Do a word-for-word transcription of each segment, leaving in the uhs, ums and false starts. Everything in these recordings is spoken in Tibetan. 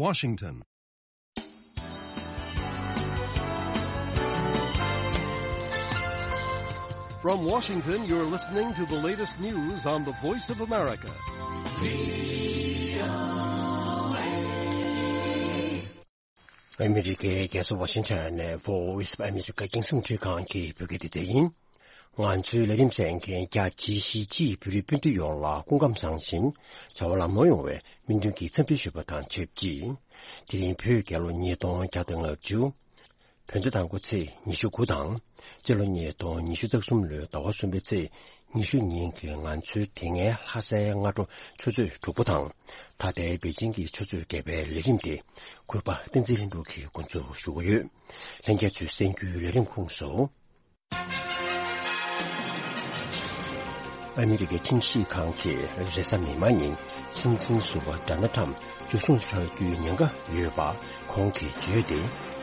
Washington. From Washington, you're listening to the latest news on the Voice of America. ཨ་མི་རི་ཀའི་རྒྱལ་ས་ཝ་ཤིང་ཊོན་ནས་Voice of America རྒྱང་སྲིང་འཕྲིན་ཁང་གི་བོད་སྐད་སྡེ་ཚན་ཡིན། ང་ཚོའི་ལས་རིམ་གསན་མཁན་རྒྱ་ཆེའི་གཞིས་བྱེས་བོད་རིགས་སྤུན་ཟླ་ཡོངས་ལ་སྐུ་ཁམས་བཟང་ཞིང་བྱ་བ་ལམ་ལྷོང་ཡོང་བའི་སྨོན་འདུན་གྱི་འཚམས་འདྲི་ཞུ་བ་དང་ཆབས་ཅིག་དེ་རིང་བོད་རྒྱལ་ལོ་ཉིས་སྟོང་བརྒྱ་དང་ལྔ་བཅུ། བོད་ཟླ་དང་པོ་ཚེས་ཉི་ཤུ་དགུ་དང་། སྤྱི་ལོ་ཉིས་སྟོང་ཉི་ཤུ་རྩ་གསུམ་ལོའི་ཟླ་བ་གསུམ་པའི་ཚེས་ཉི་ཤུ་ཉིན་གྱི་ང་ཚོའི་དེ་སྔའི་ལྷ་སའི་སྔ་དྲོ་ཆུ་ཚོད་དྲུག་པ་དང་། ད་ལྟའི་པེ་ཅིང་གི་ཆུ་ཚོད་བརྒྱད་པའི་ལས་རིམ་དེ་གུས་པ་བསྟན་འཛིན་ལྷུན་གྲུབ་ཀྱིས་འགོ་འཛུགས་ཞུ་གི་ཡོད། ལྷན་རྒྱས་ཚོས་གསན་རྒྱུའི་ལས་རིམ་ཁོངས་སུ། ཨ་མི་རི་ཀའི་ཁྲིམས་ཞིབ་ཁང་གིས་རེས་གཟའ་མིག་དམར་ཉིན་སྲིད་འཛིན་ཟུར་པ་ཌོ་ནལ་ཊམ་འཇུ་བཟུང་བྱ་རྒྱུའི་ཉེན་ཁ་ཡོད་པ་ཁོང་གིས་བརྗོད་དེ།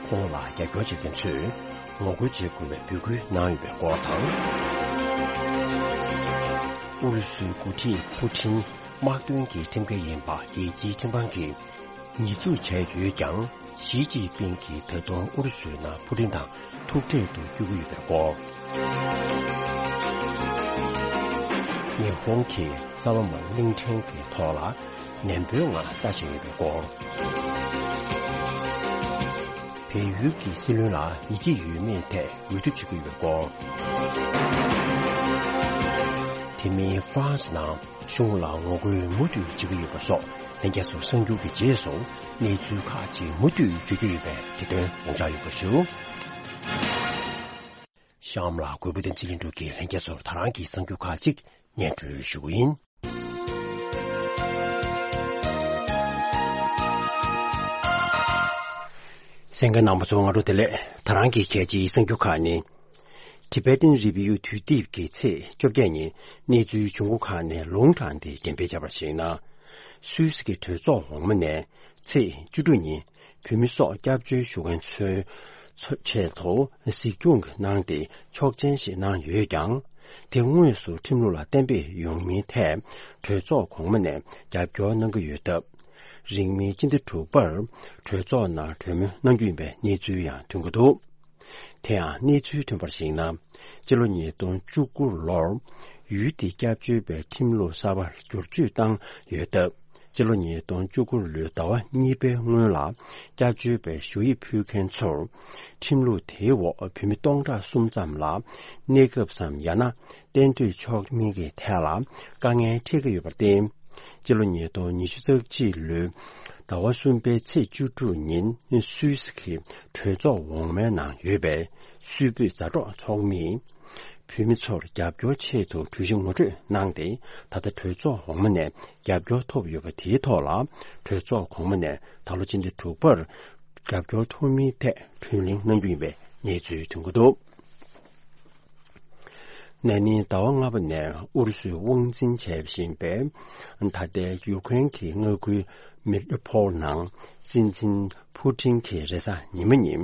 ཁོང་ལ་རྒྱབ་སྐྱོར་བྱེད་མཁན་ཚོས་ངོ་རྒོལ་བྱེད་དགོས་པའི་འབོད་སྐུལ་གནང་ཡོད་པའི་སྐོར་དང་། ཨུ་རུ་སུའི་འགོ་ཁྲིད་ཕུ་ཊིན་དམག་དོན་གྱི་ཁྲིམས་འགལ་ཡིན་པ་རྒྱལ་སྤྱིའི་ཁྲིམས་ཁང་གིས་ཉེས་འཛུགས་བྱས་ཡོད་ཀྱང་། ཞི་ཅིན་ཕིང་གིས་ད་དུང་ཨུ་རུ་སུའི་ནང་ཕུ་ཊིན་དང་ཐུག་འཕྲད་དུ་བསྐྱོད་ཀྱི་ཡོད་པའི་སྐོར། ཉི་ཧོང་གིས་ས་ལོ་མོན་གླིང་ཕྲན་གྱི་ཐོག་ལ་ནན་པོའི་ངང་ལྟ་བཞིན་ཡོད་པའི་སྐོར། བལ་ཡུལ་གྱི་སྲིད་བློན་ལ་ཡིད་ཆེས་ཡོད་མེད་ཐད་འོས་བསྡུ་བྱེད་ཀྱི་ཡོད་པའི་སྐོར། དེ་མིན་ཧྥ་རན་སི་ནང་གཞུང་ལ་ངོ་རྒོལ་མུ་མཐུད་བྱེད་ཀྱི་ཡོད་པ་སོགས་ལྷན་རྒྱས་ཚོ་གསར་འགྱུར་གྱི་རྗེས་སུ་གནས་ཚུལ་ཁག་ཅིག་མུ་མཐུད་བརྗོད་ཀྱི་ཡོད་པས་དེ་དོན་དགོངས་འཇགས་ཡོད་པ་ཞུ། གཤམ་ལ་གུས་པ་བསྟན་འཛིན་ལྷུན་གྲུབ་ཀྱིས་ལྷན་རྒྱས་ཚོར་ད་རང་གི་གསར་འགྱུར་ཁག་ཅིག་སྙན་སྒྲོན་ཞུ་གི་ཡིན། གསན་མཁན་རྣམ་པ་ཚོ་སྔ་དྲོ་བདེ་ལེགས། ད་རང་གི་གལ་ཆེའི་གསར་འགྱུར་ཁག་ནི། Tibetan Review དུས་དེབ་ཀྱི་ཚེས་བཅོ་བརྒྱད་ཉིན་གནས་ཚུལ་འབྱུང་ཁུངས་ཁག་ནས་ལུང་དྲངས་ཏེ་འགྲེམས་སྤེལ་བྱས་པར་གཞིགས་ན། སུད་སི་གི་གྲོས་ཚོགས་འོག་མ་ནས་ཚེས་བཅུ་དྲུག་ཉིན་བོད་མི་སོགས་སྐྱབས་བཅོལ་ཞུ་མཁན་ཚོའི་ཆེད་དུ་གཟིགས་སྐྱོང་གནང་སྟེ་ཆོག་མཆན་ཞིག་གནང་ཡོད་ཀྱང་། དེ་དངོས་སུ་ཁྲིམས་ལུགས་ལ་གཏན་འབེབས་ཡོང་མིན་ཐད་གྲོས་ཚོགས་གོང་མ་ནས་རྒྱབ་སྐྱོར་གནང་གི་ཡོད་སྟབས། རིང་མིན་སྤྱི་ཟླ་དྲུག་པར་གྲོས་ཚོགས་ནང་གྲོས་མོལ་གནང་རྒྱུ་ཡིན་པའི་གནས་ཚུལ་ཡང་ཐོན་གྱི་འདུག་དེ་ཡང་གནས་ཚུལ་ཐོན་པར་གཞིགས་ན། སྤྱི་ལོ་ཉིས་སྟོང་བཅུ་དགུ་ལོར་ཡུལ་དེའི་སྐྱབས་བཅོལ་བའི་ཁྲིམས་ལུགས་གསར་པར་བསྒྱུར་བཅོས་བཏང་ཡོད་སྟབས། སྤྱི་ལོ་ཉིས་སྟོང་བཅུ་དགུ་ལོའི་ཟླ་བ་གཉིས་པའི་སྔོན་ལ་སྐྱབས་བཅོལ་བའི་ཞུ་ཡིག་ཕུལ་མཁན་ཚོར་ཁྲིམས་ལུགས་དེའི་འོག་བོད་མི་སྟོང་ཕྲག་གསུམ་ཙམ་ལ་གནས་སྐབས་སམ་ཡང་ན་གཏན་སྡོད་ཆོག་མིན་གྱི་ཐད་ལ་དཀའ་ངལ་འཕྲད་ཀྱི་ཡོད་པར་བརྟེན། སྤྱི་ལོ་ཉིས་སྟོང་ཉི་ཤུ་རྩ་གཅིག་ལོའི་ཟླ་བ་གསུམ་པའི་ཚེས་བཅུ་དྲུག་ཉིན་སུད་སི་གི་གྲོས་ཚོགས་འོག་མའི་ནང་ཡོད་པའི་སུད་བོད་མཛའ་གྲོགས་ཚོགས་མིས། བོད་མི་ཚོར་རྒྱབ་སྐྱོར་ཆེད་དུ་གྲོས་གཞི་ངོ་སྤྲོད་གནང་སྟེ། ད་ལྟ་གྲོས་ཚོགས་འོག་མ་ནས་རྒྱབ་སྐྱོར་ཐོབ་ཡོད་པ་དེའི་ཐོག་ལ། གྲོས་ཚོགས་གོང་མ་ནས་ད་ལོ་སྤྱི་ཟླ་དྲུག་པར་རྒྱབ་སྐྱོར་ཐོབ་མིན་ཐད་གྲོས་གླེང་གནང་རྒྱུ་ཡིན་པའི་གནས་ཚུལ་ཐོན་གྱི་འདུག་ན་ནིང་ཟླ་བ་ལྔ་པ་ནས་ཨུ་རུ་སུས་དབང་འཛིན་བྱེད་བཞིན་པའི་ད་ལྟའི་ཡུ་ཁུ་རེན་གྱི་མངའ་ཁུལ་མེ་རི་ཡུ་པོལ་ནང་སྲིད་འཛིན་ཕུ་ཊིན་གྱིས་རེས་གཟའ་ཉི་མ་ཉིན་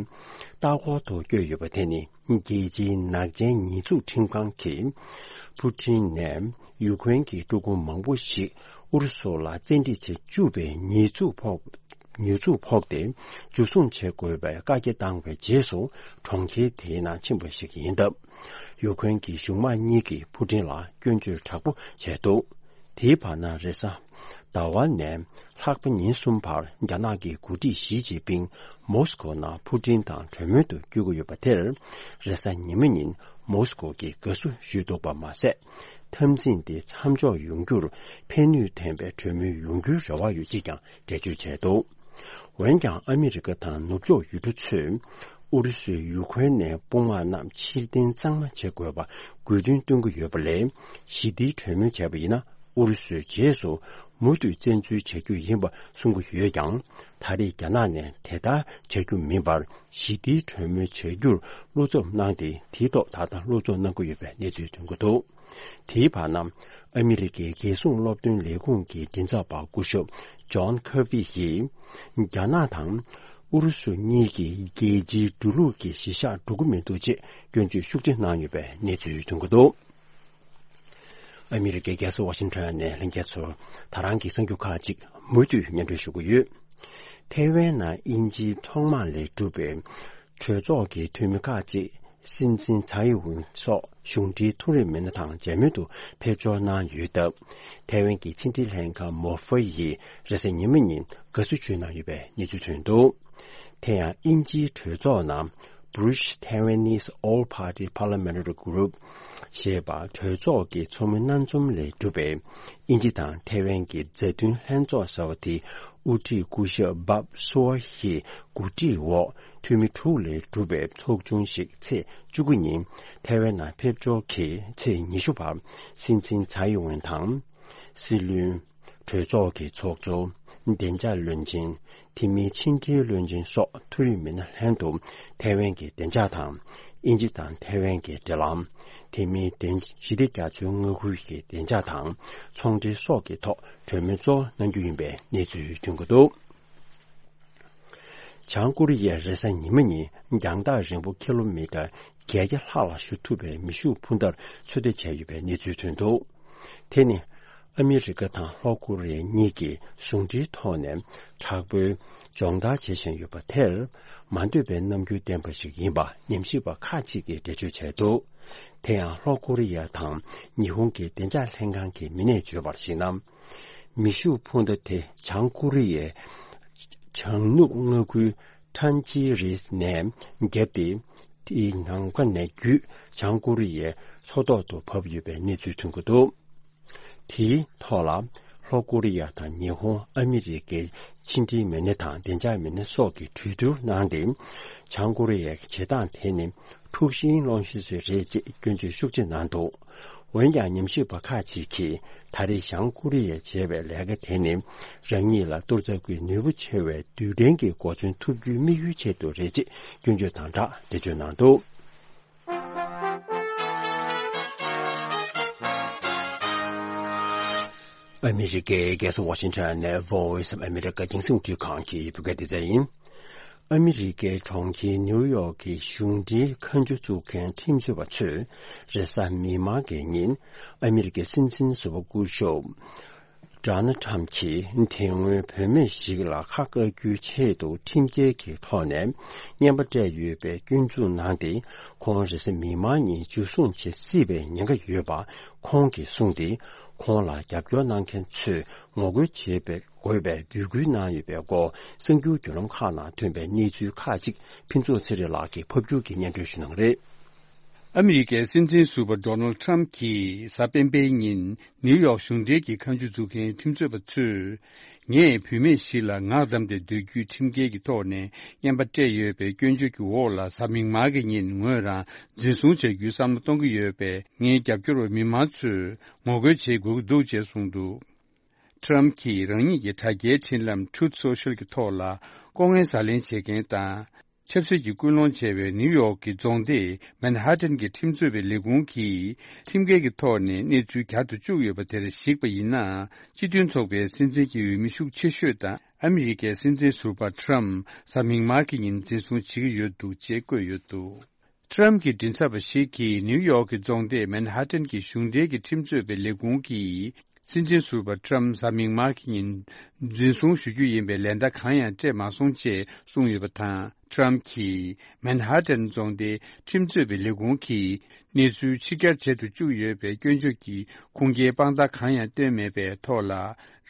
ལྟ་སྐོར་དུ་བསྐྱོད་ཡོད་པ་དེ་ནི། རྒྱལ་སྤྱིའི་ནག་ཅན་ཉེས་འཛུགས་ཁྲིམས་ཁང་གིས་ཕུ་ཊིན་ནས་ཡུ་ཁུ་རེན་གྱི་སྤྲུལ་སྐུ་མང་པོ་ཞིག་ཨུ་རུ་སུ་ལ་བཙན་ཁྲིད་བྱེད་བཅུག་པའི་ཉེས་འཛུགས་ཕོག་ཉེས་འཛུགས་ཕོག་སྟེ་འཇུ་བཟུང་བྱེད་དགོས་པའི་བཀའ་རྒྱ་བཏང་བའི་རྗེས་སུ་གྲོང་ཁྱེར་དེའི་ནང་ཕྱིན་པ་ཞིག་ཡིན་སྟབས། ཡུ་ཁུ་རེན་གྱི་གཞུང་དམངས་གཉིས་ཀྱིས་ཕུ་ཊིན་ལ་སྐྱོན་བརྗོད་དྲག་པོ་བྱས་འདུག་དེའི་བར་ན་རེས་གཟའ་ཟླ་བ་ནས་ལྷག་པ་ཉིན་གསུམ་བར་རྒྱ་ནག་གི་འགོ་ཁྲིད་ཞི་ཅིན་ཕིང་མོ་སི་ཀོ་ནང་ཕུ་ཊིན་དང་གྲོས་མོལ་དུ་བསྐྱོད་ཀྱི་ཡོད་པ་དེར། རེས་གཟའ་ཉི་མ་ཉིན་མོ་སི་ཀོ་གིས་དགའ་བསུ་ཞུས་འདུག་པ་མ་ཟད། འཐབ་འཛིང་དེ་མཚམས་འཇོག་ཡོང་རྒྱུར་ཕན་ནུས་ལྡན་པའི་གྲོས་མོལ་ཡོང་རྒྱུའི་རེ་བ་ཡོད་ཅེས་ཀྱང་འགྲེལ་བརྗོད་བྱས་འདུག་འོན་ཀྱང་ཨ་མི་རི་ཀ་དང་ནུབ་ཕྱོགས་ཡུལ་གྲུ་ཚོས་ཨུ་རུ་སུས་ཡུ་ཁུ་རེན་ནས་དཔུང་དམག་རྣམས་ཕྱིར་འཐེན་གཙང་མ་བྱེད་དགོས་པ་དགོས་འདུན་བཏོན་གྱི་ཡོད་པ་ལས། ཞི་བདེའི་གྲོས་མོལ་བྱས་པ་ཡིན་ན་ཨུ་རུ་སུའི་རྗེས་སུ་མུ་མཐུད་བཙན་འཛུལ་བྱ་རྒྱུ་ཡིན་པ་གསུང་གི་ཡོད་ཀྱང་། ད་རེས་རྒྱ་ནག་ནས་དེ་ལྟར་བྱ་རྒྱུ་མིན་པར་ཞི་བདེའི་གྲོས་མོལ་བྱ་རྒྱུར་བློ་འཚབ་གནང་སྟེ། དེའི་ཐོག་ད་ལྟ་བློ་འཚབ་གནང་གི་ཡོད་པའི་གནས་ཚུལ་ཐོན་གྱི་འདུག་དེའི་བར་ན། ཨ་མི་རི་ཀའི་རྒྱལ་སྲུང་སློབ་སྟོན་ལས་ཁུངས་ཀྱི་མགྲིན་ཚབ་པ་སྐུ་ཞབས་ཇོན་ཁེར་བྷི་ཡིས། རྒྱ་ནག་དང་ཨུ་རུ་སུ་གཉིས་ཀྱིས་རྒྱལ་སྤྱིའི་འགྲོ་ལུགས་ཀྱི་གཞིར་བཞག་འགྲོ་གི་མི་འདུག་ཅེས་སྐྱོན་བརྗོད་ཤུགས་ཆེ་གནང་ཡོད་པའི་གནས་ཚུལ་ཐོན་གྱི་འདུག་ཨ་མི་རི་ཀའི་རྒྱལ་ས་ཝ་ཤིང་ཊོན་ནས་ལྷན་རྒྱས་ཚོར་ད་རང་གི་གསར་འགྱུར་ཁག་ཅིག་མུ་མཐུད་སྙན་སྒྲོན་ཞུ་གི་ཡོད། ཐའེ་ཝན་ནང་དབྱིན་ཇིའི་ཐོག་མ་ལས་གྲུབ་པའི་གྲོས་ཚོགས་ཀྱི་འཐུས་མི་ཁག་ཅིག་སྲིད་འཛིན་ཚའེ་ཝེན་སོགས་གཞུང་འབྲེལ་མཐོ་རིམ་མི་སྣ་དང་མཇལ་མོལ་དུ་ཕེབས་འབྱོར་གནང་ཡོད་སྟབས། ཐའེ་ཝན་གྱི་ཕྱི་འབྲེལ་ལྷན་ཁང་མོ་ཧྥེ་ཡིས་རེས་གཟའ་ཉི་མ་ཉིན་དགའ་བསུ་ཞུས་གནང་ཡོད་པའི་གནས་ཚུལ་ཐོན་འདུག་དེ་ཡང་དབྱིན་ཇིའི་གྲོས་ཚོགས་ནང་British Taiwanese All-Party Parliamentary Group ཞེས་པ་གྲོས་ཚོགས་ཀྱི་ཚོགས་མི་སྣ་འཛོམས་ལས་གྲུབ་པའི་དབྱིན་ཇི་དང་ཐའེ་ཝན་གྱི་མཛའ་མཐུན་ལྷན་ཚོགས་ཟེར་བ་དེ་དབུ་ཁྲིད་སྐུ་ཞབས་བྷབ་སུའོ་ཧི་གོ་སྒྲིག་འོག་འཐུས་མི་དྲུག་ལས་གྲུབ་པའི་ཚོགས་ཆུང་ཞིག་ཚེས་བཅུ་དགུ་ཉིན་ཐའེ་ཝན་ནང་ཕེབས་འབྱོར་གྱིས་ཚེས་ཉི་ཤུ་བར་སྲིད་འཛིན་ཚའེ་ཝེན་དང་། སྲིད་བློན། གྲོས་ཚོགས་ཀྱི་ཚོགས་གཙོ། བདེ་འཇགས་བློན་ཆེན། དེ་མིན་ཕྱི་འབྲེལ་བློན་ཆེན་སོགས་མཐོ་རིམ་མི་སྣ་ལྷན་དུ་ཐའེ་ཝན་གྱི་བདེ་འཇགས་དང་། དབྱིན་ཇི་དང་ཐའེ་ཝན་གྱི་འབྲེལ་ལམ། དེ་མིན་བདེན་ཞི་བདེ་རྒྱ་མཚོའི་མངའ་ཁུལ་གྱི་བདེ་འཇགས་དང་ཚོང་འབྲེལ་སོགས་ཀྱི་ཐོག་གྲོས་མོལ་གཙོ་བོ་གནང་རྒྱུ་ཡིན་པའི་གནས་ཚུལ་ཐོན་གྱི་འདུག་བྱང་ཀོ་རི་ཡས་རེས་གཟའ་ཉི་མ་ཉིན་རྒྱང་ཐག་རིང་པོ་ཀི་ལོ་མི་ཊར་བརྒྱད་བརྒྱ་ལྷག་ལ་ཞུ་ཐུབ་པའི་མེ་ཤུགས་འཕུར་མདའ་ཚོད་ལྟ་བྱས་ཡོད་པའི་གནས་ཚུལ་ཐོན་འདུག་དེ་ནི་ཨ་མི་རི་ཀ་དང་ལྷོ་ཀོ་རི་ཡ་གཉིས་ཀྱིས་ཟུང་འབྲེལ་ཐོག་ནས་དྲག་པོའི་སྦྱོང་བརྡར་བྱེད་བཞིན་ཡོད་པ་དེར་མ་འདོད་པའི་རྣམ་འགྱུར་ལྡན་པ་ཞིག་ཡིན་པ་ཉམས་ཞིབ་པ་ཁག་ཅིག་གིས་འགྲེལ་བརྗོད་བྱས་འདུག་དེ་ཡང་ལྷོ་ཀོ་རི་ཡ་དང་ཉི་ཧོང་གི་བདེ་འཇགས་ལྷན་ཁང་གི་མི་སྣས་བརྗོད་པར་གཞིགས་ན། མེ་ཤུགས་འཕུར་མདའ་དེ་བྱང་ཀོ་རི་ཡའི་བྱང་ནུབ་མངའ་ཁུལ་ཁྲན་ཅི་རིས་ནས་བརྒྱབ་སྟེ། དེའི་ནམ་མཁའ་ནས་བརྒྱུད་བྱང་ཀོ་རི་ཡའི་མཚོ་ཐོག་ཏུ་བབས་ཡོད་པའི་གནས་ཚུལ་ཐོན་གྱི་འདུག་དེའི་ཐོག་ལ་ལྷོ་ཀོ་རི་ཡ་དང་ཉི་ཧོང་ཨ་མི་རི་ཀའི་ཕྱི་འབྲེལ་མི་སྣ་དང་བདེ་འཇགས་མི་སྣ་སོགས་ཀྱིས་གྲོས་བསྡུར་གནང་སྟེ། བྱང་ཀོ་རི་ཡའི་བྱེད་སྟངས་དེ་ནི་འཁྲུག་ཤིང་སློང་ཤེས་ཚུལ་རེད་ཅེས་སྐྱོན་བརྗོད་ཤུགས་ཆེ་གནང་འདུག་འོན་ཀྱང་ཉམས་ཞིབ་པ་ཁག་ཅིག་གིས་ད་རེས་བྱང་ཀོ་རི་ཡས་བྱས་པའི་ལས་ཀ་དེ་ནི་རང་ཉིད་ལ་གཏོར་ཚབ་ཀྱི་ནུས་པ་ཆེ་བའི་རྡུལ་ཕྲན་གྱི་གོ་མཚོན་ཐུབ་རྒྱུའི་དམིགས་ཡུལ་ཆེད་དུ་རེད་ཅེས་སྐྱོན་བརྗོད་དང་སྦྲགས་འགྲེལ་བརྗོད་གནང་འདུག་ཨ་མི་རི་ཀའི་རྒྱལ་ས་ཝ་ཤིང་ཊོན་ནས་Voice of America་རྒྱང་སྲིང་རླུང་འཕྲིན་ཁང་གི་བོད་སྐད་སྡེ་ཚན་ཡིན། ཨ་མི་རི་ཀའི་གྲོང་ཁྱེར་ནིའུ་ཡོག་གི་གཞུང་འབྲེལ་མཁའ་འགྲུལ་འཛུགས་མཁན་ཁྲིམས་རྩོད་པ་ཚོས་རེས་གཟའ་མིག་དམར་གྱི་ཉིན་ཨ་མི་རི་ཀའི་སྲིད་འཛིན་ཟུར་པ་སྐུ་ཞབས་Donald Trump་གྱིས་དེ་སྔོན་བུད་མེད་ཞིག་ལ་ཁ་བཀག་རྒྱུའི་ཆེད་དུ་ཁྲིམས་འགལ་གྱི་ཐོག་ནས་རྔན་པ་སྤྲད་ཡོད་པའི་སྐྱོན་འཛུགས་གནང་སྟེ། ཁོང་རེས་གཟའ་མིག་དམར་ཉིན་འཇུ་བཟུང་བྱེད་སྲིད་པའི་ཉེན་ཁ་ཡོད་པ་ཁོང་གིས་གསུངས་ཏེ། ཁོང་ལ་རྒྱབ་སྐྱོར་གནང་མཁན་ཚོས་ངོ་རྒོལ་བྱེད་པའི་དགོས་པའི་འབོད་སྐུལ་གནང་ཡོད་པའི་སྐོར་གསར་འགྱུར་བརྒྱུད་ལམ་ཁག་ནང་ཐོན་པའི་གནས་ཚུལ་ཁག་ཅིག་ཕུན་ཚོགས་ཚེ་རིང་ལགས་ཀྱིས་ཕབ་སྒྱུར་གྱིས་སྙན་སྒྲོན་ཞུ་གནང་གི་རེད། ཨ་མི་རི་ཀའི་སྲིད་འཛིན་ཟུར་པ་Donald Trump་གྱིས་གཟའ་སྤེན་པའི་ཉིན་ནིའུ་ཡོག་གཞུང་འབྲེལ་གྱི་མཁའ་འགྲུལ་འཛུགས་མཁན་ཁྲིམས་རྩོད་པ་ཚོས། ངས་བུད་མེད་ཞིག་ལ་ངག་བསྡམས་ཏེ་སྡོད་རྒྱུའི་ཁྲིམས་འགལ་གྱི་ཐོག་ནས་རྔན་པ་སྤྲད་ཡོད་པའི་སྐྱོན་བརྗོད་ཀྱི་འོག་ལ་གཟའ་མིག་དམར་གྱི་ཉིན་ངོས་རང་འཛིན་བཟུང་བྱ་རྒྱུའི་བསམ་བློ་གཏོང་གི་ཡོད་པས། ངའི་རྒྱབ་སྐྱོར་བ་མི་མང་ཚོས་ངོ་རྒོལ་བྱེད་དགོས་ཀྱི་འདུག་ཅེས་གསུངས་འདུག Trump་གྱིས་རང་ཉིད་ཀྱི་དྲ་རྒྱའི་འཕྲིན་ལམ་Truth Social་གྱི་ཐོག་ལ་ལྐོག་རྔན་ཟ་ལེན་བྱེད་མཁན་དང་། ཆབ་སྲིད་ཀྱི་སྐུལ་སློང་བྱས་པའི་ནིའུ་ཡོག་གི་རྫོང་སྡེ་མན་ཧ་ཏན་གྱི་ཁྲིམས་རྩོད་པའི་ལས་ཁུངས་ཀྱིས་ཁྲིམས་འགལ་གྱི་ཐོག་ནས་གནས་ཚུལ་གྱེར་དུ་བཅུག་ཡོད་པ་དེར་གཞིགས་པ་ཡིན་ན། སྤྱི་མཐུན་ཚོགས་པའི་སྲིད་འཛིན་གྱི་འོས་མི་ཤུགས་ཆེ་ཤོས་དང་ཨ་མི་རི་ཀའི་སྲིད་འཛིན་ཟུར་པ་Trump་གཟའ་མིག་དམར་གྱི་ཉིན་འཛིན་བཟུང་བྱེད་ཀྱི་ཡོད་འདུག་ཅེས་བཀོད་ཡོད་འདུག Trump་གྱི་མགྲིན་ཚབ་པ་ཞིག་གིས་ནིའུ་ཡོག་གི་རྫོང་སྡེ་མན་ཧ་ཏན་གྱི་གཞུང་འབྲེལ་གྱི་ཁྲིམས་རྩོད་པའི་ལས་ཁུངས་ཀྱིས། སྲིད་འཛིན་ཟུར་པ་Trump་གཟའ་མིག་དམར་གྱི་ཉིན་འཛིན་བཟུང་ཞུ་རྒྱུ་ཡིན་པའི་ལན་བརྡ་གང་ཡང་སྤྲད་མ་སོང་ཅེས་གསུངས་ཡོད་པ་དང་། Trump་གྱིས་མན་ཧ་ཏན་རྫོང་སྡེའི་ཁྲིམས་རྩོད་པའི་ལས་ཁུངས་ཀྱིས་གནས་ཚུལ་ཕྱི་གྱར་བྱེད་དུ་བཅུག་ཡོད་པའི་སྐྱོན་བརྗོད་ཀྱི་ཁུངས་སྐྱེལ་དཔང་རྟགས་གང་ཡང་བཏོན་མེད་པའི་ཐོག་ལ།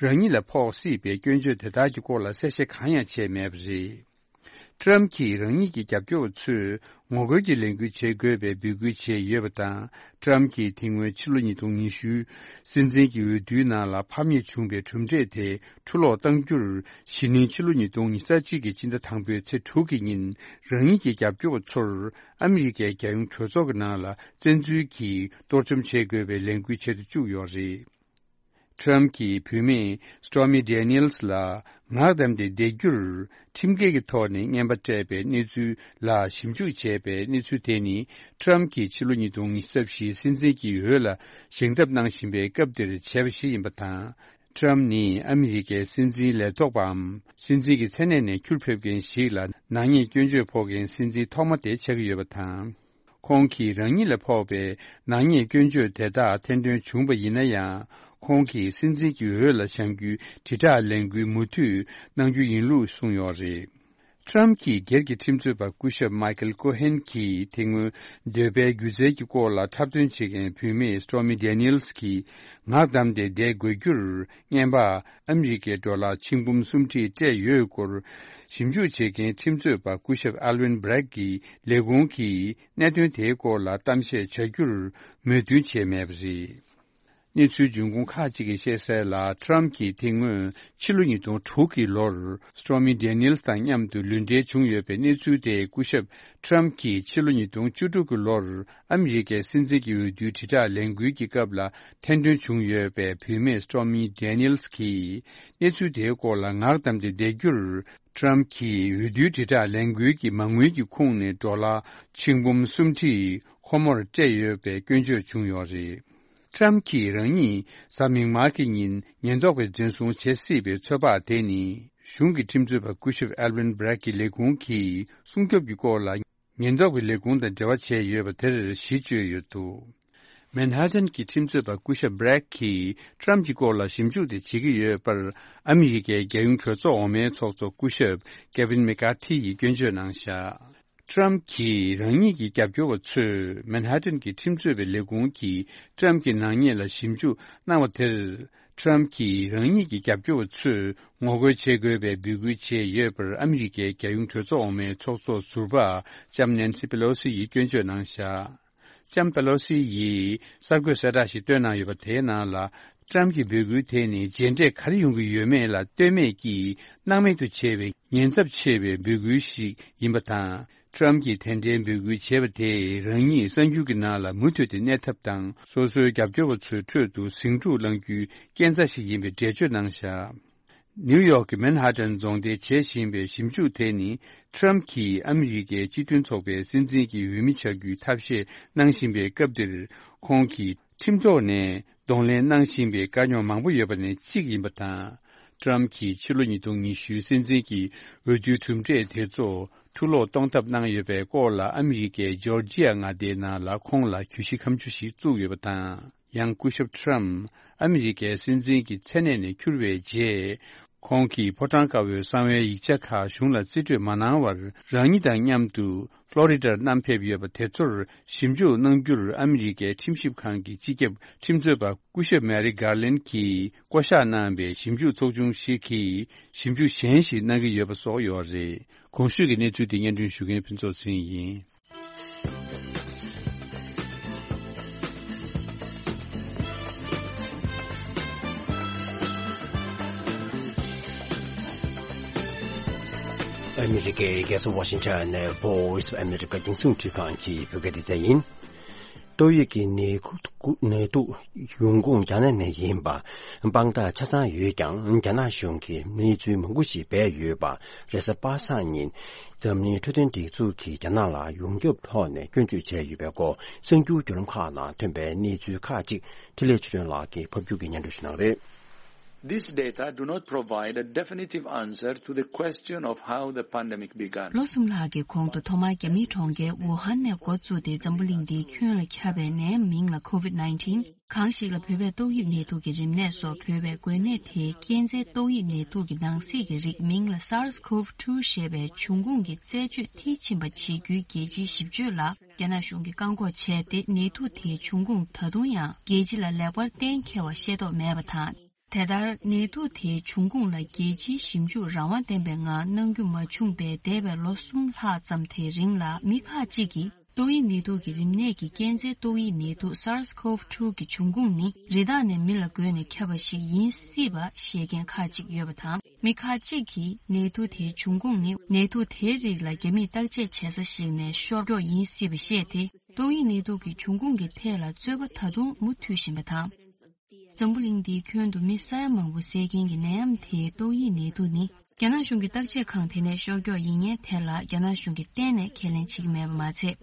རང་ཉིད་ལ་ཕོག་སྲིད་པའི་སྐྱོན་བརྗོད་དེ་དག་གི་སྐོར་ལ་གསལ་བཤད་གང་ཡང་བྱས་མེད་པ་རེད། Trump་གྱིས་རང་ཉིད་ཀྱི་རྒྱབ་སྐྱོར་བ་ཚོས་ངོ་རྒོལ་གྱི་ལས་འགུལ་བྱེད་དགོས་པའི་འབོད་སྐུལ་བྱས་ཡོད་པ་དང་། Trump་གྱིས་དེ་སྔོན་ཕྱི་ལོ་ཉིས་སྟོང་ཉི་ཤུ་སྲིད་འཛིན་གྱི་འོས་བསྡུའི་ནང་ལ་ཕམ་ཉེས་བྱུང་བའི་གྲུབ་འབྲས་དེ་འཁྲུ་སློག་གཏང་རྒྱུར། གཞེས་ནིང་ཕྱི་ལོ་ཉིས་སྟོང་ཉི་ཤུ་རྩ་གཅིག་གི་སྤྱི་ཟླ་དང་པོའི་ཚེས་དྲུག་གི་ཉིན་རང་ཉིད་ཀྱི་རྒྱབ་སྐྱོར་བ་ཚོར་ཨ་མི་རི་ཀའི་རྒྱལ་ཡོངས་གྲོས་ཚོགས་ཀྱི་ནང་ལ་བཙན་འཛུལ་གྱིས་གཏོར་བཅོམ་བྱེད་དགོས་པའི་ལས་འགུལ་བྱེད་དུ་བཅུག་ཡོད་རེད། Trump་གྱིས་བུད་མེད་Stormy Daniels་ལ་ངག་བསྡམས་ཏེ་བསྡད་རྒྱུར་ཁྲིམས་འགལ་གྱི་ཐོག་ནས་རྔན་པ་སྤྲད་པའི་གནས་ཚུལ་ལ་ཞིབ་འཇུག་བྱས་པའི་གནས་ཚུལ་དེ་ནི། Trump་གྱིས་ཕྱི་ལོ་ཉིས་སྟོང་ཉི་ཤུ་རྩ་བཞིའི་སྲིད་འཛིན་གྱི་འོས་ལ་བཞེངས་ཐབས་གནང་བཞིན་པའི་སྐབས་དེར་བྱས་པ་ཞིག་ཡིན་པ་དང་། Trump་ནི་ཨ་མི་རི་ཀའི་སྲིད་འཛིན་ལས་ཐོག་པའམ། སྲིད་འཛིན་གྱི་མཚན་གནས་ནས་ཁྱུར་ཕེབས་མཁན་ཞིག་ལ་ནག་ཉེས་སྐྱོན་བརྗོད་ཕོག་མཁན་སྲིད་འཛིན་ཐོག་མ་དེ་ཆགས་ཀྱི་ཡོད་པ་དང་། ཁོང་གིས་རང་ཉིད་ལ་ཕོག་པའི་ནག་ཉེས་སྐྱོན་བརྗོད་དེ་དག་ཐེར་འདོན་བྱུང་བ་ཡིན་ན་ཡང་། ཁོང་གིས་སྲིད་འཛིན་གྱི་འོས་ལ་བྱང་རྒྱུའི་དྲིལ་བསྒྲགས་ལས་འགུལ་མུ་མཐུད་གནང་རྒྱུ་ཡིན་ལུགས་གསུངས་ཡོད་རེད། ཊམ་གྱིས་སྒེར་གྱི་ཁྲིམས་རྩོད་པ་སྐུ་ཞབས་མའི་ཀལ་ཀོ་ཧན་གྱིས་དེ་སྔོན་འདོད་པའི་སྒྱུ་རྩལ་གྱི་སྐོར་ལ་འཁྲབ་སྟོན་བྱེད་མཁན་བུད་མེད་སི་ཊོར་མི་ཌེ་ནི་ཨེལ་སི་གིས་ངག་བསྡམས་ཏེ་བསྡད་དགོས་རྒྱུར་རྔན་པ་ཨ་མི་རི་ཀའི་ཌོ་ལར་ཆིག་འབུམ་སུམ་ཁྲི་སྤྲད་ཡོད་སྐོར། ཞིབ་འཇུག་བྱེད་མཁན་ཁྲིམས་རྩོད་པ་སྐུ་ཞབས་ཨལ་ཝིན་སྦྲེག་གི་ལས་ཁུངས་ཀྱིས་གནད་དོན་དེའི་སྐོར་ལ་གཏམ་བཤད་བྱ་རྒྱུར་མོས་མཐུན་བྱས་མེད་པ་རེད། གནས་ཚུལ་འབྱུང་ཁུངས་ཁག་ཅིག་གིས་བཤད་གསལ་ལ། ཊམ་གྱིས་དེ་སྔོན་ཕྱི་ལོ་ཉིས་སྟོང་དྲུག་གི་ལོར་སི་ཊོར་མི་ཌེ་ནི་ཨེལ་སི་དང་མཉམ་དུ་ལུས་འབྲེལ་བྱུང་ཡོད་པའི་གནས་ཚུལ་དེ། སྐུ་ཞབས་ཊམ་གྱིས་ཕྱི་ལོ་ཉིས་སྟོང་བཅུ་དྲུག་གི་ལོར་ཨ་མི་རི་ཀའི་སྲིད་འཛིན་གྱི་འོས་བསྡུའི་དྲིལ་བསྒྲགས་ལས་འགུལ་གྱི་སྐབས་ལ་ཐེར་འདོན་བྱུང་ཡོད་པའི་བུད་མེད་སི་ཊོར་མི་ཌེ་ནི་ཨེལ་སི་གིས་གནས་ཚུལ་དེའི་སྐོར་ལ་ངག་བསྡམས་ཏེ་བསྡད་རྒྱུར། ཊམ་གྱིས་འོས་བསྡུའི་དྲིལ་བསྒྲགས་ལས་འགུལ་གྱི་མ་དངུལ་གྱི་ཁོངས་ནས་ཌོ་ལར་ཆིག་འབུམ་སུམ་ཁྲི་ཁོ་མོར་སྤྲད་ཡོད་པའི་སྐྱོན་བརྗོད་བྱུང་ཡོད་རེད། ཊམ་གྱིས་རང་ཉིད་གཟའ་མིག་དམར་གྱི་ཉིན་ཉེན་རྟོག་པས་འཛིན་བཟུང་བྱེད་སྲིད་པའི་ཚོད་དཔག་དེ་ནི། གཞུང་གི་ཁྲིམས་རྩོད་པ་སྐུ་ཞབས་ཨལ་ཝིན་སྦྲེག་གི་ལས་ཁུངས་ཀྱིས་སྲུང་སྐྱོབ་ཀྱི་སྐོར་ལ་ཉེན་རྟོག་པའི་ལས་ཁུངས་དང་འབྲེལ་བ་བྱས་ཡོད་པ་དེར་གཞི་བཅོལ་ཡོད་འདུག་མན་ཧ་ཏན་གྱི་ཁྲིམས་རྩོད་པ་སྐུ་ཞབས་སྦྲེག་གིས་ཊམ་གྱི་སྐོར་ལ་ཞིབ་འཇུག་དེ་བྱེད་ཀྱི་ཡོད་པར། ཨ་མི་རི་ཀའི་རྒྱལ་ཡོངས་གྲོས་ཚོགས་འོག་མའི་ཚོགས་གཙོ་སྐུ་ཞབས་ཀེ་ཝིན་མེ་ཀར་ཐི་ཡིས་སྐྱོན་བརྗོད་གནང་བཞག་ཊམ་གྱིས་རང་ཉིད་ཀྱི་རྒྱབ་སྐྱོར་བ་ཚོས་མན་ཧ་ཏན་གྱི་ཁྲིམས་རྩོད་པའི་ལས་ཁུངས་ཀྱིས་ཊམ་གྱི་ནག་ཉེས་ལ་ཞིབ་འཇུག་གནང་བ་དེར། ཊམ་གྱིས་རང་ཉིད་ཀྱི་རྒྱབ་སྐྱོར་བ་ཚོས་ངོ་རྒོལ་བྱེད་དགོས་པའི་འབོད་སྐུལ་བྱས་ཡོད་པར། ཨ་མི་རི་ཀའི་རྒྱལ་ཡོངས་གྲོས་ཚོགས་འོག་མའི་ཚོགས་གཙོ་ཟུར་པ་ལྕམ་ནན་སི་པེ་ལོ་སི་ཡིས་སྐྱོན་བརྗོད་གནང་བཞག་ལྕམ་པེ་ལོ་སི་ཡིས་གསར་འགོད་གསལ་བསྒྲགས་ཤིག་བཏོན་གནང་ཡོད་པ། དེའི་ནང་ལ། ཊམ་གྱི་འབོད་སྐུལ་དེ་ནི་རྗེས་འབྲས་ག་རེ་ཡོང་གི་ཡོད་མེད་ལ་ལྟོས་མེད་ཀྱིས་སྣང་མེད་དུ་བྱས་པའི་ཉེན་ཚབས་ཆེ་བའི་འབོད་སྐུལ་ཞིག་ཡིན་པ་དང་། ཊམ་གྱིས་དེ་འདྲའི་འབོད་སྐུལ་བྱས་པ་དེས་རང་ཉིད་གསར་འགྱུར་གྱི་ནང་ལ་མུ་མཐུད་དེ་གནས་ཐབས་དང་། སོ་སོའི་རྒྱབ་སྐྱོར་བ་ཚོའི་ཁྲོད་དུ་ཟིང་འཁྲུག་བསླང་རྒྱུའི་རྐྱེན་རྩ་ཞིག་ཡིན་པའི་འགྲེལ་བརྗོད་གནང་བཞག་ནིའུ་ཡོག་གི་མན་ཧ་ཏན་རྫོང་སྡེས་བྱེད་བཞིན་པའི་ཞིབ་འཇུག་དེ་ནི། ཊམ་གྱིས་ཨ་མི་རི་ཀའི་སྤྱི་མཐུན་ཚོགས་པའི་སྲིད་འཛིན་གྱི་འོས་མི་བྱ་རྒྱུའི་ཐབས་ཤེས་གནང་བཞིན་པའི་སྐབས་འདིར། ཁོང་གིས་ཁྲིམས་ཐོག་ནས་གདོང་ལེན་གནང་བཞིན་པའི་དཀའ་རྙོག་མང་པོ་ཡོད་པ་ནས་གཅིག་ཡིན་པ་དང་། ཊམ་གྱིས་ཕྱི་ལོ་ཉིས་སྟོང་ཉི་ཤུའི་སྲིད་འཛིན་གྱི་འོས་བསྡུའི་གྲུབ་འབྲས་དེ་ཚོ་འཁྲུ་སློག་གཏོང་ཐབས་གནང་ཡོད་པའི་སྐོར་ལ། ཨ་མི་རི་ཀའི་ཇོར་ཇི་ཡ་མངའ་སྡེའི་ནང་ལ་ཁོང་ལ་གྱོད་གཞི་ཁ་མཆུ་ཞིག་བཙུགས་ཡོད་པ་དང་། ཡང་སྐུ་ཞབས་ཊམ་ཨ་མི་རི་ཀའི་སྲིད་འཛིན་གྱི་མཚན་གནས་ནས་འཁྱུར་བའི་རྗེས། ཁོང་གིས་ཕོ་བྲང་དཀར་པོའི་གསང་བའི་ཡིག་ཆ་ཁག་གཞུང་ལ་རྩིས་སྤྲོད་མ་གནང་བར། རང་ཉིད་དང་མཉམ་དུ་ཕློ་རི་ཌར་བསྣམས་ཕེབས་ཡོད་པ་དེ་ཚོར་ཞིབ་འཇུག་གནང་རྒྱུར། ཨ་མི་རི་ཀའི་ཁྲིམས་ཞིབ་ཁང་གི་སྤྱི་ཁྱབ་ཁྲིམས་རྩོད་པ་སྐུ་ཞབས་མེ་རི་གྷར་ལན་གྱིས་བསྐོ་གཞག་གནང་བའི་ཞིབ་འཇུག་ཚོགས་ཆུང་ཞིག་གིས་ཞིབ་འཇུག་གཞན་ཞིག་གནང་གི་ཡོད་པ་སོགས་ཡོད་རེད། གོང་ཞུས་ཀྱི་གནས་ཚུལ་དེ་སྙན་སྒྲོན་ཞུ་མཁན་ཕུན་ཚོགས་ཚེ་རིང་ཡིན། ཨ་མི་རི་ཀའི་རྒྱལ་ས་ཝ་ཤིང་ཊོན་ནས་Voice of America རྒྱང་སྲིང་འཕྲིན་ཁང་གི་བོད་སྐད་སྡེ་ཚན་ཡིན། ཏོག་དབྱིབས་ཀྱི་ནད་ཁུག་ནད་དུག་ཡོང་ཁུངས་རྒྱ་ནག་ནས་ཡིན་པ་དཔང་རྟགས་ཆ་ཚང་ཡོད་ཀྱང་། རྒྱ་ནག་གཞུང་གིས་གནས་ཚུལ་མང་པོ་ཞིག་སྤེལ་ཡོད་པ། རེས་གཟའ་པ་སངས་ཉིན་འཛམ་གླིང་འཕྲོད་བསྟེན་སྒྲིག་འཛུགས་ཀྱིས་རྒྱ་ནག་ལ་ཡོངས་ཁྱབ་ཐོག་ནས་སྐྱོན་བརྗོད་བྱས་ཡོད་པའི་སྐོར། གསར་འགྱུར་བརྒྱུད་ལམ་ཁག་ནང་ཐོན་པའི་གནས་ཚུལ་ཁག་ཅིག་འཕྲིན་ལས་ཆོས་སྒྲོན་ལགས་ཀྱིས་ཕབ་སྒྱུར་གྱིས་སྙན་སྒྲོན་ཞུ་གནང་རེད། This data do not provide a definitive answer to the question of how the pandemic began. ལོ་གསུམ་ལྷག་གི་གོང་དུ་ཐོག་མར་རྒྱ་མིའི་གྲོང་ཁྱེར་ཝུ་ཧན་ནས་འགོ་བཙུགས་ཏེ་འཛམ་བུ་གླིང་འདིའི་ཁྱོན་ལ་ཁྱབ་པའི་ནད་མིང་ལ་COVID nineteen། གང་ཞིག་ལ་བོད་པས་ཏོག་དབྱིབས་ནད་དུག་གི་རིམས་ནད་སོགས་འབོད་པའི་འགོས་ནད་དེའི་རྐྱེན་རྩའི་ཏོག་དབྱིབས་ནད་དུག་གི་ནང་གསེས་ཀྱི་རིགས་མིང་ལ་SARS-CoV two ཞེས་པའི་འབྱུང་ཁུངས་ཀྱི་རྩད་གཅོད་མཐིལ་ཕྱིན་པ་བྱེད་རྒྱུའི་རྒྱལ་སྤྱིའི་ཞིབ་དཔྱོད་ལ་རྒྱ་ནག་གཞུང་གིས་བཀག་འགོག་བྱས་ཏེ། ནད་དུག་དེའི་འབྱུང་ཁུངས་ད་དུང་ཡང་རྒྱལ་སྤྱི་ལ་ལེགས་པར་གཏན་འཁེལ་བ་ཤེས་རྟོགས་མེད་པ་དང་། དེ་ལྟར་ནད་དུག་དེའི་འབྱུང་ཁུངས་ལ་རྒྱལ་སྤྱིའི་ཞིབ་འཇུག་རང་དབང་ལྡན་པའི་ངང་གནང་རྒྱུ་མ་བྱུང་བའི་འདས་པའི་ལོ་གསུམ་ལྷག་ཙམ་དེའི་རིང་ལ། མི་ཁག་ཅིག་གིས་ཏོག་དབྱིབས་ནད་དུག་གི་རིམས་ནད་ཀྱི་རྐྱེན་རྩའི་ཏོག་དབྱིབས་ནད་དུག་SARS-CoV two གི་འབྱུང་ཁུངས་ནི་རི་དྭགས་ནས་མི་ལ་འགོས་ནས་ཁྱབ་པ་ཞིག་ཡིན་སྲིད་པ་བཤད་མཁན་ཁག་ཅིག་ཡོད་པ་དང་། མི་ཁག་ཅིག་གིས་ནད་དུག་དེའི་འབྱུང་ཁུངས་ནི་ནད་དུག་དེའི་རིགས་ལ་རྒྱ་མིས་བརྟག་དཔྱད་བྱེད་ས་ཞིག་ནས་ཤོར་མགྱོགས་ཡིན་སྲིད་པ་བཤད་དེ། ཏོག་དབྱིབས་ནད་དུག་གི་འབྱུང་ཁུངས་ཀྱི་ཐད་ལ་རྩོད་པ་ད་དུང་མུ་མཐུད་བཞིན་པ་དང་། འཛམ་བུ་གླིང་འདིའི་ཁྱོན་དུ་མི་ས་ཡ་མང་པོ་བསད་མཁན་གྱི་ནད་ཡམས་དེའི་ཏོག་དབྱིབས་ནད་དུག་ནི། རྒྱ་ནག་གཞུང་གི་བརྟག་དཔྱད་ཁང་དེ་ནས་ཤོར་མགྱོགས་ཡིན་མཁན་དེ་ལ་རྒྱ་ནག་གཞུང་གིས་གཏན་ནས་ཁས་ལེན་བྱེད་ཀྱི་མེད་པ་མ་ཚད།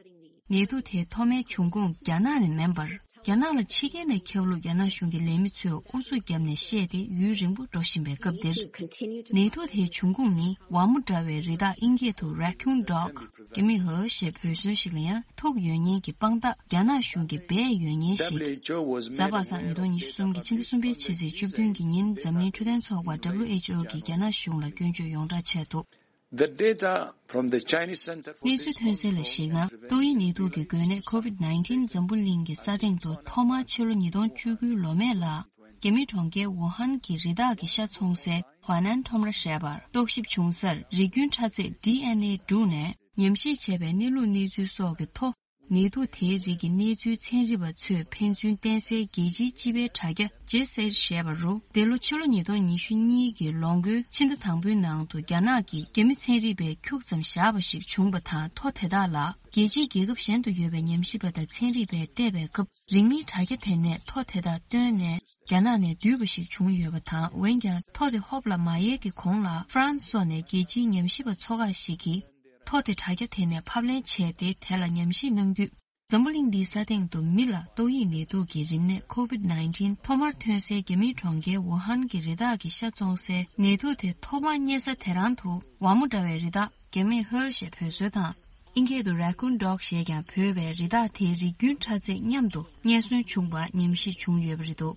ནད་དུག་དེའི་ཐོག་མའི་འབྱུང་ཁུངས་རྒྱ་ནག་ནས་མིན་པར། རྒྱ་ནག་ལ་ཕྱི་རྒྱལ་ནས་ཁྱབ་ལུགས་རྒྱ་ནག་གཞུང་གི་ལས་མི་ཚོས་ཨུ་ཚུགས་བརྒྱབ་ནས་བཤད་དེ་ཡུན་རིང་པོ་འགྲོ་བཞིན་པའི་སྐབས་འདིར། ནད་དུག་དེའི་འབྱུང་ཁུངས་ནི་ཝ་མོ་འདྲ་བའི་རི་དྭགས་ཨིན་སྐད་དུ་Raccoon Dog། རྒྱ་མིས་ཧོ་ཞེས་འབོད་སྲོལ་ཞིག་ལ་ཡང་ཐུག་ཡོད་མཁན་གྱི་དཔང་རྟགས་རྒྱ་ནག་གཞུང་གིས་སྦས་ཡོད་མཁན་ཞིག། གཟའ་པ་སངས་ཉིས་སྟོང་ཉི་ཤུ་གསུམ་གྱི་ཕྱི་ཟླ་གསུམ་པའི་ཕྱི་ཚེས་བཅུ་བདུན་གྱི་ཉིན་འཛམ་གླིང་འཕྲོད་བསྟེན་ཚོགས་པ་W H O གིས་རྒྱ་ནག་གཞུང་ལ་སྐྱོན་བརྗོད་ཡོངས་གྲགས་བྱས་འདུག། The data from the Chinese Center for གནས་ཚུལ་ཐོན་གསལ་ལ་གཞིགས་ན། ཏོག་དབྱིབས་ནད་དུག་གི་འགོས་ནད་COVID nineteen འཛམ་བུ་གླིང་གི་ས་སྟེང་དུ་ཐོག་མར་ཕྱི་ལོ་ཉིས་སྟོང་བཅུ་དགུའི་ལོ་སྨད་ལ། རྒྱ་མིའི་གྲོང་ཁྱེར་ཝུ་ཧན་གྱི་རི་དྭགས་ཀྱི་ཤ་འཚོང་སའི་ཧྭ་ནན་ཁྲོམ་ར་ཞེས་པར་རྟོག་ཞིབ་བྱུང་སར་རིགས་རྒྱུན་ཕྲ་ཚད་D N A བསྒྲུགས་ནས་ཉམས་ཞིབ་བྱས་པའི་གནས་ལུགས་གནས་ཚུལ་སོགས་ཀྱི་ཐོག། ནད་དུག་དེའི་རིགས་ཀྱི་གནས་ཚུལ་ཚན་རིག་པ་ཚོས་ཕན་ཚུན་བསྟན་སའི་རྒྱལ་སྤྱིའི་སྤྱི་པའི་དྲ་རྒྱ་ཇེ་སེར་ཞེས་པ་རུ། འདི་ལོ་ཕྱི་ལོ་ཉིས་སྟོང་ཉི་ཤུ་གཉིས་ཀྱི་ལོ་འགོའི་ཕྱི་ཟླ་དང་པོའི་ནང་དུ་རྒྱ་ནག་གིས་རྒྱ་མི་ཚན་རིག་པས་ཁྱུག་ཙམ་བཞག་པ་ཞིག་བྱུང་བ་དང་། ཐོ་དེ་དག་ལ་རྒྱལ་སྤྱིའི་རྒྱལ་ཁབ་གཞན་དུ་ཡོད་པའི་ཉམས་ཞིབ་པ་དང་ཚན་རིག་པས་བལྟས་པའི་སྐབས། རིང་མིན་དྲ་རྒྱ་དེ་ནས་ཐོ་དེ་དག་བཏོན་ནས་རྒྱ་ནག་ནས་བསྡུས་པ་ཞིག་བྱུང་ཡོད་པ་དང་། འོན་ཀྱང་ཐོ་དེ་ཧོབ་ལ་མ་ཡལ་གྱི་གོང་ལ་ཧྥ་རན་སི་སོགས་ནས་རྒྱལ་སྤྱིའི་ཉམས་ཞིབ་པ་ཚོ་ཁག་ཞིག་གིས། ཐོ་དེ་དྲ་རྒྱ་དེ་ནས་ཕབ་ལེན་བྱས་ཏེ་དེ་ལ་ཉམས་ཞིབ་གནང་དུས། འཛམ་བུ་གླིང་འདིའི་ས་སྟེང་དུ་མི་ལ་ཏོག་དབྱིབས་ནད་དུག་གི་རིམས་ནད་COVID nineteen ཐོག་མར་ཐོན་སའི་རྒྱ་མིའི་གྲོང་ཁྱེར་ཝུ་ཧན་གྱི་རི་དྭགས་ཀྱི་ཤ་བཙོང་སའི་ནད་དུག་དེ་ཐོག་མར་རྙེད་ས་དེ་རང་དུ་ཝ་མོ་འདྲ་བའི་རི་དྭགས་རྒྱ་མིས་ཧོལ་ཞེས་འབོད་སྲོལ་དང་། ཨིན་སྐད་དུ་Raccoon Dog ཞེས་ཀྱང་འབོད་པའི་རི་དྭགས་དེའི་རིགས་རྒྱུན་ཕྲ་ཚད་མཉམ་དུ་རྙེད་སོན་བྱུང་བ་ཉམས་ཞིབ་བྱུང་ཡོད་པ་རེད་འདུག།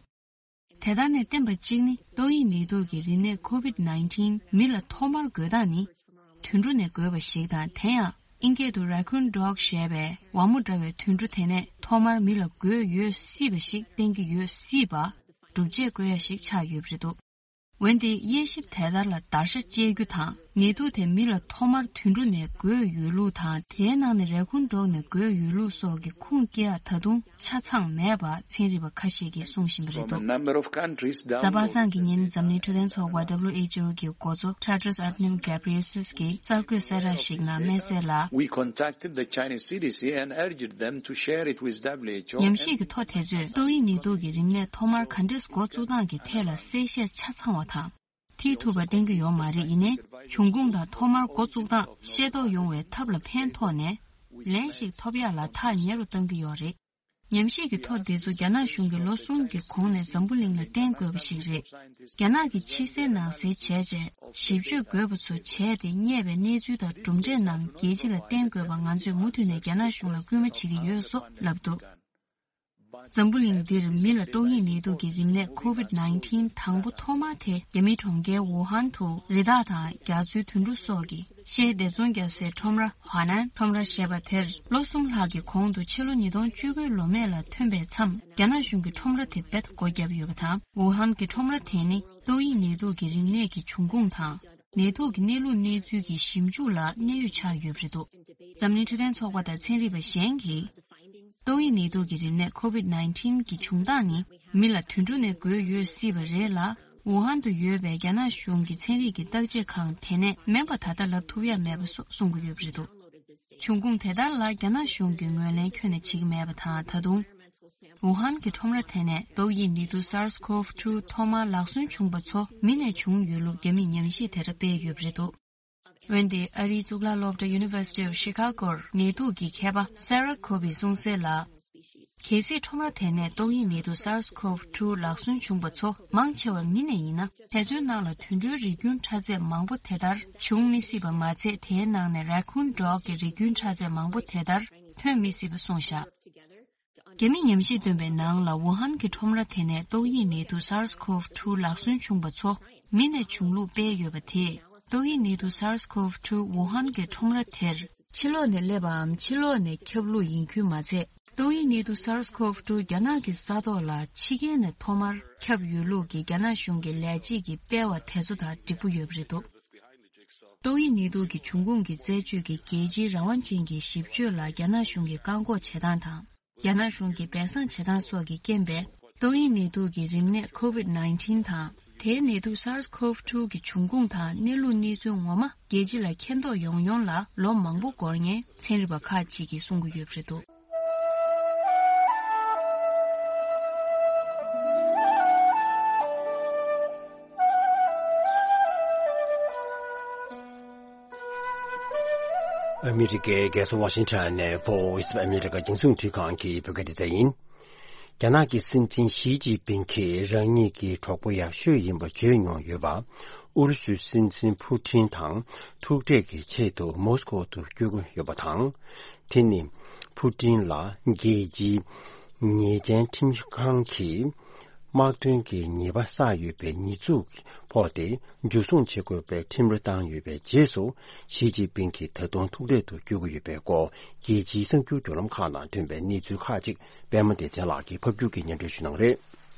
དེ་ལྟར་ནས་བསྟན་པ་གཅིག་ནི། ཏོག་དབྱིབས་ནད་དུག་གི་རིམས་ནད་COVID nineteen མི་ལ་ཐོག་མར་འགོས་སྟངས་ནི། དུད་འགྲོ་ནས་འགོས་པ་ཞིག་དང་། དེ་ཡང་ཨིན་སྐད་དུ་Raccoon Dog ཞེས་པའི་ཝ་མོ་འདྲ་བའི་དུད་འགྲོ་དེ་ནས་ཐོག་མར་མི་ལ་འགོས་ཡོད་སྲིད་པ་ཞིག་བསྟན་གྱི་ཡོད་སྲིད་པ། སྒྲུབ་བྱེད་བཀོད་ཡ་ཞིག་ཆགས་ཡོད་པ་རེད་འདུག། འོན་ཏེ་དབྱེ་ཞིབ་དེ་ལྟར་ལ་བརྡར་ཤ་བཅད་རྒྱུ་དང་། ནད་དུག་དེ་མི་ལ་ཐོག་མར་དུད་འགྲོ་ནས་འགོས་ཡོད་ལུགས་དང་། དེའི་ནང་ནས་Raccoon Dog ནས་འགོས་ཡོད་ལུགས་སོགས་ཀྱི་ཁུངས་སྐྱེལ་ཡ་ད་དུང་ཆ་ཚང་མེད་པ་ཚན་རིག་པ་ཁ་ཤས་ཀྱིས་གསུངས་བཞིན་པ་རེད་འདུག། གཟའ་པ་སངས་ཀྱི་ཉིན་འཛམ་གླིང་འཕྲོད་བསྟེན་ཚོགས་པ་W H O གི་འགོ་གཙོ་Tedros Adhanom Ghebreyesus གིས་གསར་འགོད་གསལ་བསྒྲགས་ཤིག་ནང་སྨྲས་གསལ་ལ། We contacted the Chinese C D C and urged them to share it with W H O. ཉམས་ཞིབ་ཀྱི་ཐོ་དེ་ཚོས་ཏོག་དབྱིབས་ནད་དུག་གི་རིམས་ནད་ཐོག་མར་ག་འདྲས་འགོ་བཙུགས་སྟངས་ཀྱི་ཐད་ལ་གསལ་བཤད་ཆ་ཚང་བ་དང་། མཐིལ་ཐུབ་པ་བསྟན་གྱི་ཡོད་མ་རེད། ཡིན་ནའི་འབྱུང་ཁུངས་དང་ཐོག་མར་འགོ་བཙུགས་སྟངས་ཤེས་རྟོགས་ཡོང་བའི་ཐབས་ལ་ཕན་ཐོགས་ནས་ལན་ཞིག་ཐོབ་ཡག་ལ་ཐག་ཉེ་རུ་གཏང་གི་ཡོད་རེད། ཉམས་ཞིབ་ཀྱི་ཐོ་དེ་ཚོ་རྒྱ་ནག་གཞུང་གིས་ལོ་གསུམ་གྱི་གོང་ནས་འཛམ་བུ་གླིང་ལ་བསྟན་དགོས་པ་ཞིག་རེད། རྒྱ་ནག་གིས་ཕྱི་གསལ་ནང་གསལ་བྱས་རྗེས་ཞིབ་དཔྱོད་དགོས་པ་ཚོ་བྱས་ཏེ་རྙེད་པའི་གནས་ཚུལ་དང་གྲུབ་འབྲས་རྣམས་རྒྱལ་སྤྱི་ལ་བསྟན་དགོས་པ་ང་ཚོས་མུ་མཐུད་ནས་རྒྱ་ནག་གཞུང་ལ་སྐུལ་མ་བྱེད་ཀྱི་ཡོད་སོགས་ལབ་འདུག། འཛམ་བུ་གླིང་འདིར་མི་ལ་ཏོག་དབྱིབས་ནད་དུག་གི་རིམས་ནད་COVID nineteen དང་པོ་ཐོག་མ་དེ་རྒྱ་མིའི་གྲོང་ཁྱེར་ཝུ་ཧན་དུ་རི་དྭགས་དང་རྒྱ་མཚོའི་དུད་འགྲོ་སོགས་ཀྱི་ཤའི་སྡེ་ཚོང་བརྒྱབ་སའི་ཁྲོམ་ར་ཧྭ་ནན་ཁྲོམ་ར་ཞེས་པ་དེར་ལོ་གསུམ་ལྷག་གི་གོང་དུ་ཕྱི་ལོ་ཉིས་སྟོང་བཅུ་དགུའི་ལོ་སྨད་ལ་ཐོན་པའི་མཚམས། རྒྱ་ནག་གཞུང་གིས་ཁྲོམ་ར་དེ་རྦད་སྒོ་བརྒྱབ་ཡོད་པ་དང་། ཝུ་ཧན་གྱི་ཁྲོམ་ར་དེ་ནི་ཏོག་དབྱིབས་ནད་དུག་གི་རིམས་ནད་ཀྱི་འབྱུང་ཁུངས་དང་། ནད་དུག་གི་གནས་ལུགས་གནས་ཚུལ་གྱི་ཞིབ་འཇུག་ལ་གནད་ཡོད་ཆགས་ཡོད་པ་རེད་འདུག། འཛམ་གླིང་འཕྲོད་བསྟེན་ཚོགས་པ་དང་ཚན་རིག་པ་གཞན་གྱིས། ཏོག་དབྱིབས་ནད་དུག་གི་རིམས་ནད་COVID nineteen གྱི་བྱུང་སྟངས་ནི་མི་ལ་དུད་འགྲོ་ནས་འགོས་ཡོད་སྲིད་པ་རེད་ལ། ཝུ་ཧན་དུ་ཡོད་པའི་རྒྱ་ནག་གཞུང་གི་ཚན་རིག་གི་བརྟག་དཔྱད་ཁང་དེ་ནས་མིན་པ་ད་ལྟ་ལབ་ཐུབ་ཡ་མེད་པ་སོགས་གསུང་གི་ཡོད་པ་རེད་འདུག། འབྱུང་ཁུངས་དེ་ལྟར་ལ་རྒྱ་ནག་གཞུང་གིས་ངོས་ལེན་ཁྱོན་ནས་བྱེད་ཀྱི་མེད་པ་དང་། ད་དུང་། ཝུ་ཧན་གྱི་ཁྲོམ་ར་དེ་ནས་ཏོག་དབྱིབས་ནད་དུག་SARS-CoV two ཐོག་མར་ལག་སོན་བྱུང་བ་ཚོ་མི་ནས་བྱུང་ཡོད་ལུགས་རྒྱ་མིས་ཉམས་ཞིབ་དེ་འདྲ་སྤེལ་ཡོད་པ་རེད་འདུག། འོན་ཏེ་ཨ་རིའི་གཙུག་ལག་སློབ་གྲྭ་University of Chicago ནད་དུག་གི་མཁས་པ་Sarah Kobe གསུངས་གསལ་ལ། གལ་སྲིད་ཁྲོམ་ར་དེ་ནས་ཏོག་དབྱིབས་ནད་དུག་SARS-CoV two ལག་སོན་བྱུང་བ་ཚོ་མང་ཆེ་བ་མི་ནས་ཡིན་ན། དེ་ཚོའི་ནང་ལ་དུད་འགྲོའི་རིགས་རྒྱུན་ཕྲ་ཚད་མང་པོ་དེ་ལྟར་བྱུང་མི་སྲིད་པ་མ་ཚད། དེའི་ནང་ནས་Raccoon Dog གི་རིགས་རྒྱུན་ཕྲ་ཚད་མང་པོ་དེ་ལྟར་ཐོན་མི་སྲིད་པ་གསུངས་བཞག། རྒྱ་མི་ཉམས་ཞིབ་བཏོན་པའི་ནང་ལ་ཝུ་ཧན་གྱི་ཁྲོམ་ར་དེ་ནས་ཏོག་དབྱིབས་ནད་དུག SARS-CoV two ལག་སོན་བྱུང་བ་ཚོ་མི་ནས་བྱུང་ལུགས་སྤེལ་ཡོད་པ་དེས། ཏོག་དབྱིབས་ནད་དུག SARS-CoV two ཝུ་ཧན་གྱི་ཁྲོམ་ར་དེར་ཕྱི་ལོགས་ནས་སླེབས་པའམ་ཕྱི་ལོགས་ནས་ཁྱབ་ལུགས་ཡིན་ཁུལ་མ་ཚད། ཏོག་དབྱིབས་ནད་དུག SARS-CoV two རྒྱ་ནག་གི་ས་ཐོག་ལ་ཕྱི་རྒྱལ་ནས་ཐོག་མར་ཁྱབ་ཡོད་ལུགས་ཀྱི་རྒྱ་ནག་གཞུང་གི་ལས་བྱེད་ཀྱི་སྤེལ་བ་དེ་ཚོ་དང་འགྲིག་པོ་ཡོད་པ་རེད་འདུག། ཏོག་དབྱིབས་ནད་དུག་གི་འབྱུང་ཁུངས་ཀྱི་རྩད་གཅོད་ཀྱི་རྒྱལ་སྤྱིའི་རང་དབང་ཅན་གྱི་ཞིབ་དཔྱོད་ལ་རྒྱ་ནག་གཞུང་གིས་བཀག་འགོག་བྱེད་སྟངས་དང་། རྒྱ་ནག་གཞུང་གིས་སྦས་གསང་བྱེད་སྟངས་སོགས་ཀྱི་རྐྱེན་པས། ཏོག་དབྱིབས་ནད་དུག་གི་རིམས་ནད་COVID nineteen དང་། དེའི་ནད་དུག SARS-CoV two གི་འབྱུང་ཁུངས་དང་གནས་ལུགས་གནས་ཚུལ་ངོ་མ་རྒྱལ་སྤྱི་ལ་མཁྱེན་རྟོགས་ཡོང་ཡོང་ལ་ལོ་མང་པོ་འགོར་ངེས་ཚན་རིག་པ་ཁག་ཅིག་གིས་གསུང་གི་ཡོད་པ་རེད་འདུག། ཨ་མི་རི་ཀའི་རྒྱལ་ས་ཝ་ཤིང་ཊོན་ནས་Voice of America རྒྱང་སྲིང་རླུང་འཕྲིན་ཁང་གི་བོད་སྐད་སྡེ་ཚན་ཡིན། རྒྱ་ནག་གི་སྲིད་འཛིན་ཞི་ཅིན་ཕིང་གིས་རང་ཉིད་ཀྱི་གྲོགས་པོ་ཡག་ཤོས་ཡིན་པ་བརྗོད་མྱོང་ཡོད་པ། ཨུ་རུ་སུའི་སྲིད་འཛིན་ཕུ་ཊིན་དང་ཐུག་འཕྲད་ཀྱི་ཆེད་དུ་མོ་སི་ཀོ་དུ་བསྐྱོད་ཀྱི་ཡོད་པ་དང་། དེ་ནི་ཕུ་ཊིན་ལ་རྒྱལ་སྤྱིའི་ཉེས་ཅན་ཁྲིམས་ཁང་གིས་དམག་དོན་གྱི་ཉེས་པ་བསགས་ཡོད་པའི་ཉེས་འཛུགས་ཕོག་སྟེ། འཇུ་བཟུང་བྱེད་དགོས་པའི་ཁྲིམས་ར་བཏང་ཡོད་པའི་རྗེས་སུ། ཞི་ཅིན་ཕིང་གིས་ད་དུང་ཐུག་འཕྲད་དུ་བསྐྱོད་ཀྱི་ཡོད་པའི་སྐོར། རྒྱལ་སྤྱིའི་གསར་འགྱུར་བརྒྱུད་ལམ་ཁག་ནང་ཐོན་པའི་གནས་ཚུལ་ཁག་ཅིག་པད་མ་བདེ་ཆེན་ལགས་ཀྱིས་ཕབ་སྒྱུར་གྱིས་སྙན་སྒྲོན་ཞུ་གནང་རེད།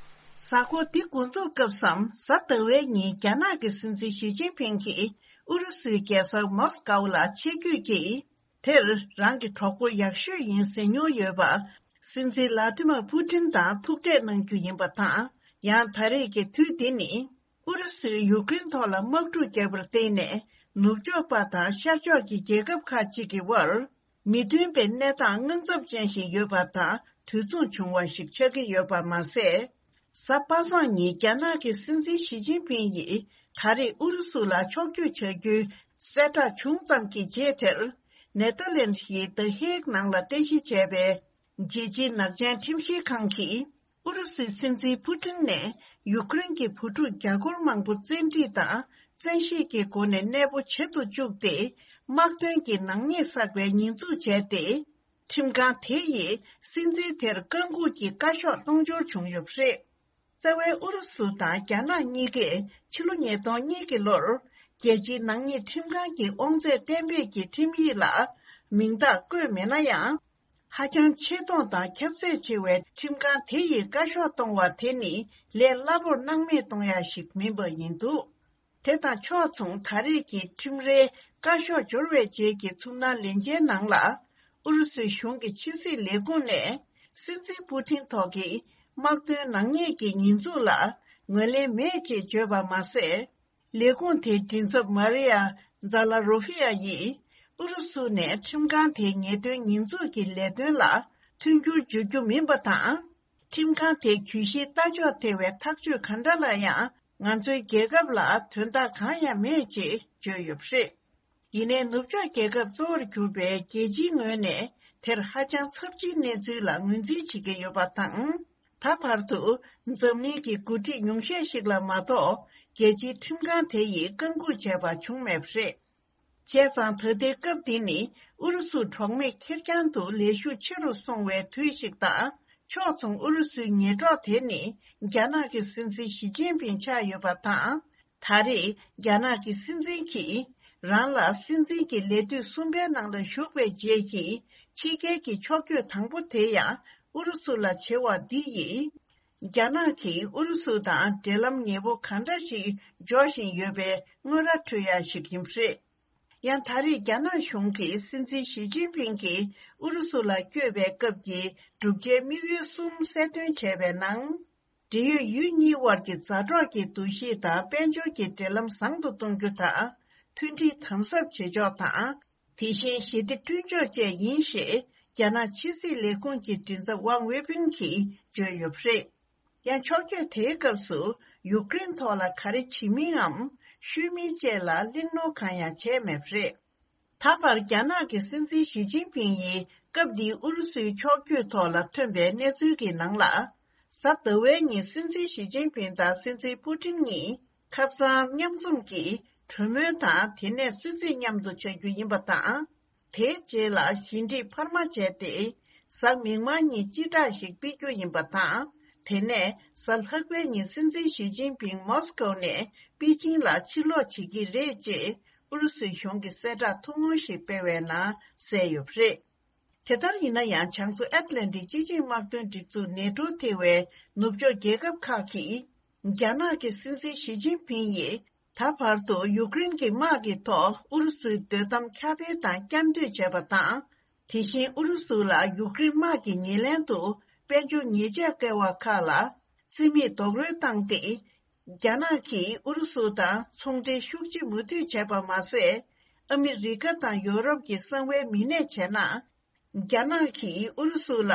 གཟའ་འཁོར་འདི་འགོ་འཛུགས་སྐབས་སམ། གཟའ་ཟླ་བའི་ཉིན་རྒྱ་ནག་གི་སྲིད་འཛིན་ཞི་ཅིན་ཕིང་གིས་ཨུ་རུ་སུའི་རྒྱལ་ས་མོ་སི་ཀའོ་ལ་ཆེད་བསྐྱོད་ཀྱིས། དེར་རང་གི་གྲོགས་པོ་ཡག་ཤོས་ཡིན་ཟེར་མྱོང་ཡོད་པ། སྲིད་འཛིན་ལ་ཏི་མ་ཕུ་ཊིན་དང་ཐུག་འཕྲད་གནང་རྒྱུ་ཡིན་པ་དང་། ཡང་ད་རེས་ཀྱི་དུས་འདི་ནི། ཨུ་རུ་སུས་ཡུཀ་རེན་ཐོག་ལ་དམག་འཁྲུག་བརྒྱབ་པར་བརྟེན་ནས། ནུབ་ཕྱོགས་པ་དང་ཤར་ཕྱོགས་ཀྱི་རྒྱལ་ཁབ་ཁག་ཅིག་གི་དབར། མི་མཐུན་པའི་གནས་སྟངས་དངངས་འཚབ་ཅན་ཞིག་ཡོད་པ་དང་། དུས་མཚུངས་བྱུང་བ་ཞིག་ཆགས་ཀྱི་ཡོད་པ་མ་ཟད། གཟའ་པ་སངས་ཉིན་རྒྱ་ནག་གི་སྲིད་འཛིན་ཞི་ཅིན་ཕིང་ཡིས་ད་རེས་ཨུ་རུ་སུ་ལ་ཕྱོགས་བསྐྱོད་བྱ་རྒྱུའི་གསལ་བསྒྲགས་བྱུང་ཙམ་གྱི་རྗེས་དེར། ནེ་ཐར་ལེན་ཌི་ཡི་ད་ཧེག་ནང་ལ་རྟེན་གཞི་བྱས་པའི་རྒྱལ་སྤྱིའི་ནག་ཅན་ཁྲིམས་ཞིབ་ཁང་གིས། ཨུ་རུ་སུའི་སྲིད་འཛིན་ཕུ་ཊིན་ནས་ཡུཀ་རེན་གྱི་བུ་ཕྲུག་རྒྱ་སྒོར་མང་པོ་བཙན་ཁྲིད་དང་བཙན་ཤེད་ཀྱི་སྒོ་ནས་གནས་སྤོ་བྱེད་དུ་བཅུག་སྟེ། དམག་དོན་གྱི་ནག་ཉེས་བསགས་པའི་ཉེས་འཛུགས་བྱས་ཏེ། ཁྲིམས་ཁང་དེ་ཡིས་སྲིད་འཛིན་དེར་བཀག་འགོག་གི་བཀའ་ཤོག་གཏོང་འབྱོར་བྱུང་ཡོད་པ་རེད། རྩ་བའི་ཨུ་རུ་སུ་དང་རྒྱ་ནག་གཉིས་ཀས་ཕྱི་ལོ་ཉིས་སྟོང་གཉིས་ཀྱི་ལོར། རྒྱལ་སྤྱིའི་ནག་ཉེས་ཁྲིམས་ཁང་གི་དབང་ཚད་གཏན་འབེབས་ཀྱི་ཁྲིམས་ཡིག་ལ་མིང་རྟགས་བཀོད་མེད་ན་ཡང་། ཧ་ཅང་ཆེ་མཐོང་དང་ཁྱབ་ཚད་ཆེ་བའི་ཁྲིམས་ཁང་དེ་ཡིས་བཀའ་ཤོག་གཏོང་བ་དེ་ནི་ལས་སླ་པོར་སྣང་མེད་གཏོང་ཡ་ཞིག་མིན་པ་ཡིན་འདུག་དེ་དང་ཕྱོགས་མཚུངས། ད་རེས་ཀྱི་ཁྲིམས་རའི་བཀའ་ཤོག་འབྱོར་བའི་རྗེས་ཀྱི་ཚུར་སྣང་ལན་འཇལ་ནང་ལ། ཨུ་རུ་སུའི་གཞུང་གི་ཕྱི་སྲིད་ལས་ཁུངས་ནས་སྲིད་འཛིན་པུ་ཊིན་ཐོག་གི་དམག་དོན་ནག་ཉེས་ཀྱི་ཉེས་འཛུགས་ལ་ངོས་ལེན་མེད་ཅེས་བརྗོད་པ་མ་ཟད། ལས་ཁུངས་དེའི་མགྲིན་ཚབ་མ་རི་ཡ་ཛ་ལ་རོ་ཧྥི་ཡ་ཡིས། ཨུ་རུ་སུ་ནས་ཁྲིམས་ཁང་དེའི་ཉེས་དོན་ཉེས་འཛུགས་ཀྱི་ལས་དོན་ལ་མཐུན་འགྱུར་བརྗོད་རྒྱུ་མིན་པ་དང་། ཁྲིམས་ཁང་དེའི་གྱོད་གཞིའི་ལྟ་ཕྱོགས་ཐེ་བའི་ཐག་གཅོད་ག་འདྲ་ལ་ཡང་། ང་ཚོའི་རྒྱལ་ཁབ་ལ་དོན་དག་གང་ཡང་མེད་ཅེས་བརྗོད་ཡོད་པ་རེད། ཡིན་ནའི་ནུབ་ཕྱོགས་རྒྱལ་ཁབ་གཙོ་བོར་གྱུར་པའི་རྒྱལ་སྤྱིའི་ངོས་ནས་དེར་ཧ་ཅང་ཚབས་ཆེའི་གནས་ཚུལ་ལ་ངོས་འཛིན་བྱེད་ཀྱི་ཡོད་པ་དང་། ད་བར་དུ་འཛམ་གླིང་གི་འགོ་ཁྲིད་ཉུང་ཤས་ཤིག་ལ་མ་གཏོགས་རྒྱལ་སྤྱིའི་ཁྲིམས་ཁང་དེ་ཡིས་བཀག་འགོག་བྱས་པ་བྱུང་མེད་པ་རེད། བྱས་ཙང་ད་ལྟའི་སྐབས་འདི་ནི་ཨུ་རུ་སུ་གྲོགས་མེད་ཁེར་རྐྱང་དུ་ལས་ཤུགས་ཆེ་རུ་སོང་བའི་དུས་ཤིག་དང་། ཕྱོགས་མཚུངས་ཨུ་རུ་སུའི་ཉེ་གྲོགས་དེ་ནི་རྒྱ་ནག་གི་སྲིད་འཛིན་ཞི་ཅིན་ཕིང་ཆགས་ཡོད་པ་དང་། ད་རེས་རྒྱ་ནག་གི་སྲིད་འཛིན་གྱིས་རང་ལ་སྲིད་འཛིན་གྱི་ལས་དུས་གསུམ་པའི་ནང་ལ་ཞུགས་པའི་རྗེས་ཀྱི་ཕྱི་རྒྱལ་གྱི་ཕྱོགས་བསྐྱོད་དང་པོ་དེ་ཡང་ཨུ་རུ་སུ་ལ་བྱེད་པ་འདི་ཡིས། རྒྱ་ནག་གིས་ཨུ་རུ་སུ་དང་འབྲེལ་ལམ་ཉེ་པོ་ག་འདྲ་ཞིག་འཇོག་བཞིན་ཡོད་པའི་དངོས་ར་འཕྲོད་ཡ་ཞིག་ཡིན་པ་རེད། ཡང་ད་རེས་རྒྱ་ནག་གཞུང་གིས་སྲིད་འཛིན་ཞི་ཅིན་ཕིང་གིས་ཨུ་རུ་སུ་ལ་བསྐྱོད་པའི་སྐབས་ཀྱི་བསྒྲུབ་བྱའི་དམིགས་ཡུལ་གསུམ་གསལ་སྟོན་བྱས་པའི་ནང་། འབྲེལ་ཡོད་ཡུལ་གཉིས་དབར་གྱི་མཛའ་གྲོགས་ཀྱི་འདུ་ཤེས་དང་དཔལ་འབྱོར་གྱི་འབྲེལ་ལམ་བཟང་དུ་གཏོང་རྒྱུ་དང་། མཐུན་སྒྲིལ་དམ་ཟབ་བྱེད་ཕྱོགས་དང་། དེ་བཞིན་ཞི་བདེ་བསྐྲུན་ཕྱོགས་བཅས་ཡིན་ཞེས་རྒྱ་ནག་ཕྱི་སྲིད་ལས་ཁུངས་ཀྱི་མགྲིན་ཚབ་ཝང་ཝེ་ཕིན་གྱིས་བརྗོད་ཡོད་པ་རེད། ཡང་ཕྱོགས་བསྐྱོད་དེའི་སྐབས་སུ་ཡུཀ་རེན་ཐོག་ལ་ག་རེ་བྱེད་མིན་འམ་ཤོད་མིན་བཅས་ལ་གླེང་སློང་གང་ཡང་བྱས་མེད་པ་རེད། ད་བར་རྒྱ་ནག་གི་སྲིད་འཛིན་ཞི་ཅིན་ཕིང་ཡིས་སྐབས་འདིའི་ཨུ་རུ་སུའི་ཕྱོགས་བསྐྱོད་ཐོག་ལ་ཐོན་པའི་གནས་ཚུལ་གྱི་ནང་ལ། གཟའ་ཟླ་བའི་ཉིན་སྲིད་འཛིན་ཞི་ཅིན་ཕིང་དང་སྲིད་འཛིན་པུ་ཊིན་གཉིས་ཁབ་གཙང་མཉམ་འཛོམས་ཀྱིས་གྲོས་མོལ་དང་། དེ་ནས་གསོལ་ཚིགས་མཉམ་དུ་བྱ་རྒྱུ་ཡིན་པ་དང་། དེའི་རྗེས་ལ་ཞི་འགྲིག་འཕར་མ་བྱས་ཏེ། གཟའ་མིག་དམར་ཉིན་སྤྱི་བསྒྲགས་ཤིག་སྤེལ་རྒྱུ་ཡིན་པ་དང་། དེ་ནས་གཟའ་ལྷག་པའི་ཉིན་སྲིད་འཛིན་ཞི་ཅིན་ཕིང་མོ་སི་ཀོ་ནས་པེ་ཅིང་ལ་ཕྱིར་ལོག་བྱེད་ཀྱི་རེད་ཅེས་ཨུ་རུ་སུའི་གཞུང་གིས་གསལ་བསྒྲགས་ཐུང་ངུ་ཞིག་སྤེལ་བའི་ནང་གསལ་ཡོད་པ་རེད། དེ་ལྟར་ཡིན་ན་ཡང་། བྱང་མཚོ་ཨེཊ་ལན་ཊིག་སྤྱི་ཆིངས་དམག་དོན་སྒྲིག་འཛུགས་ནེ་ཊོ་ཐེ་བའི་ནུབ་ཕྱོགས་རྒྱལ་ཁབ་ཁག་གིས། རྒྱ་ནག་གི་སྲིད་འཛིན་ཞི་ཅིན་ཕིང་ཡིས། ད་བར་དུ་ཡུཀ་རེན་གྱི་དམག་གི་ཐོག་ཨུ་རུ་སུའི་སྡོད་གཏམ་ཁྱབ་སྤེལ་དང་བསྐྱར་ཟློས་བྱས་པ་དང་། དེ་བཞིན་ཨུ་རུ་སུ་ལ་ཡུཀ་རེན་དམག་གི་ཉེ་ལན་དུ་དཔལ་འབྱོར་ཉེས་ཆད་བཀལ་བ་ཁག་ལ་རྩིས་མེད་རྡོག་རོལ་བཏང་སྟེ། རྒྱ་ནག་གིས་ཨུ་རུ་སུ་དང་ཚོང་འབྲེལ་ཤུགས་ཆེ་མུ་མཐུད་བྱས་པ་མ་ཟད། ཨ་མི་རི་ཀ་དང་ཡོ་རོབ་ཀྱི་གསང་བའི་མི་སྣས་བྱས་ན། རྒྱ་ནག་གིས་ཨུ་རུ་སུ་ལ་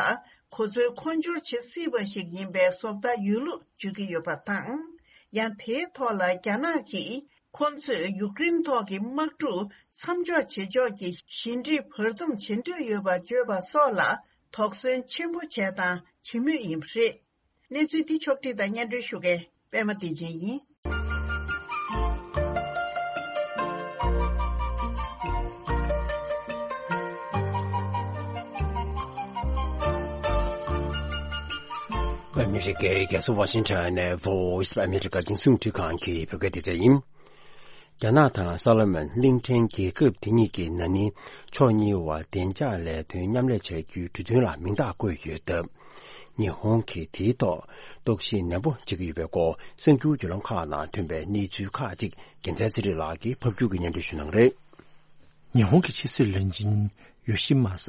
གོ་མཚོན་མཁོ་སྦྱོར་བྱེད་སྲིད་པ་ཞིག་ཡིན་པའི་བཟོ་ལྟ་ཡོད་ལུགས་བརྗོད་ཀྱི་ཡོད་པ་དང་། ཡང་དེའི་ཐོག་ལ་རྒྱ་ནག་གིས་ཁོ་ཚོས་ཡུཀ་རེན་ཐོག་གི་དམག་འཁྲུག་མཚམས་འཇོག་བྱེད་ཕྱོགས་ཀྱི་ཞི་འགྲིག་བར་འདུམ་བྱེད་འདོད་ཡོད་པ་བརྗོད་པ་སོགས་ལ་ དོགས་ཟོན་ཆེན་པོ་བྱས་དང་བྱེད་མུས་ཡིན་པ་རེད། གནས་ཚུལ་འདི་ཕྱོགས་བསྒྲིགས་དང་སྙན་སྒྲོན་ཞུ་མཁན་པད་མ་བདེ་ཆེན་ཡིན། ཨ་མི་རི་ཀའི་རྒྱལ་ས་ཝ་ཤིང་ཊོན་ནས་Voice of America་རྒྱང་སྲིང་རླུང་འཕྲིན་ཁང་གི་བོད་སྐད་སྡེ་ཚན་ཡིན། རྒྱ་ནག་དང་སོ་ལོ་མོན་གླིང་ཕྲན་རྒྱལ་ཁབ་དེ་གཉིས་ཀྱི་ན་ནིང་ཕྱོགས་གཉིས་བར་བདེ་འཇགས་ལས་དོན་མཉམ་ལས་བྱ་རྒྱུའི་གྲོས་མཐུན་ལ་མིང་རྟགས་བཀོད་ཡོད་སྟབས། ཉི་ཧོང་གིས་དེའི་ཐོག་རྟོག་ཞིབ་ནན་པོ་བྱེད་ཀྱི་ཡོད་པའི་སྐོར་གསར་འགྱུར་བརྒྱུད་ལམ་ཁག་ནང་ཐོན་པའི་གནས་ཚུལ་ཁག་ཅིག་རྒྱལ་མཚན་ཚེ་རིང་ལགས་ཀྱིས་ཕབ་སྒྱུར་གྱིས་སྙན་སྒྲོན་ཞུ་གནང་གི་རེད། ཉི་ཧོང་གི་ཕྱི་སྲིད་བློན་ཆེན་ཡོ་ཤི་མ་ས་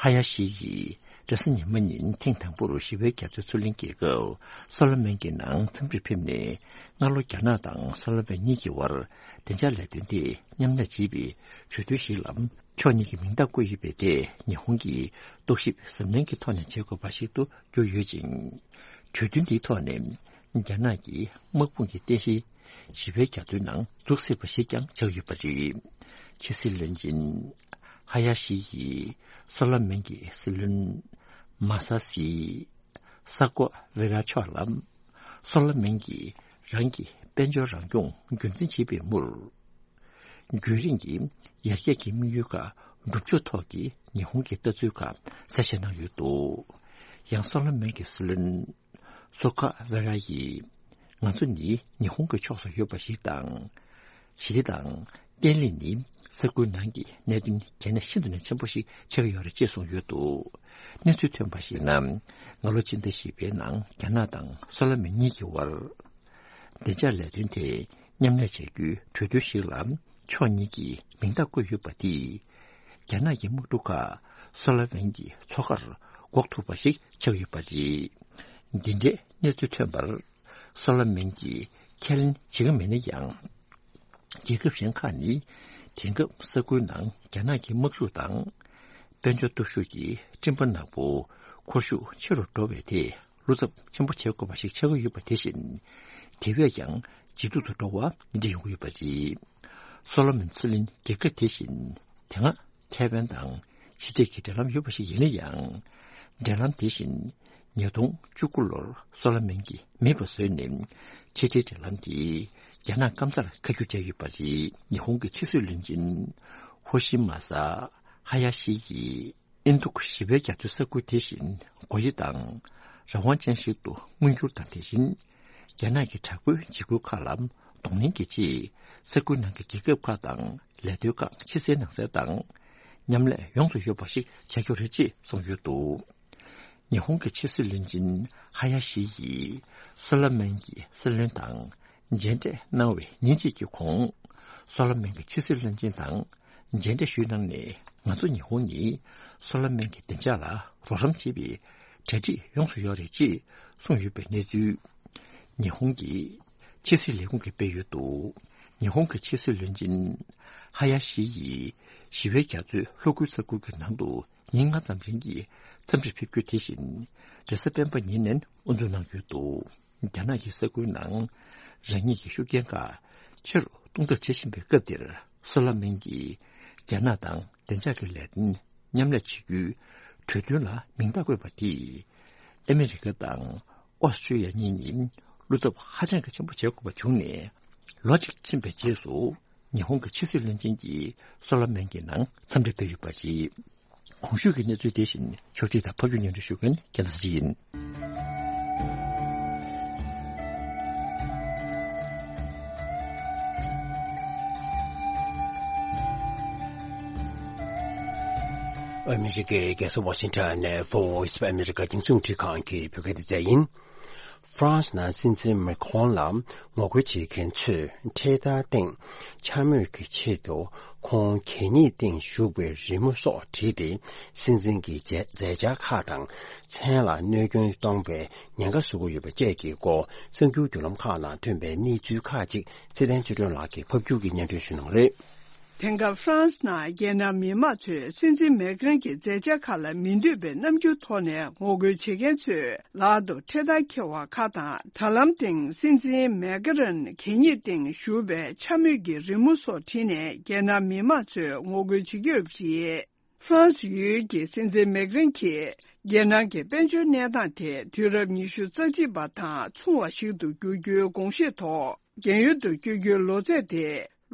ཧ་ཡ་ཤི་ཡིས་རེས་གཟའ་ཉི་མ་ཉིན་ཐེངས་དང་པོར་ཞི་བའི་རྒྱ་མཚོའི་མཚོ་གླིང་རྒྱལ་ཁབ་སོ་ལོ་མོན་གྱི་ནང་འཚམས་འདྲིར་ཕེབས་ནས། སྔ་ལོ་རྒྱ་ནག་དང་སོ་ལོ་མོན་གཉིས་ཀྱི་བར་བདེ་འཇགས་ལས་དོན་ཐད་མཉམ་ལས་བྱེད་པའི་གྲོས་མཐུན་ཞིག་ལ་ཕྱོགས་གཉིས་ཀྱི་མིང་རྟགས་བཀོད་ཡོད་པའི་ཐད་ཉི་ཧོང་གིས་རྟོག་ཞིབ་གཟབ་ནན་གྱི་ཐོག་ནས་བྱེད་དགོས་པ་ཞིག་ཏུ་གྱུར་ཡོད་ཅིང་། གྲོས་མཐུན་འདིའི་ཐོག་ནས་རྒྱ་ནག་གི་དམག་དཔུང་གི་རྟེན་གཞི་ཞི་བའི་རྒྱ་མཚོའི་ནང་འཛུགས་སྲིད་པ་ཞིག་ཀྱང་ཆགས་ཡོད་པ་རེད། ཕྱི་སྲིད་བློན་ཆེན་ཧ་ཡ་ཤི་ཡིས་སོ་ལོ་མོན་གྱི་སྲིད་བློན་མ་ས་སི་ས་ཀོ་ཝེ་ར་མཆོག་ལ་སོ་ལོ་མོན་གྱིས་རང་གི་དཔལ་འབྱོར་རང་སྐྱོང་རྒྱུན་འཛིན་བྱེད་པའི་མུར། རྒྱུན་རིང་གི་ཡར་རྒྱས་ཀྱི་དམིགས་ཡུལ་ཁག་སྒྲུབ་ཕྱོགས་ཐོག་གི་ཉི་ཧོང་གི་ལྟ་ཚུལ་ཁག་གསལ་བཤད་གནང་ཡོད་འདུག་ཡང་སོ་ལོ་མོན་གྱི་སྲིད་བློན་སོ་ཁ་ཝེ་ར་ཡིས། ང་ཚོ་ནི་ཉི་ཧོང་གི་ཕྱོགས་སུ་ཡོད་པ་ཞིག་དང་། ཞི་བདེ་དང་བརྟན་ལྷིང་ནི་ས་ཁུལ་ནང་གི་གནད་དོན་གལ་གནད་ཤིན་ཏུ་ནས་ཆེན་པོ་ཞིག་ཆགས་ཀྱི་ཡོད་རེད་ཅེས་གསུངས་ཡོད་འདུག་གནས་ཚུལ་ཐོན་པར་གཞིགས་ན། སྔ་ལོ་ཕྱི་ཟླ་བཞི་པའི་ནང་རྒྱ་ནག་དང་སོ་ལོ་མོན་གཉིས་ཀྱི་དབར། བདེ་འཇགས་ལས་དོན་ཐད་མཉམ་ལས་བྱ་རྒྱུའི་གྲོས་མཐུན་ཞིག་ལ་ཕྱོགས་གཉིས་ཀྱིས་མིང་རྟགས་བཀོད་ཡོད་པ་དེས། རྒྱ་ནག་གི་དམག་འཁྲུག་ཁག་སོ་ལོ་མོན་གྱི་མཚོ་ཁར་འགོག་ཐུབ་པ་ཞིག་ཆགས་ཡོད་པ་རེད། འདི་འདྲའི་གནས་ཚུལ་ཐོན་པར། སོ་ལོ་མོན་གྱིས་ཁས་ལེན་བྱེད་ཀྱི་མེད་ན་ཡང་། རྒྱལ་ཁབ་གཞན་ཁག་ནི་དེང་སྐབས་ས་ཁུལ་ནང་རྒྱ་ནག་གི་དམག་ཤུགས་དང་། དཔལ་འབྱོར་སྟོབས་ཤུགས་ཀྱི་སྤྲིན་པ་ནག་པོ་འཁོར་ཤུགས་ཆེ་རུ་འགྲོ་བའི་ཐད་བློ་འཚབ་ཆེན་པོ་བྱེད་དགོས་པ་ཞིག་ཆགས་ཀྱི་ཡོད་པ་དེ་བཞིན། དེ་བས་ཀྱང་ཇེ་སྡུག་ཏུ་འགྲོ་བ་འདྲ་ཡོང་གི་ཡོད་པ་རེད། སོ་ལོ་མོན་མཚོ་གླིང་རྒྱལ་ཁབ་དེ་བཞིན་དེ་སྔ་ཐའེ་ཝན་དང་ཕྱི་འབྲེལ་གྱི་འབྲེལ་ལམ་ཡོད་པ་ཞིག་ཡིན་ན་ཡང་། འབྲེལ་ལམ་དེ་བཞིན་ཉིས་སྟོང་བཅུ་དགུ་ལོར་སོ་ལོ་མོན་གྱིས་མེད་པ་བཟོས་ནས་ཕྱི་འབྲེལ་འབྲེལ་ལམ་དེ་རྒྱ་ནག་སྐམ་སར་ཁ་བསྒྱུར་བྱས་ཡོད་པ་རེད། ཉི་ཧོང་གི་ཕྱི་སྲིད་བློན་ཆེན་ཧོ་ཤི་མ་ས་ཧ་ཡ་ཤི་ཡིས། ཨིན་རྡུག་ཞི་བའི་རྒྱ་མཚོའི་ས་ཁུལ་དེ་བཞིན་སྒོ་དབྱེ་དང་རང་དབང་ཅན་ཞིག་ཏུ་མངོན་འགྱུར་དང་། དེ་བཞིན་རྒྱ་ནག་གི་དྲག་པོའི་འཇིགས་སྐུལ་ཁག་ལ་གདོང་ལེན་གྱི་ཆེད་ས་ཁུལ་ནང་གི་རྒྱལ་ཁབ་ཁག་དང་ལས་དོན་ཁག་ཕྱི་གསལ་ནང་གསལ་དང་མཉམ་ལས་ཡོངས་སུ་ཡོད་པ་ཞིག་བྱ་རྒྱུ་རེད་ཅེས་གསུངས་ཡོད་འདུག་ཉི་ཧོང་གི་ཕྱི་སྲིད་བློན་ཆེན་ཧ་ཡ་ཤི་ཡིས་སོ་ལོ་མོན་གྱི་སྲིད་བློན་དང་མཇལ་འཕྲད་གནང་བའི་ཉིན་གཅིག་གི་གོང་། སོ་ལོ་མོན་གྱི་ཕྱི་སྲིད་བློན་ཆེན་དང་མཇལ་འཕྲད་ཞུས་གནང་ནས། ང་ཚོ་ཉི་ཧོང་ནི་སོ་ལོ་མོན་གྱི་བདེ་འཇགས་ལ་རོགས་རམ་བྱེད་པའི་གྲ་སྒྲིག་ཡོངས་སུ་ཡོད་རེད་ཅེས་གསུངས་ཡོད་པའི་གནས་ཚུལ། ཉི་ཧོང་གི་ཕྱི་སྲིད་ལས་ཁུངས་ཀྱིས་སྤེལ་ཡོད་འདུག་ཉི་ཧོང་གི་ཕྱི་སྲིད་བློན་ཆེན་ཧ་ཡ་ཤི་ཡིས་ཞི་བའི་རྒྱ་མཚོའི་ལྷོ་ཁུལ་ས་ཁུལ་གྱི་ནང་དུ་ཉིན་ལྔ་ཙམ་རིང་གི་འཚམས་འདྲིར་ཕེབས་རྒྱུ་དེ་བཞིན་རེས་གཟའ་སྤེན་པ་ཉིན་ནས་དབུ་འཛུགས་གནང་ཡོད་འདུག་རྒྱ་ནག་གིས་ས་ཁུལ་ནང་རང་ཉིད་ཀྱི་ཤུགས་རྐྱེན་ཁག་ཆེ་རུ་གཏོང་ཐབས་བྱེད་བཞིན་པའི་སྐབས་འདིར། སོ་ལོ་མོན་གྱིས་རྒྱ་ནག་དང་བདེ་འཇགས་ཀྱི་ལས་དོན་མཉམ་ལས་བྱེད་རྒྱུའི་གྲོས་མཐུན་ལ་མིང་རྟགས་བཀོད་པ་དེས། ཨ་མི་རི་ཀ་དང་ཨོ་སི་ཀྲི་ཡ་གཉིས་ནི་བློ་འཚབ་ཧ་ཅང་གི་ཆེན་པོ་བྱེད་དགོས་པ་བྱུང་ནས། ལོ་གཅིག་ཕྱིན་པའི་རྗེས་སུ། ཉི་ཧོང་གི་ཕྱི་སྲིད་བློན་ཆེན་གྱིས་སོ་ལོ་མོན་གྱི་ནང་འཚམས་འདྲི་སྤེལ་ཡོད་པ་རེད། གོང་ཞུས་ཀྱི་གནས་ཚུལ་དེ་བཞིན་ཕྱོགས་སྒྲིག་དང་ཕབ་སྒྱུར་སྙན་སྒྲོན་ཞུ་མཁན་རྒྱལ་མཚན་ཡིན། ཨ་མི་རི་ཀའི་རྒྱལ་ས་ཝ་ཤིང་ཊོན་ནས་Voice of America་རྒྱང་སྲིང་རླུང་འཕྲིན་ཁང་གི་བོད་སྐད་སྡེ་ཚན་ཡིན། ཧྥ་རན་སི་ནང་སྲིད་འཛིན་མེ་ཁོང་ལ་ངོ་རྒོལ་བྱེད་མཁན་ཚོས་འཕྲེད་དར་སྟེང་འཕྱ་སྨོད་ཀྱི་ཆེད་དུ་ཁོང་གད་སྙིགས་སྟེང་བཞུགས་པའི་རི་མོ་སོགས་བྲིས་ཏེ། སྲིད་འཛིན་གྱི་མཛད་མཛད་འཆར་ཁག་དང་མཚན་ལ་གནོད་སྐྱོན་གཏོང་པའི་ཉེན་ཁ་བཟོ་གི་ཡོད་པ་བཅས་ཀྱི་སྐོར་གསར་འགྱུར་བརྒྱུད་ལམ་ཁག་ནང་ཐོན་པའི་གནས་ཚུལ་ཁག་ཅིག་ཚེ་བརྟན་ཆོས་སྒྲོན་ལགས་ཀྱིས་ཕབ་སྒྱུར་གྱིས་སྙན་སྒྲོན་ཞུ་གནང་གི་རེད། དེང་སྐབས་ཧྥ་རན་སི་ནང་རྒྱལ་ནང་མི་མང་ཚོས་སྲིད་འཛིན་མེ་ཁན་གྱི་མཛད་འཆར་ཁག་ལ་མི་འདོད་པའི་རྣམ་འགྱུར་ཐོག་ནས་ངོ་རྒོལ་བྱེད་མཁན་ཚོས་ལག་ཏུ་འཕྲེད་དར་འཁྱེར་བ་ཁག་དང་། དྲ་ལམ་སྟེང་སྲིད་འཛིན་མེ་ཁན་གྱི་གད་སྙིགས་སྟེང་བཞུགས་པའི་འཕྱ་སྨོད་ཀྱི་རི་མོ་སོགས་བྲིས་ནས་རྒྱལ་ནང་མི་མང་ཚོས་ངོ་རྒོལ་བྱེད་ཀྱི་ཡོད་པ་རེད། ཧྥ་རན་སི་ཡུལ་གྱི་སྲིད་འཛིན་མེག་རན་གྱིས། རྒྱལ་ནང་གི་དཔལ་འབྱོར་གནས་སྟངས་དེ་དུས་རབས་ཉི་ཤུ་རྩ་གཅིག་པ་དང་མཚུངས་པ་ཞིག་ཏུ་འགྱུར་རྒྱུའི་དགོངས་བཞེས་ཐོག་རྒན་ཡོལ་དུ་བསྐྱོད་རྒྱུའི་ལོ་ཚད་དེ་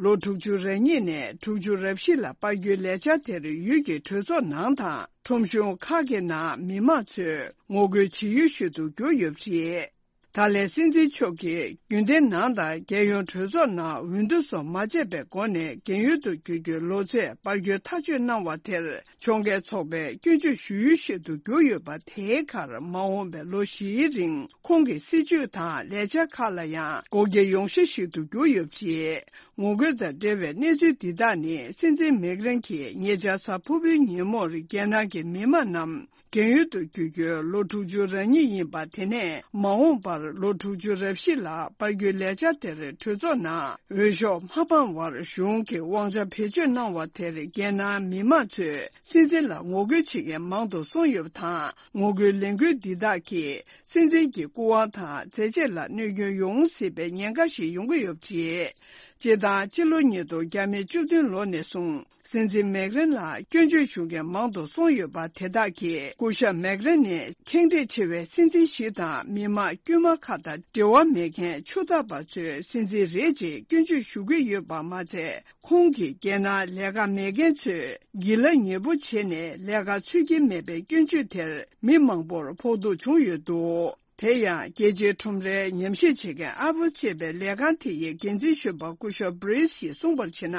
ལོ་དྲུག་ཅུ་རེ་གཉིས་ནས་དྲུག་ཅུ་རེ་བཞི་ལ་སྤར་རྒྱུའི་ལས་འཆར་དེར་ཡུལ་གྱི་གྲོས་ཚོགས་ནང་དང་ཁྲོམ་གཞུང་ཁག་གི་ནང་མི་མང་ཚོས་ངོ་རྒོལ་བྱེད་ཡུལ་ཞིག་ཏུ་གྱུར་ཡོད་པ་རེད། ད་ལན་སྲིད་འཛིན་མཆོག་གིས་རྒྱུན་ལྡན་ནང་དང་རྒྱལ་ཡོངས་གྲོས་ཚོགས་ནང་འོས་བསྡུ་སོགས་མ་བྱས་པའི་སྒོ་ནས་རྒན་ཡོལ་དུ་བསྐྱོད་རྒྱུའི་ལོ་ཚད་སྤར་རྒྱུའི་ཐག་གཅོད་གནང་བ་དེར་ཕྱོགས་འགལ་ཚོགས་པས་སྐྱོན་བརྗོད་ཞུ་ཡུལ་ཞིག་ཏུ་གྱུར་ཡོད་པ། དེའི་ཁར་མ་འོངས་པའི་ལོ་བཞིའི་རིང་ཁོང་གི་སྲིད་བྱུས་དང་ལས་འཆར་ཁག་ལ་ཡང་སྒོ་འགྱེད་ཡོང་གཞི་ཞིག་ཏུ་གྱུར་ཡོད་པ་རེད། ངོ་རྒོལ་དང་འབྲེལ་བའི་གནས་ཚུལ་འདི་དག་ནི་སྲིད་འཛིན་མེག་རན་གྱིས་ཉེ་ཆར་གཟའ་ཕུར་བུའི་ཉིན་མོར་རྒྱལ་ནང་གི་མི་མང་རྣམས་རྒན་ཡོལ་དུ་བསྐྱོད་རྒྱུའི་ལོ་དྲུག་ཅུ་རེ་གཉིས་ཡིན་པ་དེ་ནས་མ་འོངས་པར་ལོ་དྲུག་ཅུ་རེ་བཞི་ལ་སྤར་རྒྱུའི་ལས་འཆར་དེར་གྲོས་ཚོགས་ནང་འོས་ཤོག་མ་འཕངས་བར་གཞུང་གི་དབང་ཆ་བེད་སྤྱོད་གནང་བ་དེར་རྒྱལ་ནང་མི་མང་ཚོས་སྲིད་འཛིན་ལ་ངོ་རྒོལ་བྱེད་མཁན་མང་དུ་སོང་ཡོད་པ་དང་། ངོ་རྒོལ་ལས་འགུལ་འདི་དག་གིས་སྲིད་འཛིན་གྱི་སྐུ་དབང་དང་མཛད་རྗེས་ལ་གནོད་སྐྱོན་ཡོང་སྲིད་པའི་ཉེན་ཁ་ཞིག་ཡོང་གི་ཡོད་པ་རེད། སྤྱིར་བཏང་སྤྱི་ལོ་ཉིས་སྟོང་བརྒྱ་མེད་བཅུ་བདུན་ལོ་ནས་བཟུང་། སྲིད་འཛིན་མེག་རན་ལ་སྐྱོན་བརྗོད་ཞུ་མཁན་མང་དུ་སོང་ཡོད་པ་དེ་དག་གིས། སྐུ་ཞབས་མེག་རན་ནི་ཁེངས་དྲེགས་ཆེ་བའི་སྲིད་འཛིན་ཞིག་དང་། མི་དམངས་དཀྱུས་མ་ཁག་དང་འབྲེལ་བ་མེད་མཁན་ཆུ་ཐག་པ་ཚོའི་སྲིད་འཛིན་རེད་ཅེས་སྐྱོན་བརྗོད་ཞུ་གི་ཡོད་པ་མ་ཚད། ཁོང་གིས་རྒྱལ་ནང་ལས་ཀ་མེད་མཁན་ཚོས་སྒྱིད་ལ་ཉེ་པོ་བྱས་ནས་ལས་ཀ་འཚོལ་གྱི་མེད་པའི་སྐྱོན་བརྗོད་དེར་མི་མང་པོར་ཕོག་ཐུག་བྱུང་ཡོད་འདུག་དེ་ཡང་རྒྱལ་སྤྱིའི་ཁྲོམ་རའི་ཉམས་ཞིབ་བྱེད་མཁན་ཨ་པོལ་ཅེས་པའི་ལས་ཁང་དེ་ཡི་འགན་འཛིན་གཞོན་པ་སྐུ་ཞབས་བྷི་རིས་ཡིས་གསུངས་པར་བྱས་ན།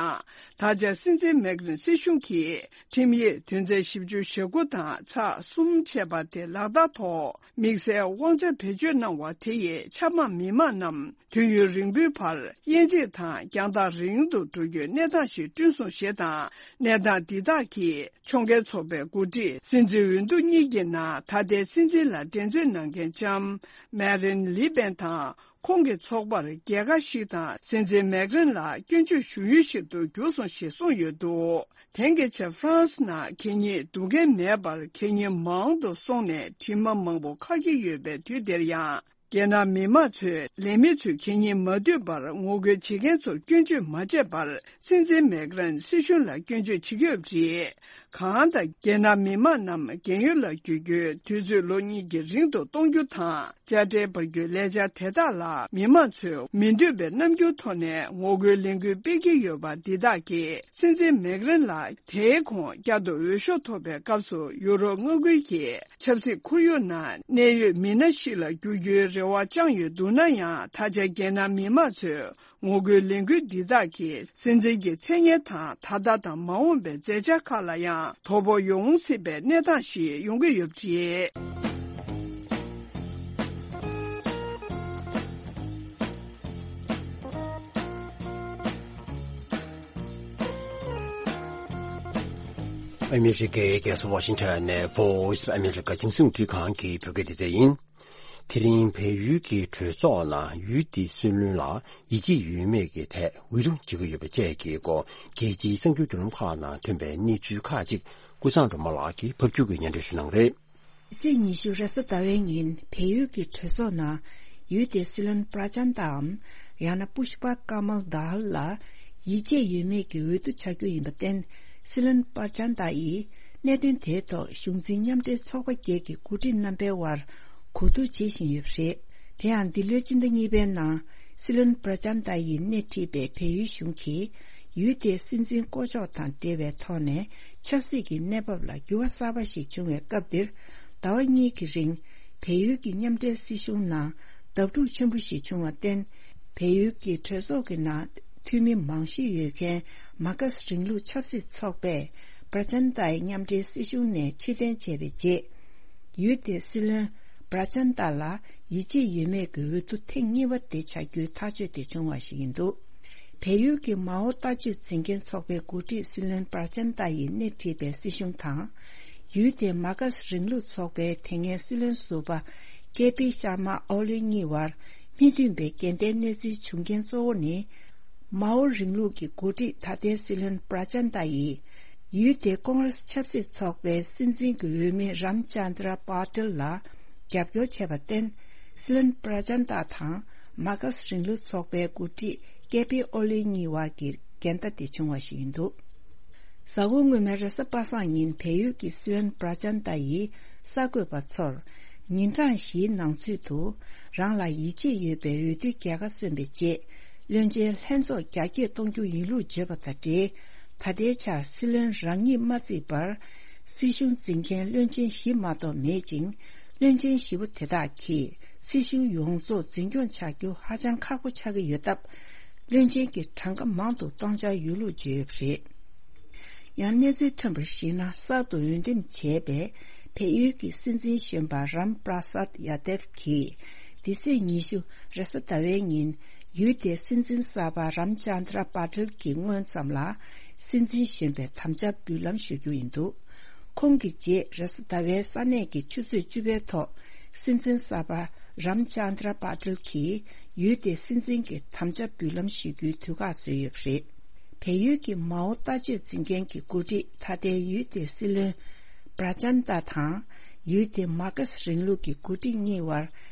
ད་ཆ་སྲིད་འཛིན་མེག་རན་སྲིད་གཞུང་གིས་ཁྲིམས་ཡིག་དོན་ཚན་བཞི་བཅུ་ཞེ་དགུ་དང་ཚེག་གསུམ་ཅེས་པ་དེ་ལག་བསྟར་ཐོག་དམིགས་བསལ་དབང་ཆ་བེད་སྤྱོད་གནང་བ་དེ་ཡིས་ཆབ་འབངས་མི་མང་རྣམས་དུས་ཡུན་རིང་པོའི་བར་དབྱེ་འབྱེད་དང་རྒྱང་ཐག་རིང་དུ་འགྲོ་རྒྱུའི་གནས་སྟངས་ཤིག་བསྐྲུན་སོང་ཞེས་དང་། གནས་སྟངས་འདི་དག་གིས། ཕྱོགས་འགལ་ཚོགས་པའི་འགོ་ཁྲིད་སྲིད་འཛིན་འོས་བསྡུ་གཉིས་ཀྱི་ནང་ད་ལྟའི་སྲིད་འཛིན་ལ་འགྲན་རྩོད་གནང་མཁན་ལྕམ་མེ་རིན་ལི་པེན་དང་། ཁོང་གི་ཚོགས་པར་རྒྱལ་ཁ་ཞིག་དང་སྲིད་འཛིན་མེག་རན་ལ་སྐྱོན་བརྗོད་ཞུ་ཡུལ་ཞིག་ཏུ་གྱུར་སོང་ཞེས་གསུངས་ཡོད་འདུག་དེང་གི་ཆར་ཧྥ་རན་སི་ནང་གད་སྙིགས་འདུ་མཁན་མེད་པར་གད་སྙིགས་མང་དུ་སོང་ནས་དྲི་མ་མང་པོ་ཁ་གྱེས་ཡོད་པའི་དུས་འདིར་ཡང་། རྒྱལ་ནང་མི་མང་ཚོས་ལས་མི་ཚོས་གད་སྙིགས་མ་འདུས་པར་ངོ་རྒོལ་བྱེད་མཁན་ཚོར་སྐྱོན་བརྗོད་མ་བྱས་པར། སྲིད་འཛིན་མེག་རན་སྲིད་གཞུང་ལ་སྐྱོན་བརྗོད་བྱེད་ཀྱི་ཡོད་པ་རེད། གང་ལྟར། རྒྱལ་ནང་མི་མང་རྣམས་རྒན་ཡོལ་ལ་བསྐྱོད་རྒྱུའི་དུས་ཚོད་ལོ་གཉིས་ཀྱི་རིང་དུ་གཏོང་རྒྱུ་དང་། དཔྱ་ཁྲལ་སྤར་རྒྱུའི་ལས་འཆར་དེ་དག་ལ་མི་མང་ཚོས་མི་འདོད་པའི་རྣམ་འགྱུར་ཐོག་ནས་ངོ་རྒོལ་ལས་འགུལ་སྤེལ་གྱི་ཡོད་པ་འདི་དག་གིས། སྲིད་འཛིན་མེག་རན་ལ་དེའི་གོང་བསྐྱར་དུ་འོས་ཤོག་ཐོབ་པའི་སྐབས་སུ་ཡུ་རོབ་མངའ་ཁུལ་གྱི་ཆབ་སྲིད་ཁོར་ཡུག་ནང་གནད་ཡོད་མི་སྣ་ཞིག་ལ་འགྱུར་རྒྱུའི་རེ་བ་བཅངས་ཡོད་འདུག་ན་ཡང་། ད་ཆ་རྒྱལ་ནང་མི་མང་ཚོས་ངོ་རྒོལ་ལས་འགུལ་འདི་དག་གིས་སྲིད་འཛིན་གྱི་མཚན་སྙན་དང་། ད་ལྟ་དང་མ་འོངས་པའི་མཛད་འཆར་ཁག་ལ་ཡང་དོ་ཕོག་ཡོང་སྲིད་པའི་གནས་སྟངས་ཤིག་ཡོང་གི་ཡོད་པ་རེད། ཨ་མི་རི་ཀའི་རྒྱལ་ས་ཝ་ཤིང་ཊོན་ནས་Voice of America རྒྱང་སྲིང་རླུང་འཕྲིན་ཁང་གི་བོད་སྐད་སྡེ་ཚན་ཡིན། དེ་རིང་བལ་ཡུལ་གྱི་གྲོས་ཚོགས་ནང་ཡུལ་དེའི་སྲིད་བློན་ལ་ཡིད་ཆེས་ཡོད་མེད་ཀྱི་ཐད་འོས་བསྡུ་བྱེད་ཀྱི་ཡོད་པ་བཅས་ཀྱི་སྐོར་རྒྱལ་སྤྱིའི་གསར་འགྱུར་བརྒྱུད་ལམ་ཁག་ནང་ཐོན་པའི་གནས་ཚུལ་ཁག་ཅིག་ཀུན་བཟང་སྒྲོལ་མ་ལགས་ཀྱིས་ཕབ་སྒྱུར་གྱིས་སྙན་སྒྲོན་ཞུ་གནང་གི་རེད། ཕྱི་ཚེས་ཉི་ཤུ་རེས་གཟའ་ཟླ་བའི་ཉིན་བལ་ཡུལ་གྱི་གྲོས་ཚོགས་ནང་ཡུལ་དེའི་སྲིད་བློན་པྲ་ཅན་ཏའམ་ཡང་ན་པུཤ་པ་ཀ་མལ་དཱལ་ལ་ཡིད་ཆེས་ཡོད་མེད་ཀྱི་འོས་བསྡུ་བྱ་རྒྱུ་ཡིན་པར་བརྟེན། སྲིད་བློན་པྲ་ཅན་ཏཱ་ཡིས་གནད་དོན་དེའི་ཐོག་གཞུང་འཛིན་མཉམ་འབྲེལ་ཚོགས་པ་བརྒྱད་ཀྱི་འགོ་ཁྲིད་རྣམ་པའི་དབར་གོ་བསྡུར་བྱེད་བཞིན་ཡོད་པ་རེད། དེ་ཡང་འདི་ལོའི་སྤྱི་ཟླ་གཉིས་པའི་ནང་སྲིད་བློན་པྲ་ཅན་ཏཱ་ཡིས་སྣེ་ཁྲིད་པའི་བལ་ཡུལ་གཞུང་གིས་ཡུལ་དེའི་སྲིད་འཛིན་བསྐོ་གཞག་དང་འབྲེལ་བའི་ཐོག་ནས་ཆབ་སྲིད་ཀྱི་གནས་བབ་ལ་འགྱུར་བ་གསར་པ་ཞིག་བྱུང་བའི་སྐབས་འདིར། ཟླ་བ་གཉིས་ཀྱི་རིང་བལ་ཡུལ་གྱི་མཉམ་འབྲེལ་སྲིད་གཞུང་ནང་བརྡབ་འཁྲུག་ཆེན་པོ་ཞིག་བྱུང་བར་བརྟེན། བལ་ཡུལ་གྱི་གྲོས་ཚོགས་ཀྱི་ནང་འཐུས་མི་མང་ཤོས་ཡོད་མཁན་མཱ་ཁ་སི་རིང་ལུགས་ཆབ་སྲིད་ཚོགས་པས་པྲ་ཅན་ཏཱའི་མཉམ་འབྲེལ་སྲིད་གཞུང་ནས་ཕྱིར་འཐེན་བྱས་པའི་རྗེས། ཡུལ་དེའི་སྲིད་བློན་པྲ་ཅན་ཏཱ་ལ་ཡིད་ཆེས་ཡོད་མེད་ཀྱི་འོས་བསྡུ་ཐེངས་གཉིས་པ་དེ་བྱ་རྒྱུའི་ཐག་གཅོད་དེ་བྱུང་བ་ཞིག་ཡིན་འདུག་བལ་ཡུལ་གྱི་མའོ་ལྟ་སྤྱོད་འཛིན་མཁན་ཚོགས་པའི་འགོ་ཁྲིད་སྲིད་བློན་པྲ་ཅན་ཏཱ་ཡིས་སྣེ་ཁྲིད་པའི་སྲིད་གཞུང་དང་། ཡུལ་དེའི་མཱ་ཁ་སི་རིང་ལུགས་ཚོགས་པའི་དེ་སྔའི་སྲིད་བློན་ཟུར་པ་ཀེ་པི་ཤར་མ་ཨོ་ལི་གཉིས་བར་མི་མཐུན་པའི་འགལ་ཟླའི་གནས་ཚུལ་བྱུང་རྐྱེན་གཙོ་བོ་ནི། མའོ་རིང་ལུགས་ཀྱི་འགོ་ཁྲིད་ད་ལྟའི་སྲིད་བློན་པྲ་ཅན་ཏཱ་ཡིས་ཡུལ་དེའི་ཀོང་རེ་སི་ཆབ་སྲིད་ཚོགས་པའི་སྲིད་འཛིན་གྱི་འོས་མི་རམ་ཅན་དྲ་པ་ཏེལ་ལ་རྒྱབ་སྐྱོར་བྱས་པར་བརྟེན། སྲིད་བློན་པྲ་ཅན་ཏཱ་དང་མཱ་ཁ་སི་རིང་ལུགས་ཚོགས་པའི་འགོ་ཁྲིད་ཀེ་པི་ཨོ་ལི་གཉིས་བར་གྱི་འགལ་ཟླ་དེ་བྱུང་བ་ཞིག་ཡིན་འདུག་གཟའ་འཁོར་སྔོན་མའི་རེས་གཟའ་པ་སངས་ཉིན་བལ་ཡུལ་གྱི་སྲིད་བློན་པྲ་ཅན་ཏ་ཡིས་གསར་འགོད་པ་ཚོར། ཉིན་གྲངས་བཞིའི་ནང་ཚུད་དུ་རང་ལ་ཡིད་ཆེས་ཡོད་པའི་འོས་བསྡུའི་རྒྱལ་ཁ་སོན་པའི་རྗེས། བློན་ཆེན་ལྷན་ཚོགས་རྒྱ་སྐྱེད་གཏོང་རྒྱུ་ཡིན་ལུགས་བརྗོད་པ་དང་འབྲེལ། ད་ལྟའི་ཆར་སྲིད་བློན་རང་ཉིད་མ་བརྩིས་པར། སྲིད་གཞུང་འཛིན་མཁན་བློན་ཆེན་བཞི་མ་གཏོགས་མེད་ཅིང་། བློན་ཆེན་བཞི་པོ་དེ་དག་གིས་སྲིད་གཞུང་ཡོངས་རྫོགས་འཛིན་སྐྱོང་བྱ་རྒྱུ་ཧ་ཅང་ཁག་པོ་ཆགས་ཀྱི་ཡོད་སྟབས། བློན་ཆེན་གྱི་གྲངས་ཀ་མང་དུ་གཏོང་འཆར་ཡོད་ལུགས་བརྗོད་ཡོད་པ་རེད། ཡང་གནས་ཚུལ་ཐོན་པར་གཞིགས་ན། གསར་དུ་འོས་འདེམས་བྱས་པའི་བལ་ཡུལ་གྱི་སྲིད་འཛིན་གཞོན་པ་རམ་པྲ་སཱད་ཡ་དེབ་ཀྱིས། འདི་ཚེས་ཉི་ཤུ་རེས་གཟའ་ཟླ་བའི་ཉིན་ཡུལ་དེའི་སྲིད་འཛིན་གསར་པ་རམ་ཅན་དྲ་པ་ཏེལ་གྱི་སྔོན་ཙམ་ལ་སྲིད་འཛིན་གཞོན་པའི་དམ་བཅའ་འབུལ་ལམ་ཞུ་རྒྱུ་ཡིན་འདུག་ཁོང་གི་རྗེས་རེས་གཟའ་ཟླ་བའི་ས་གནས་ཀྱི་ཆུ་ཚོད་བཅུ་པའི་ཐོག་སྲིད་འཛིན་གསར་པ་རམ་ཅན་དྲ་པ་ཏེལ་གྱིས་ཡུལ་དེའི་སྲིད་འཛིན་གྱི་དམ་བཅའ་འབུལ་ལམ་ཞུ་རྒྱུའི་དུས་བཀག་བཟོས་ཡོད་པ་རེད། བལ་ཡུལ་གྱི་མའོ་ལྟ་སྤྱོད་འཛིན་མཁན་གྱི་འགོ་ཁྲིད་ད་ལྟའི་ཡུལ་དེའི་སྲིད་བློན་པྲ་ཅན་ཏ་དང་། ཡུལ་དེའི་མར་ཁེ་སི་རིང་ལུགས་ཀྱི་འགོ་ཁྲིད་གཉིས་བར་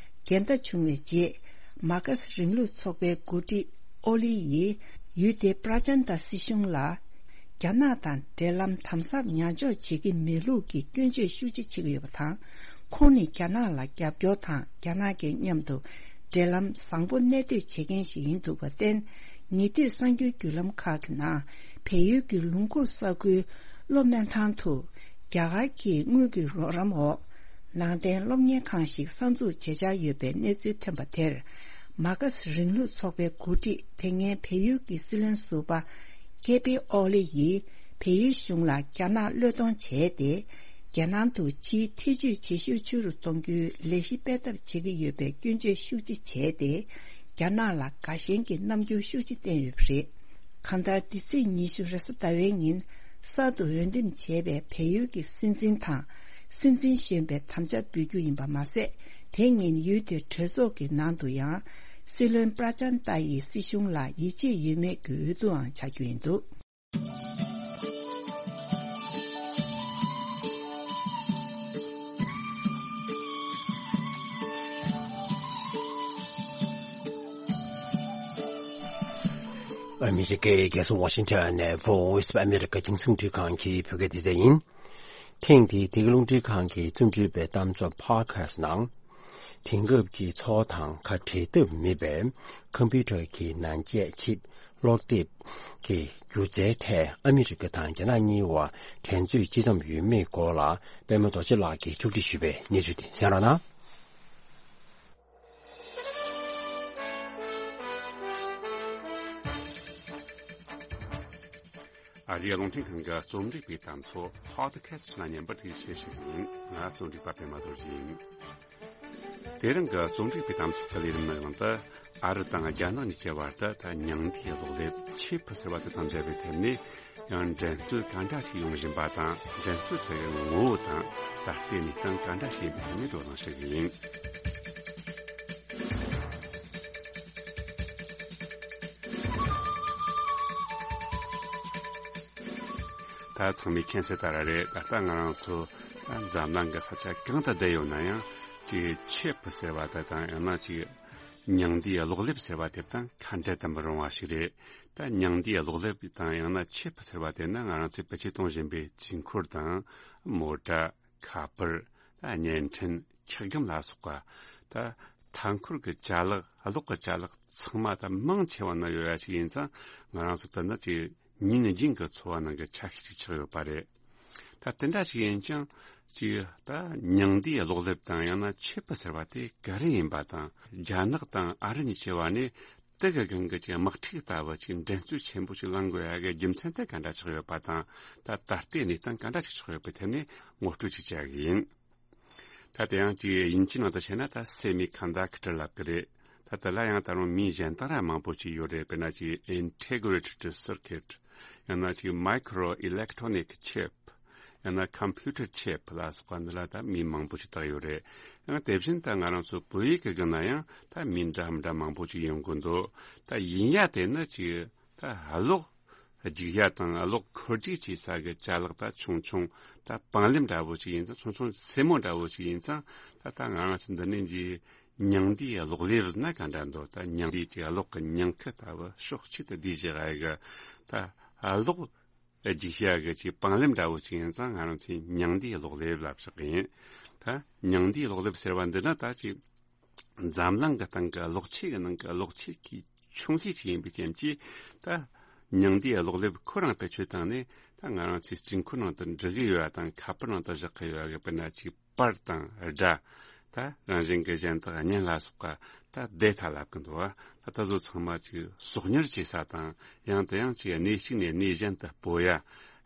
འགལ་ཟླ་བྱུང་བའི་རྗེས། མར་ཁེ་སི་རིང་ལུགས་ཚོགས་པའི་འགོ་ཁྲིད་ཨོ་ལི་ཡིས་ཡུལ་དེའི་པྲ་ཅན་ཏ་སྲིད་གཞུང་ལ། རྒྱ་ནག་དང་འབྲེལ་ལམ་དམ་ཟབ་ཉར་འཇོག་བྱེད་ཀྱི་མེད་ལུགས་ཀྱི་སྐྱོན་བརྗོད་ཤུགས་ཆེ་བྱེད་ཀྱི་ཡོད་པ་དང་། ཁོང་ནི་རྒྱ་ནག་ལ་རྒྱབ་སྐྱོར་དང་། རྒྱ་ནག་གི་མཉམ་དུ་འབྲེལ་ལམ་བཟང་པོ་གནས་སྡོད་བྱེད་མཁན་ཞིག་ཡིན་འདུག་པར་བརྟེན། ཉེ་དུས་གསར་འགྱུར་བརྒྱུད་ལམ་ཁག་གི་ནང་བལ་ཡུལ་གྱི་ལུང་ཁུག་ས་ཁུལ་གློ་སྨན་ཐང་དུ་རྒྱ་གར་གྱི་དངུལ་གྱི་རོགས་རམ་འོག་ནང་བསྟན་སློབ་གཉེར་ཁང་ཞིག་གསར་འཛུགས་བྱེད་འཆར་ཡོད་པའི་གནས་ཚུལ་ཐོན་པ་དེར། མར་ཁེ་སི་རིང་ལུགས་ཚོགས་པའི་འགོ་ཁྲིད་དེ་སྔའི་བལ་ཡུལ་གྱི་སྲིད་བློན་ཟུར་པ་ཀེ་པི་ཨོ་ལི་ཡིས་བལ་ཡུལ་གཞུང་ལ་རྒྱ་ནག་བློས་གཏོང་བྱས་ཏེ། རྒྱལ་ནང་དུ་ཕྱིའི་ཐེ་ཇུས་བྱེད་ཤུགས་ཆེ་རུ་གཏོང་རྒྱུའི་ལས་གཞི་སྤེལ་ཐབས་བྱེད་ཀྱི་ཡོད་པའི་སྐྱོན་བརྗོད་ཤུགས་ཆེ་བྱས་ཏེ། རྒྱ་ནག་ལ་དགའ་ཞེན་གྱི་རྣམ་འགྱུར་ཤུགས་ཆེ་བསྟན་ཡོད་པ་རེད། གང་ལྟར། འདི་ཚེས་ཉི་ཤུ་རེས་གཟའ་ཟླ་བའི་ཉིན་གསར་དུ་འོས་འདེམས་བྱས་པའི་བལ་ཡུལ་གྱི་སྲིད་འཛིན་དང་། སྲིད་འཛིན་གཞོན་པའི་དམ་བཅའ་འབུལ་རྒྱུ་ཡིན་པ་མ་ཟད། དེ་ཉིན་ཡུལ་དེའི་གྲོས་ཚོགས་ཀྱི་ནང་དུ་ཡང་སྲིད་བློན་པྲ་ཅན་ཏཱ་ཡི་སྲིད་གཞུང་ལ་ཡིད་ཆེས་ཡོད་མེད་ཀྱི་འོས་བསྡུའང་བྱ་རྒྱུ་ཡིན་འདུག་ཨ་མི་རི་ཀའི་རྒྱལ་ས་ཝ་ཤིང་ཊོན་ནས་Voice of America རྒྱང་སྲིང་འཕྲིན་ཁང་གི་བོད་སྐད་སྡེ་ཚན་ཡིན། ཐེངས་འདིའི་བདེ་སྐྱིད་རླུང་འཕྲིན་ཁང་གི་རྩོམ་སྒྲིག་པའི་གཏམ་བཟང་Podcast ནང་། དེང་སྐབས་ཀྱི་འཚོ་བ་དང་ཁ་བྲལ་ཐབས་མེད་པའི་ཁམ་པུ་ཊར་གྱི་ནང་ཆས་ཆིབ་ཀློག་དེབ་ཀྱི་སྒྱུ་རྩལ་ཐད་ཨ་མི་རི་ཀ་དང་རྒྱ་ནག་གཉིས་བར་འགྲན་རྩོད་ཅི་ཙམ་ཡོད་མེད་སྐོར་ལ། པད་མ་རྡོ་རྗེ་ལགས་ཀྱིས་ཕྱོགས་སྒྲིག་ཞུས་པའི་གནས་ཚུལ་དེ་གསན་རོགས་གནང་། ཨ་རིའི་རླུང་འཕྲིན་ཁང་གི་རྩོམ་སྒྲིག་པའི་གཏམ་ཚོ་Podcast ནང་ཉན་པར་ཐུགས་རྗེ་ཆེ་ཞུ་གི་ཡིན། ང་རྩོམ་སྒྲིག་པ་པད་མ་རྡོ་རྗེ་ཡིན། དེ་རིང་གི་རྩོམ་སྒྲིག་པའི་གཏམ་ཚོགས་ཀྱི་ལས་རིམ་ནང་དུ། ཨ་རི་དང་རྒྱ་ནག་གཉིས་ཀྱི་བར་དུ་ད་མྱང་འདས་གློག་ཀླད་ཆིབ་ཟེར་བ་དེ་དང་འབྲེལ་བའི་ཐད་ནས། ཡང་འགྲན་རྩོད་ག་འདྲ་ཞིག་ཡོང་བཞིན་པ་དང་། འགྲན་རྩོད་དེ་གི་ངོ་བོ་དང་ད་ལྟའི་གནས་སྟངས་ག་འདྲ་ཞིག་ཡིན་པའི་ཐད་ནས་དོ་སྣང་ཞུ་གི་ཡིན། ད་ཚང་མས་མཁྱེན་གསལ་ལྟར་རེད། ད་ལྟ་ང་རང་ཚོ་འཛམ་གླིང་གི་ས་ཆ་གང་དུ་བསྡད་ཡོད་ན་ཡང་། ཅིག་ཆིབ་ཟེར་བ་དེ་དང་། ཡང་ན་ཅིག་མྱང་འདས་གློག་ཀླད་ཟེར་བ་དེ་དང་ཁ་འབྲལ་དུ་མི་རུང་བ་ཞིག་རེད། ད་མྱང་འདས་གློག་ཀླད་དང་ཡང་ན་ཆིབ་ཟེར་བ་དེ་ནི་ང་རང་ཚོས་བེད་སྤྱོད་གཏོང་བཞིན་པའི་དཀྱིལ་འཁོར་དང་། མོ་ཊ། ཁ་པར། ད་བརྙན་འཕྲིན། འཁྱག་སྒམ་ལ་སོགས་པ། ད་མཐའ་འཁོར་གྱི་ཅ་ལག་གློག་གི་ཅ་ལག་ཚང་མ་ད་མང་ཆེ་བ་ནང་ཡོད་ཡ་ཞིག་ཡིན་ཙང་། ང་རང་ཚོ་ད་ནི་ཅིག་ཉིན་རྒྱུན་གྱི་འཚོ་བ་ནང་གི་ཆ་ཤས་ཅིག་ཆགས་ཡོད་པ་རེད། ད་དེ་འདྲ་ཞིག་ཡིན་ཀྱང་། ཅིག་ད་མྱང་འདས་གློག་ཀླད་དང་ཡང་ན་ཆིབ་ཟེར་བ་དེ་ག་རེ་ཡིན་པ་དང་། རྒྱ་ནག་དང་ཨ་རི་གཉིས་ཀྱི་བར་ནས་དེ་གི་སྒང་གི་ཅིག་དམག་འཁྲུག་ལྟ་བུ་ཅིག་འགྲན་རྩོད་ཆེན་པོ་ཅིག་ལངས་དགོས་ཡ་གི་རྒྱུ་མཚན་དེ་ག་འདྲ་ཆགས་ཡོད་པ་དང་། ད་ད་ལྟའི་གནས་སྟངས་ག་འདྲ་ཞིག་ཆགས་ཡོད་པའི་ཐད་ནས་ངོ་སྤྲོད་ཅིག་བྱ་གི་ཡིན། ད་དེ་ཡང་ཅིག་དབྱིན་ཇིའི་ནང་དུ་བཤད་ན་ད་སེ་མི་ཀོན་ཌག་ཊར་ལབ་ཀྱི་རེད། ད་དེ་ལ་ཡང་ད་རུང་མིང་གཞན་དག་ར་མང་པོ་ཅིག་ཡོད་རེད། དཔེར་ན་ཅིག་ཨིན་ཊི་གྷི་རེ་ཊེཌ་སར་ཀིཊ། ཡང་ན་ཅིག་མའི་ཀྲོ་ཨི་ལེག་ཊོ་ནིག་ཆིབ། ཡང་ན་ཀམ་པུ་ཊར་ཆིབ་ལ་སོགས་པ་འདི་ལ་ད་མིང་མང་པོ་ཅིག་བཏགས་ཡོད་རེད། ཡང་དེ་བཞིན་ད་ང་རང་ཚོ་བོད་ཡིག་གི་སྒང་ན་ཡང་ད་མིང་འདྲ་མི་འདྲ་མང་པོ་ཅིག་ཡོང་གི་འདུག་ད་ཡིན་ཡ་དེ་ནི་ཅིག་ད་གློག་རྒྱུག་ཡ་དང་གློག་འཁོར་རྒྱུག་བྱེད་ས་གི་ཅ་ལག་ད་ཆུང་ཆུང་། ད་པང་ལེབ་འདྲ་བོ་ཅིག་ཡིན་ཙང་། ཆུང་ཆུང་སེན་མོ་འདྲ་བོ་ཅིག་ཡིན་ཙང་། ད་ད་ང་རང་ཚོ་འདི་ནས་ཀྱི་མྱང་འདས་གློག་ཀླད་ཟེར་ན་ག་འདྲ་འདུག་ད་མྱང་འདས་ཀྱི་གློག་གི་མྱང་ཁུ་ལྟ་བུ་ཕྱོགས་གཅིག་ཏུ་བསྡུས་བཞག་ཡ་གི། ད་གློག་ རྒྱུགས་བྱ་གི་ཅིག་དཔང་ལེབ་འདྲ་བོ་ཅིག་ཡིན་ཙང་ང་རང་ཚོས་མྱང་འདས་གློག་ལེབ་ལབ་ཞིག་ཡིན། ད་མྱང་འདས་གློག་ལེབ་ཟེར་བ་འདི་ནི་ད་ཅིག་འཛམ་གླིང་གི་སྟེང་གི་གློག་ཆས་ཀྱི་ནང་གི་གློག་ཆས་ཀྱི་ཆུང་ཤོས་ཅིག་ཡིན་པའི་རྐྱེན་གྱིས། ད་མྱང་འདས་གློག་ལེབ་ཁོ་རང་བེད་སྤྱོད་བཏང་ནས་ད་ང་རང་ཚོའི་རྩིས་འཁོར་ནང་དུ་འབྲི་གི་ཡོད་པ་དང་ཁ་པར་ནང་དུ་བཞག་གི་ཡོད་པ་གི་དཔེར་ན་ཅིག་པར་དང་སྒྲ། ད་རང་བཞིན་གྱི་གཞན་དག་བརྙན་ལ་སོགས་པ་ད་ཌེ་ཊ་ལབ་ཀྱི་འདུག་བ། ད་ད་གཟོད་ཚང་མ་ཅིག་གསོག་ཉར་བྱེད་ས་དང་ཡང་དེ་ཡང་ཅིག་གནས་གཅིག་ནས་གནས་གཞན་དུ་སྤོ་ཡ།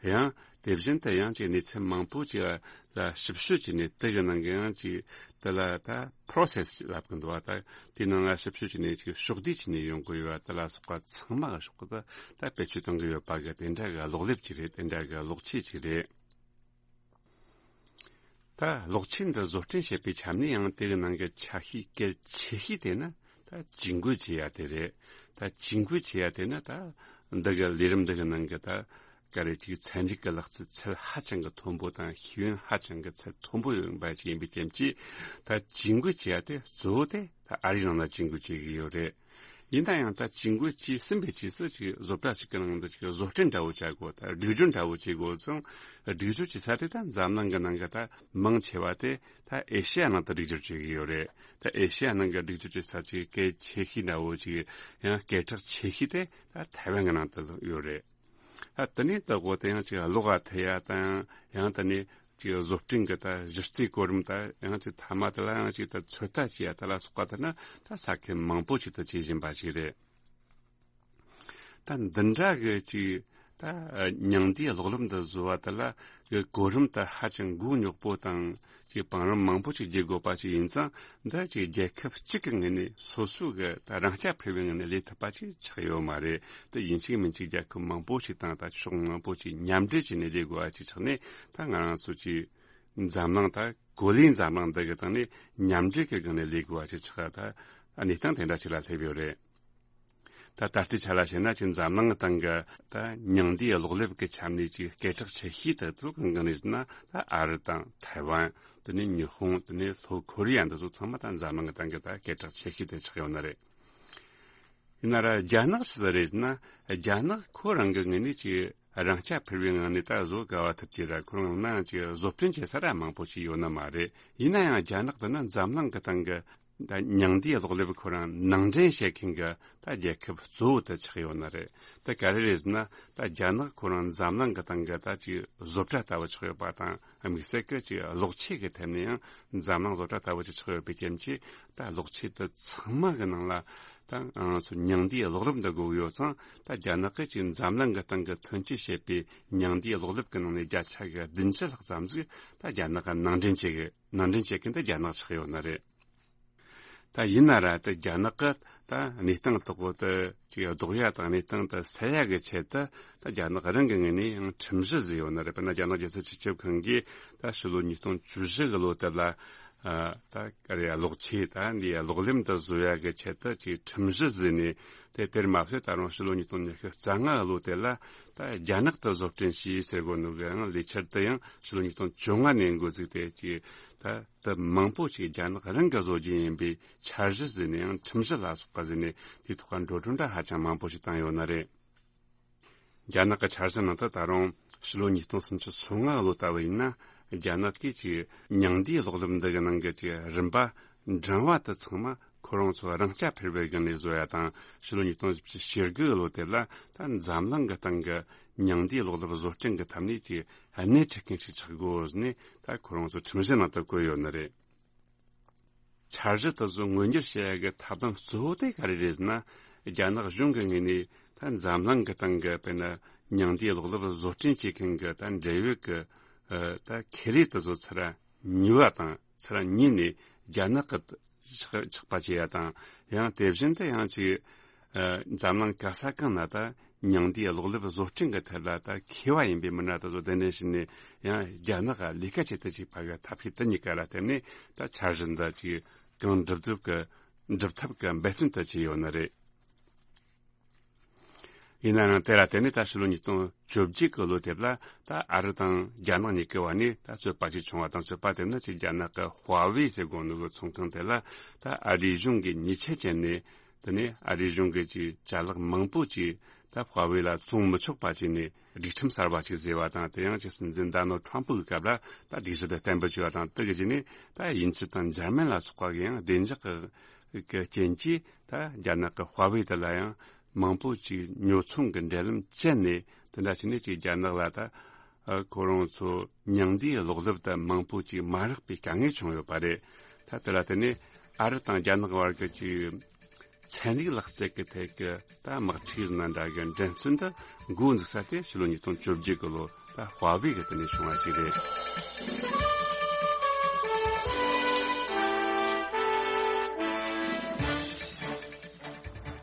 ཡང་དེ་བཞིན་དུ་ཡང་ཅིག་གནས་ཚུལ་མང་པོ་ཅིག་ལ་ཞིབ་དཔྱོད་བྱས་ནས་དེ་གི་ནང་གི་ཡང་ཅིག་དེ་ལ་ད་པོ་རོ་སེ་སི་ལབ་ཀྱི་འདུག་བ། ད་དེའི་ནང་ལ་ཞིབ་དཔྱོད་བྱས་ནས་ཅིག་ཕྱོགས་བསྡུས་བྱས་ནས་ཡོང་གི་ཡོད་པ་དེ་ལ་སོགས་པ་ཚང་མ་གི་ཕྱོགས་ཀྱི་ད་ད་བེད་སྤྱོད་གཏོང་གི་ཡོད་པ་གི་དེ་འདྲ་གི་གློག་ལེབ་ཅིག་རེད། དེ་འདྲ་གི་གློག་ཆས་ཅིག་རེད། ད་གློག་ཆས་འདི་བཟོ་སྐྲུན་བྱེད་པའི་ཆ་ནས་ཡང་དེ་གི་ནང་གི་ཆ་ཤས་གལ་ཆེ་ཤོས་དེ་ནི་ད་ཇུས་འགོད་བྱེད་ཡ་དེ་རེད། ད་ཇུས་འགོད་བྱེད་ཡ་དེ་ནི་ད་འདི་གི་ལས་རིམ་འདི་གི་ནང་གི་ད་ག་རེ་ཅིག་ཚན་རིག་གི་ལག་རྩལ་ཚད་ཧ་ཅང་གི་མཐོན་པོ་དང་ཤེས་ཡོན་ཧ་ཅང་གི་ཚད་མཐོན་པོ་ཡོད་པ་ཅིག་ཡིན་པའི་རྐྱེན་གྱིས། ད་ཇུས་འགོད་བྱེད་ཡ་དེ་གཙོ་བོ་དེ་ད་ཨ་རིའི་ནང་ལ་ཇུས་འགོད་བྱེད་ཀྱི་ཡོད་རེད། ཡིན་ན་ཡང་ད་ཇུས་འགོད་བྱས་ཟིན་པའི་རྗེས་སུ་ཅིག་བཟོ་གྲྭ་ཞིག་གི་ནང་དུ་ཅིག་བཟོ་སྐྲུན་འདྲ་བོ་བྱ་དགོས། ད་སྒྲིག་སྦྱོར་འདྲ་བོ་བྱེད་དགོས་ཙང་། སྒྲིག་སྦྱོར་བྱེད་ས་དེ་ད་འཛམ་གླིང་གི་ནང་གི་ད་མང་ཆེ་བ་དེ་ད་ཨེ་ཤི་ཡ་ནང་དུ་སྒྲིག་སྦྱོར་བྱེད་ཀྱི་ཡོད་རེད། ད་ཨེ་ཤི་ཡ་ནང་གི་སྒྲིག་སྦྱོར་བྱེད་ས་ཅིག་གལ་ཆེ་ཤོས་འདྲ་བོ་ཅིག་ཡང་སྐད་གྲགས་ཆེ་ཤོས་དེ་ད་ཐའེ་ཝན་གི་ནང་དུ་ཡོད་རེད། ད་དེ་ནས་ད་འོ་དེ་ཡང་ཅིག་གློག་ལ་ཐེ་ཡ་དང་ཡང་དེ་ནས་ཅིག་བཟོ་སྐྲུན་གྱི་ད་གཞི་རྩའི་གོ་རིམ་ད་ཡང་ཅིག་མཐའ་མ་དེ་ལ་ཡང་ཅིག་ད་ཚོད་ལྟ་བྱེད་ཡ་དེ་ལ་སོགས་པ་དེ་ནི་ད་ས་ཁུལ་མང་པོ་ཅིག་ཏུ་བྱེད་བཞིན་པ་ཞིག་རེད། ད་འདི་འདྲ་གི་ཅིག་ད་མྱང་འདས་གློག་ལེབ་འདི་བཟོ་བ་དེ་ལ་གི་གོ་རིམ་ད་ཧ་ཅང་མགོ་རྙོག་པོ་དང་ཅིག་བང་རིམ་མང་པོ་ཅིག་བརྒྱུད་དགོས་པ་ཅིག་ཡིན་ཙང་། འདི་ཅིག་རྒྱལ་ཁབ་གཅིག་གི་ངོས་ནས་སོ་སོ་གི་ད་རང་རྐྱ་འཕེར་བའི་ངོས་ནས་ལས་ཐུབ་པ་ཅིག་ཆགས་ཡོད་མ་རེད། དེ་ཡིན་གཅིག་མིན་གཅིག་རྒྱལ་ཁབ་མང་པོ་ཞིག་དང་ད་ཕྱོགས་མང་པོ་ཞིག་མཉམ་འབྲེལ་བྱས་ནས་ལས་དགོས་པ་ཅིག་ཆགས་ནས། ད་ང་རང་ཚོ་ཅིག་འཛམ་གླིང་ད་གོ་ལའི་འཛམ་གླིང་འདི་གི་སྟེང་ནས་མཉམ་འབྲེལ་གྱི་སྒང་ནས་ལས་དགོས་པ་ཅིག་ཆགས། ད་གནས་སྟངས་དེ་འདྲ་ཅིག་ལ་སླེབས་ཡོད་རེད། ད་ད་ལྟའི་ཆ་ལ་བཤད་ན་ཅིག་འཛམ་གླིང་གི་སྟེང་གི་ད་མྱང་འདས་གློག་ལེབ་ཀྱི་ཆ་ནས་ཅིག་སྐད་གྲགས་ཆེ་ཤོས་དེ་ཚོ་གང་གང་རེད་ཟེར་ན། ད་ཨ་རི་དང་ཐའེ་ཝན། དེ་ནས་ཉི་ཧོང་། དེ་ནས་ལྷོ་ཁོ་རི་ཡ། འདི་ཚོ་ཚང་མ་ད་འཛམ་གླིང་གི་སྟེང་གི་ད་སྐད་གྲགས་ཆེ་ཤོས་དེ་ཆགས་ཡོད་ནི་རེད། ཡིན་ན་ར་རྒྱ་ནག་ཅི་ཟིག་རེད་ཟེར་ན། རྒྱ་ནག་ཁོ་རང་གི་ངོས་ནས་ཅིག་རང་རྐྱ་འཕེར་བའི་ངང་ནས་ད་བཟོ་དགའ་བ་ཐུབ་ཀྱི་ར། ཁོ་རང་ནང་ཅིག་བཟོ་སྐྲུན་བྱེད་ས་ར་མང་པོ་ཞིག་ཡོད་ནི་མ་རེད། ཡིན་ན་ཡང་རྒྱ་ནག་དེ་ནི་འཛམ་གླིང་གི་སྟེང་གི་ད་མྱང་འདས་གློག་ལེབ་ཁོ་རང་ནང་འདྲེན་བྱེད་མཁན་གྱི་ད་རྒྱལ་ཁབ་གཙོ་བོ་དེ་ཆགས་ཡོད་ནི་རེད། དེ་ག་རེ་རེད་ཟེར་ན། ད་རྒྱ་ནག་ཁོ་རང་འཛམ་གླིང་གི་སྟེང་གི་ད་ཅིག་བཟོ་གྲྭ་ལྟ་བུ་ཆགས་ཡོད་པ་དང་། དམིགས་བསལ་གྱི་ཅིག་གློག་ཆས་ཀྱི་ཐད་ནས་ཡང་འཛམ་གླིང་བཟོ་གྲྭ་ལྟ་བུ་ཅིག་ཆགས་ཡོད་པའི་རྐྱེན་གྱིས། ད་གློག་ཆས་དེ་ཚང་མ་གི་ནང་ལ་ད་ང་ཚོ་མྱང་འདས་གློག་ལེབ་འདི་དགོས་ཀྱི་ཡོད་ཙང་། ད་རྒྱ་ནག་གིས་ཅིག་འཛམ་གླིང་གི་སྟེང་གི་ཐོན་སྐྱེད་བྱེད་པའི་མྱང་འདས་གློག་ལེབ་ཀྱི་ནང་ནས་བརྒྱ་ཆ་གི་བདུན་ཅུ་ལྷག་ཙམ་ཟིག་ད་རྒྱ་ནག་གི་ནང་འདྲེན་བྱེད་གི། ནང་འདྲེན་བྱེད་མཁན་དེ་རྒྱ་ནག་ཆགས་ཡོད་ནི་རེད། ད་ཡིན་ན་ར་ད་རྒྱ་ནག་གི་ད་གནས་སྟངས་དག་པོ་དེ་ཅིག་ལྡོག་ཡ་དང་གནས་སྟངས་དེ་སེལ་ཡ་གི་ཆེད་དུ། ད་རྒྱ་ནག་རང་གི་ངོས་ནས་ཡང་ཁྲིམས་གཞི་བཟོས་ཡོད་ནི་རེད། དཔེར་ན་རྒྱ་ནག་རྒྱལ་སྲིད་སྤྱི་ཁྱབ་ཁང་གིས་ད་ཕྱི་ལོ་ཉིས་སྟོང་བཅུ་བཞི་གི་ལོ་དེ་ལ། ཨ། ད་ག་རེ་ཡ། གློག་ཆས་ད་འདི་ཡ་གློག་ལེབ་འདི་བཟོ་ཡ་གི་ཆེད་དུ་ཅིག་ཁྲིམས་གཞི་བཟོས་ནས། དེ་དེར་མ་ཟད་ད་རུང་ཕྱི་ལོ་ཉིས་སྟོང་ཉི་ཤུ་རྩ་ལྔ་གི་ལོ་དེ་ལ་ད་རྒྱ་ནག་ཏུ་བཟོ་སྐྲུན་བྱས་ཟེར་གོ་ནོ་གི་ཡང་ལས་འཆར་དེ་ཡང་ཕྱི་ལོ་ཉིས་སྟོང་བཅོ་ལྔ་ནས་འགོ་བཙུགས་ཏེ། ཅིག་ད་དེ་མང་པོ་ཅིག་རྒྱ་ནག་རང་གིས་བཟོ་རྒྱུ་ཡིན་པའི་འཆར་གཞི་བཟོས་ནས་ཡང་ཁྲིམས་གཞི་ལ་སོགས་པ་བཟོས་ནས་དེའི་ཐོག་ལ་འགྲོ་གྲོན་འདྲ་ཧ་ཅང་མང་པོ་ཞིག་བཏང་ཡོད་ནི་རེད། རྒྱ་ནག་གི་འཆར་གཞི་ནང་དུ་ད་རུང་ཕྱི་ལོ་ཉིས་སྟོང་སུམ་ཅུ་སོ་ལྔ་ལོ་ལྟ་བུ་ཡིན་ན། རྒྱ་ནག་གིས་ཀྱི་མྱང་འདས་གློག་ལེབ་འདི་གི་ནང་གི་ཀྱི་རིམ་པ་འབྲིང་བ་དེ་ཚང་མ་ཁོ་རང་ཚོ་རང་རྐྱ་འཕེར་བའི་སྒང་ནས་བཟོ་ཡ་དང་། ཕྱི་ལོ་ཉིས་སྟོང་བཞི་བཅུ་ཞེ་དགུ་ལོ་དེ་ལ་ད་འཛམ་གླིང་གི་སྟེང་གི་མྱང་འདས་གློག་ལེབ་བཟོ་སྐྲུན་གྱི་ཐད་ནས་ཀྱི་སྣེ་ཁྲིད་མཁན་ཞིག་ཆགས་དགོས་ཟེར་ནས་ད་ཁོ་རང་ཚོ་ཁྲིམས་གཞི་ནང་དུ་བཀོད་ཡོད་ནི་རེད། འཆར་གཞི་དེ་ཚོ་མངོན་འགྱུར་བྱེད་ཡ་གི་ཐབས་ལམ་གཙོ་བོ་དེ་ག་རེ་རེད་ཟེར་ན། རྒྱ་ནག་གཞུང་གི་ངོས་ནས་ད་འཛམ་གླིང་གི་སྟེང་གི་དཔེར་ན་མྱང་འདས་གློག་ལེབ་བཟོ་སྐྲུན་བྱེད་མཁན་གྱི་ད་འབྲེལ་ཡོད་ཀྱི་ཨ་ད་ཁེ་ལས་དེ་ཚོ་ཚུར་ཉོ་བ་དང་། ཚུར་ཉོས་ནས་རྒྱ་ནག་གི་ཆགས་ཆགས་པ་བྱེད་ཡ་དང་། ཡང་དེ་བཞིན་དུ་ཡང་ཅིག་ཨ་འཛམ་གླིང་ག་ས་གང་ན་ད་མྱང་འདས་གློག་ལེབ་བཟོ་སྐྲུན་གྱི་ཐད་ལ་ད་མཁས་པ་ཡིན་པའི་མི་སྣ་དེ་ཚོ་གདན་འདྲེན་བྱས་ནས་ཡང་རྒྱ་ནག་ག་ལས་ཀ་བྱེད་དུ་བཅུག་པ་གི་ཐབས་ཤེས་དེ་གཉིས་ཀ་ལ་བརྟེན་ནས་ད་འཆར་གཞི་འདི་ཅིག་གང་འགྲུབ་ཐུབ་ཀྱི་འགྲུབ་ཐབས་ཀྱི་འབད་བརྩོན་དེ་བྱས་ཡོད་ནི་རེད། ཡིན་ན་ཡང་དེ་ལ་བརྟེན་ནས་ད་ཕྱི་ལོ་ཉིས་སྟོང་བཅོ་བརྒྱད་ཀྱི་ལོ་དེབ་ལ་ད་ཨ་རི་དང་རྒྱ་ནག་གཉིས་ཀྱི་བར་ནས་ད་རྩོད་པ་ཅིག་བྱུང་བ་དང་། རྩོད་པ་དེ་ནི་ཅིག་རྒྱ་ནག་གི་ཧྭ་ཝེ་ཟེར་གོ་ནོ་གི་ཚོང་ཁང་དེ་ལ་ད་ཨ་རིའི་གཞུང་གིས་ཉེས་ཆད་བཅད་ནས། དེ་ནས་ཨ་རིའི་གཞུང་གིས་ཀྱི་ཅ་ལག་མང་པོ་ཅིག་ད་ ད་ཧྭ་ཝེ་ལ་བཙོང་མི་ཆོག་པ་བྱས་ནས་སྒྲིག་ཁྲིམས་གསར་བ་ཅིག་བཟོས་པ་དང་། དེ་ཡང་ཅིག་སྲིད་འཛིན་ཌོ་ནལ་ཌི་ཊརམ་ཕི་གི་སྐབས་ལ་ད་སྒྲིག་གཞི་དེ་གཏན་འབེབས་བྱས་པ་དང་། དེ་གི་རྗེས་ནས་ད་དབྱིན་ཇི་དང་འཇར་མན་ལ་སོགས་པ་གི་ཡང་བདེ་འཇགས་ཀྱི་རྐྱེན་གྱིས་ད་རྒྱ་ནག་གི་ཧྭ་ཝེ་དེ་ལ་ཡང་མང་པོ་ཅིག་ཉོ་ཚོང་གི་འབྲེལ་ལམ་བཅད་ནས། དེ་འདྲ་བྱས་ནས་ཅིག་རྒྱ་ནག་ལ་ད་ཨ་ཁོ་རང་ཚོ་མྱང་འདས་གློག་ཀླད་དེ་མང་པོ་ཅིག་མ་རག་པའི་དཀའ་ངལ་བྱུང་ཡོད་པ་རེད། ད་དེ་ལ་བརྟེན་ནས་ཨ་རི་དང་རྒྱ་ནག་བར་གྱི་ཅིག་ཚན་རིག་ལག་རྩལ་གྱི་ཐད་ཀྱི་ད་དམག་འཁྲུག་ནང་འདྲ་གི་འགྲན་རྩོད་འདི་འགོ་འཛུགས་ས་དེ་ཕྱི་ལོ་ཉིས་སྟོང་བཅོ་བརྒྱད་གི་ལོ་ད་ཧྭ་ཝེ་གི་དེ་ནས་བྱུང་བ་ཞིག་རེད།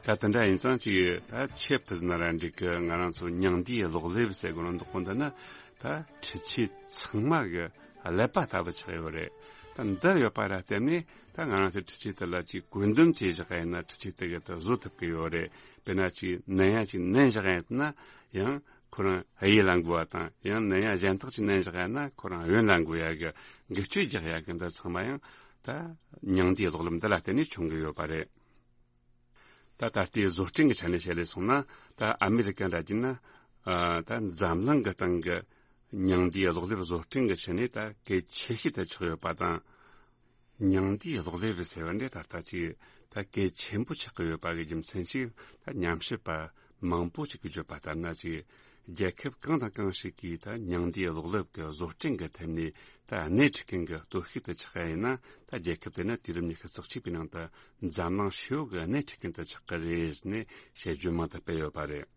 ད་དེ་འདྲ་ཡིན་ཙང་ཅིག་ད་ཆེབ་ཕི་ཟིན་ར་འགྲིག་གི། ང་རང་ཚོ་མྱང་འདས་གློག་ཀླད་ཟེར་གོ་ནོ་འདུག་གོ། འདི་ནི་ད་འཕྲུལ་ཆས་ཚང་མ་གི་ཀླད་པ་ལྟ་བུ་ཆགས་ཡོད་རེད། ད་འདི་ཡོད་པ་ར་བརྟེན་ནས་ད་ང་རང་ཚོའི་འཕྲུལ་ཆས་དེ་ལ་ཅིག་བཀོད་འདོམས་བྱས་བཞག་ཡིན་ན། འཕྲུལ་ཆས་དེ་གི་དེ་བཟོ་ཐུབ་ཀྱི་ཡོད་རེད། དཔེར་ན་ཅིག་ནན་ཡ་ཅིག་ནན་བཞག་ཡིན་ན་ཡང་ཁོ་རང་གཡས་ལ་འགུལ་བ་དང་། ཡང་ནན་ཡ་གཞན་དག་ཅིག་ནན་བཞག་ཡིན་ན་ཁོ་རང་གཡོན་ལ་འགུལ་ཡ་གི་འགུལ་སྐྱོད་རྒྱག་ཡ་གི་འདི་ཚང་མ་ཡང་ད་མྱང་འདས་གློག་ཀླད་འདི་ལ་བརྟེན་ནས་བྱུང་གི་ཡོད་པ་རེད། ད་ད་ལྟའི་བཟོ་སྐྲུན་གྱི་ཆ་ནས་བཤད་ལས་སོང་ན། ད་ཨ་མེ་རི་ཀ་འདྲ་བྱས་ན་ཨ་ད་འཛམ་གླིང་གི་སྟེང་གི་མྱང་འདས་གློག་ཀླད་བཟོ་སྐྲུན་གྱི་ཆ་ནས་ད་གལ་ཆེ་ཤོས་དེ་ཆགས་ཡོད་པ་དང་། མྱང་འདས་གློག་ཀླད་ཟེར་བ་འདི་ད་ལྟ་ཅིག་ད་གལ་ཆེན་པོ་ཆགས་ཀྱི་ཡོད་པ་གི་རྒྱུ་མཚན་ཞིག་ད་ཉམས་ཞིབ་པ་མང་པོ་ཅིག་གིས་བརྗོད་པ་ལྟར་ན། ཅིག་རྒྱལ་ཁབ་གང་དང་གང་ཞིག་གིས་ད་མྱང་འདས་གློག་ཀླད་ཀྱི་བཟོ་སྐྲུན་གྱི་ཐད་ནས་ད་སྣེ་ཁྲིད་མཁན་གྱི་སྟོབས་ཤུགས་དེ་ཆགས་ཡ་ཡིན་ན། ད་རྒྱལ་ཁབ་དེ་ནི་དུས་རབས་ཉི་ཤུ་རྩ་གཅིག་པའི་ནང་དུ་འཛམ་གླིང་ཧྲིལ་བོ་གི་སྣེ་ཁྲིད་མཁན་དུ་ཆགས་ཀྱི་རེད་ཟེར་ནས་དཔྱད་བརྗོད་མང་དུ་སྤེལ་ཡོད་པ་རེད།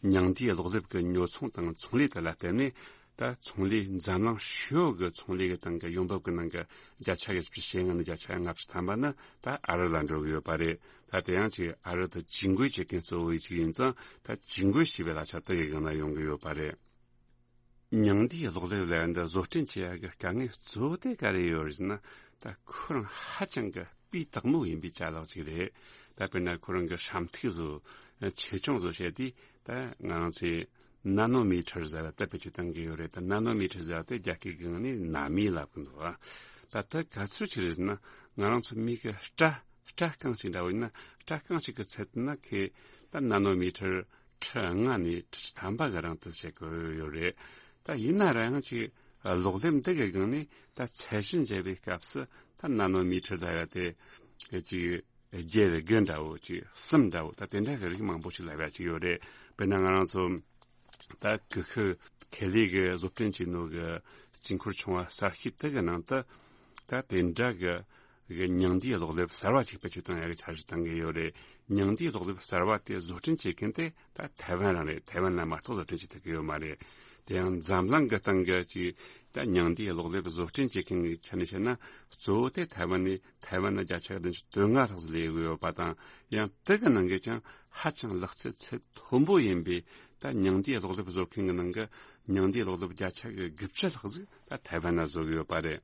མྱང་འདས་གློག་ཀླད་ཀྱི་ཉོ་ཚོང་དང་ཚོང་ལས་དེ་ལ་བརྟེན་ནས། ད་ཚོང་ལས་འཛམ་གླིང་ཧྲིལ་བོ་གི་ཚོང་ལས་ཀྱི་སྟེང་གི་ཡོང་འབབ་ཀྱི་ནང་གི་བརྒྱ་ཆ་བཞི་བཅུ་ཞེ་ལྔ་ནས་བརྒྱ་ཆ་ལྔ་བཅུ་ཐམ་པ་ནི་ད་ཨ་རི་ལ་འགྲོ་གི་ཡོད་པ་རེད། ད་དེ་ཡང་ཅིག་ཨ་རི་དེ་ཇུས་འགོད་བྱེད་མཁན་གཙོ་བོ་ཅིག་ཡིན་ཙང་། ད་ཇུས་འགོད་བྱས་པའི་གླ་ཆ་དེ་གི་སྒང་ན་ཡོང་གི་ཡོད་པ་རེད། མྱང་འདས་གློག་ཀླད་ལས་འདི་བཟོ་སྐྲུན་བྱེད་ཡ་གི་དཀའ་ངལ་གཙོ་བོ་དེ་ག་རེ་ཡོད་རེད་ཟེར་ན། ད་ཁོ་རང་ཧ་ཅང་གི་སྤུས་དག་མོ་ཡིན་པའི་ཅ་ལག་ཅིག་རེད། ད་དཔེར་ན་ཁོ་རང་གི་ཧྲ་ཐིག་བཟོ་ཆེ་ཆུང་བཟོ་བྱས་དུས། ད་ང་རང་ཚོས་ན་ནོ་མི་ཊར་ཟེར་བ་དེ་བེད་སྤྱོད་གཏང་གི་ཡོད་རེད། ད་ན་ནོ་མི་ཊར་ཟེར་བ་དེ་རྒྱ་སྐད་གི་ངོས་ནས་ན་མི་ལབ་གི་འདུག་ཨ། ད་ད་ག་ཚོད་ཅིག་རེད་ཟེར་ན། ང་རང་ཚོ་མི་གི་སྐྲ་སྐྲ་རྐང་གཅིག་འདྲ་བོ་ཡིན་ན། སྐྲ་རྐང་གཅིག་གི་ཚད་ན་ཁེ་ད་ན་ནོ་མི་ཊར་ཁྲི་ལྔ་ནས་ཁྲི་ཐམ་པ་གི་རིང་དུ་བྱེད་དགོས་ཡོད་རེད། ད་ཡིན་ན་རང་ཅིག་གློག་ལེབ་འདི་གི་སྒང་ནས་ད་ཚད་གཞི་འཇལ་བའི་སྐབས་སུ་ད་ན་ནོ་མི་ཊར་ལ་ཡ་དེ་ཅིག་བརྒྱད་དགུ་འདྲ་བོ། ཅིག་གསུམ་འདྲ་བོ། ད་དེ་འདྲ་གི་རིགས་མང་པོ་ཞིག་ལབ་ཡ་ཅིག་ཡོད་རེད། དཔེར་ན་ང་རང་ཚོ་ད་ཀུ་ཤུ་ཁེ་ལས་གི་བཟོ་སྐྲུན་བྱེད་ནོ་གི་དཀྱིལ་འཁོར་ཆུང་བ་གསར་ཤོས་དེ་གི་ནང་དུ་ད་དེ་འདྲ་གི་གི་མྱང་འདས་གློག་ལེབ་གསར་བ་ཅིག་བེད་སྤྱོད་གཏོང་ཡ་གི་འཆར་གཞི་བཏང་གི་ཡོད་རེད། མྱང་འདས་གློག་ལེབ་གསར་བ་དེ་བཟོ་སྐྲུན་བྱེད་མཁན་དེ་ད་ཐའེ་ཝན་རང་རེད། ཐའེ་ཝན་ལ་མ་གཏོགས་བཟོ་སྐྲུན་བྱེད་ཐུབ་ཀྱི་ཡོད་མ་རེད། དེ་ཡང་འཛམ་གླིང་གི་སྟེང་གི་ཅིག་ད་མྱང་འདས་གློག་ལེབ་བཟོ་སྐྲུན་བྱེད་མཁན་གྱི་ཆ་ནས་བཤད་ན། གཙོ་བོ་དེ་ཐའེ་ཝན་ནས། ཐའེ་ཝན་ནི་བརྒྱ་ཆ་བདུན་ཅུ་དོན་ལྔ་ལྷག་ཙམ་ལས་ཡོད་པ་དང་། ཡང་དེ་གི་ནང་གི་ཀྱང་ཧ་ཅང་ལག་རྩལ་ཚད་མཐོན་པོ་ཡིན་པའི་ད་མྱང་འདས་གློག་ལེབ་བཟོ་མཁན་གྱི་ནང་གི་མྱང་འདས་གློག་ལེབ་བརྒྱ་ཆ་གི་དགུ་བཅུ་ལྷག་ཙམ་ད་ཐའེ་ཝན་ན་བཟོ་གི་ཡོད་པ་རེད།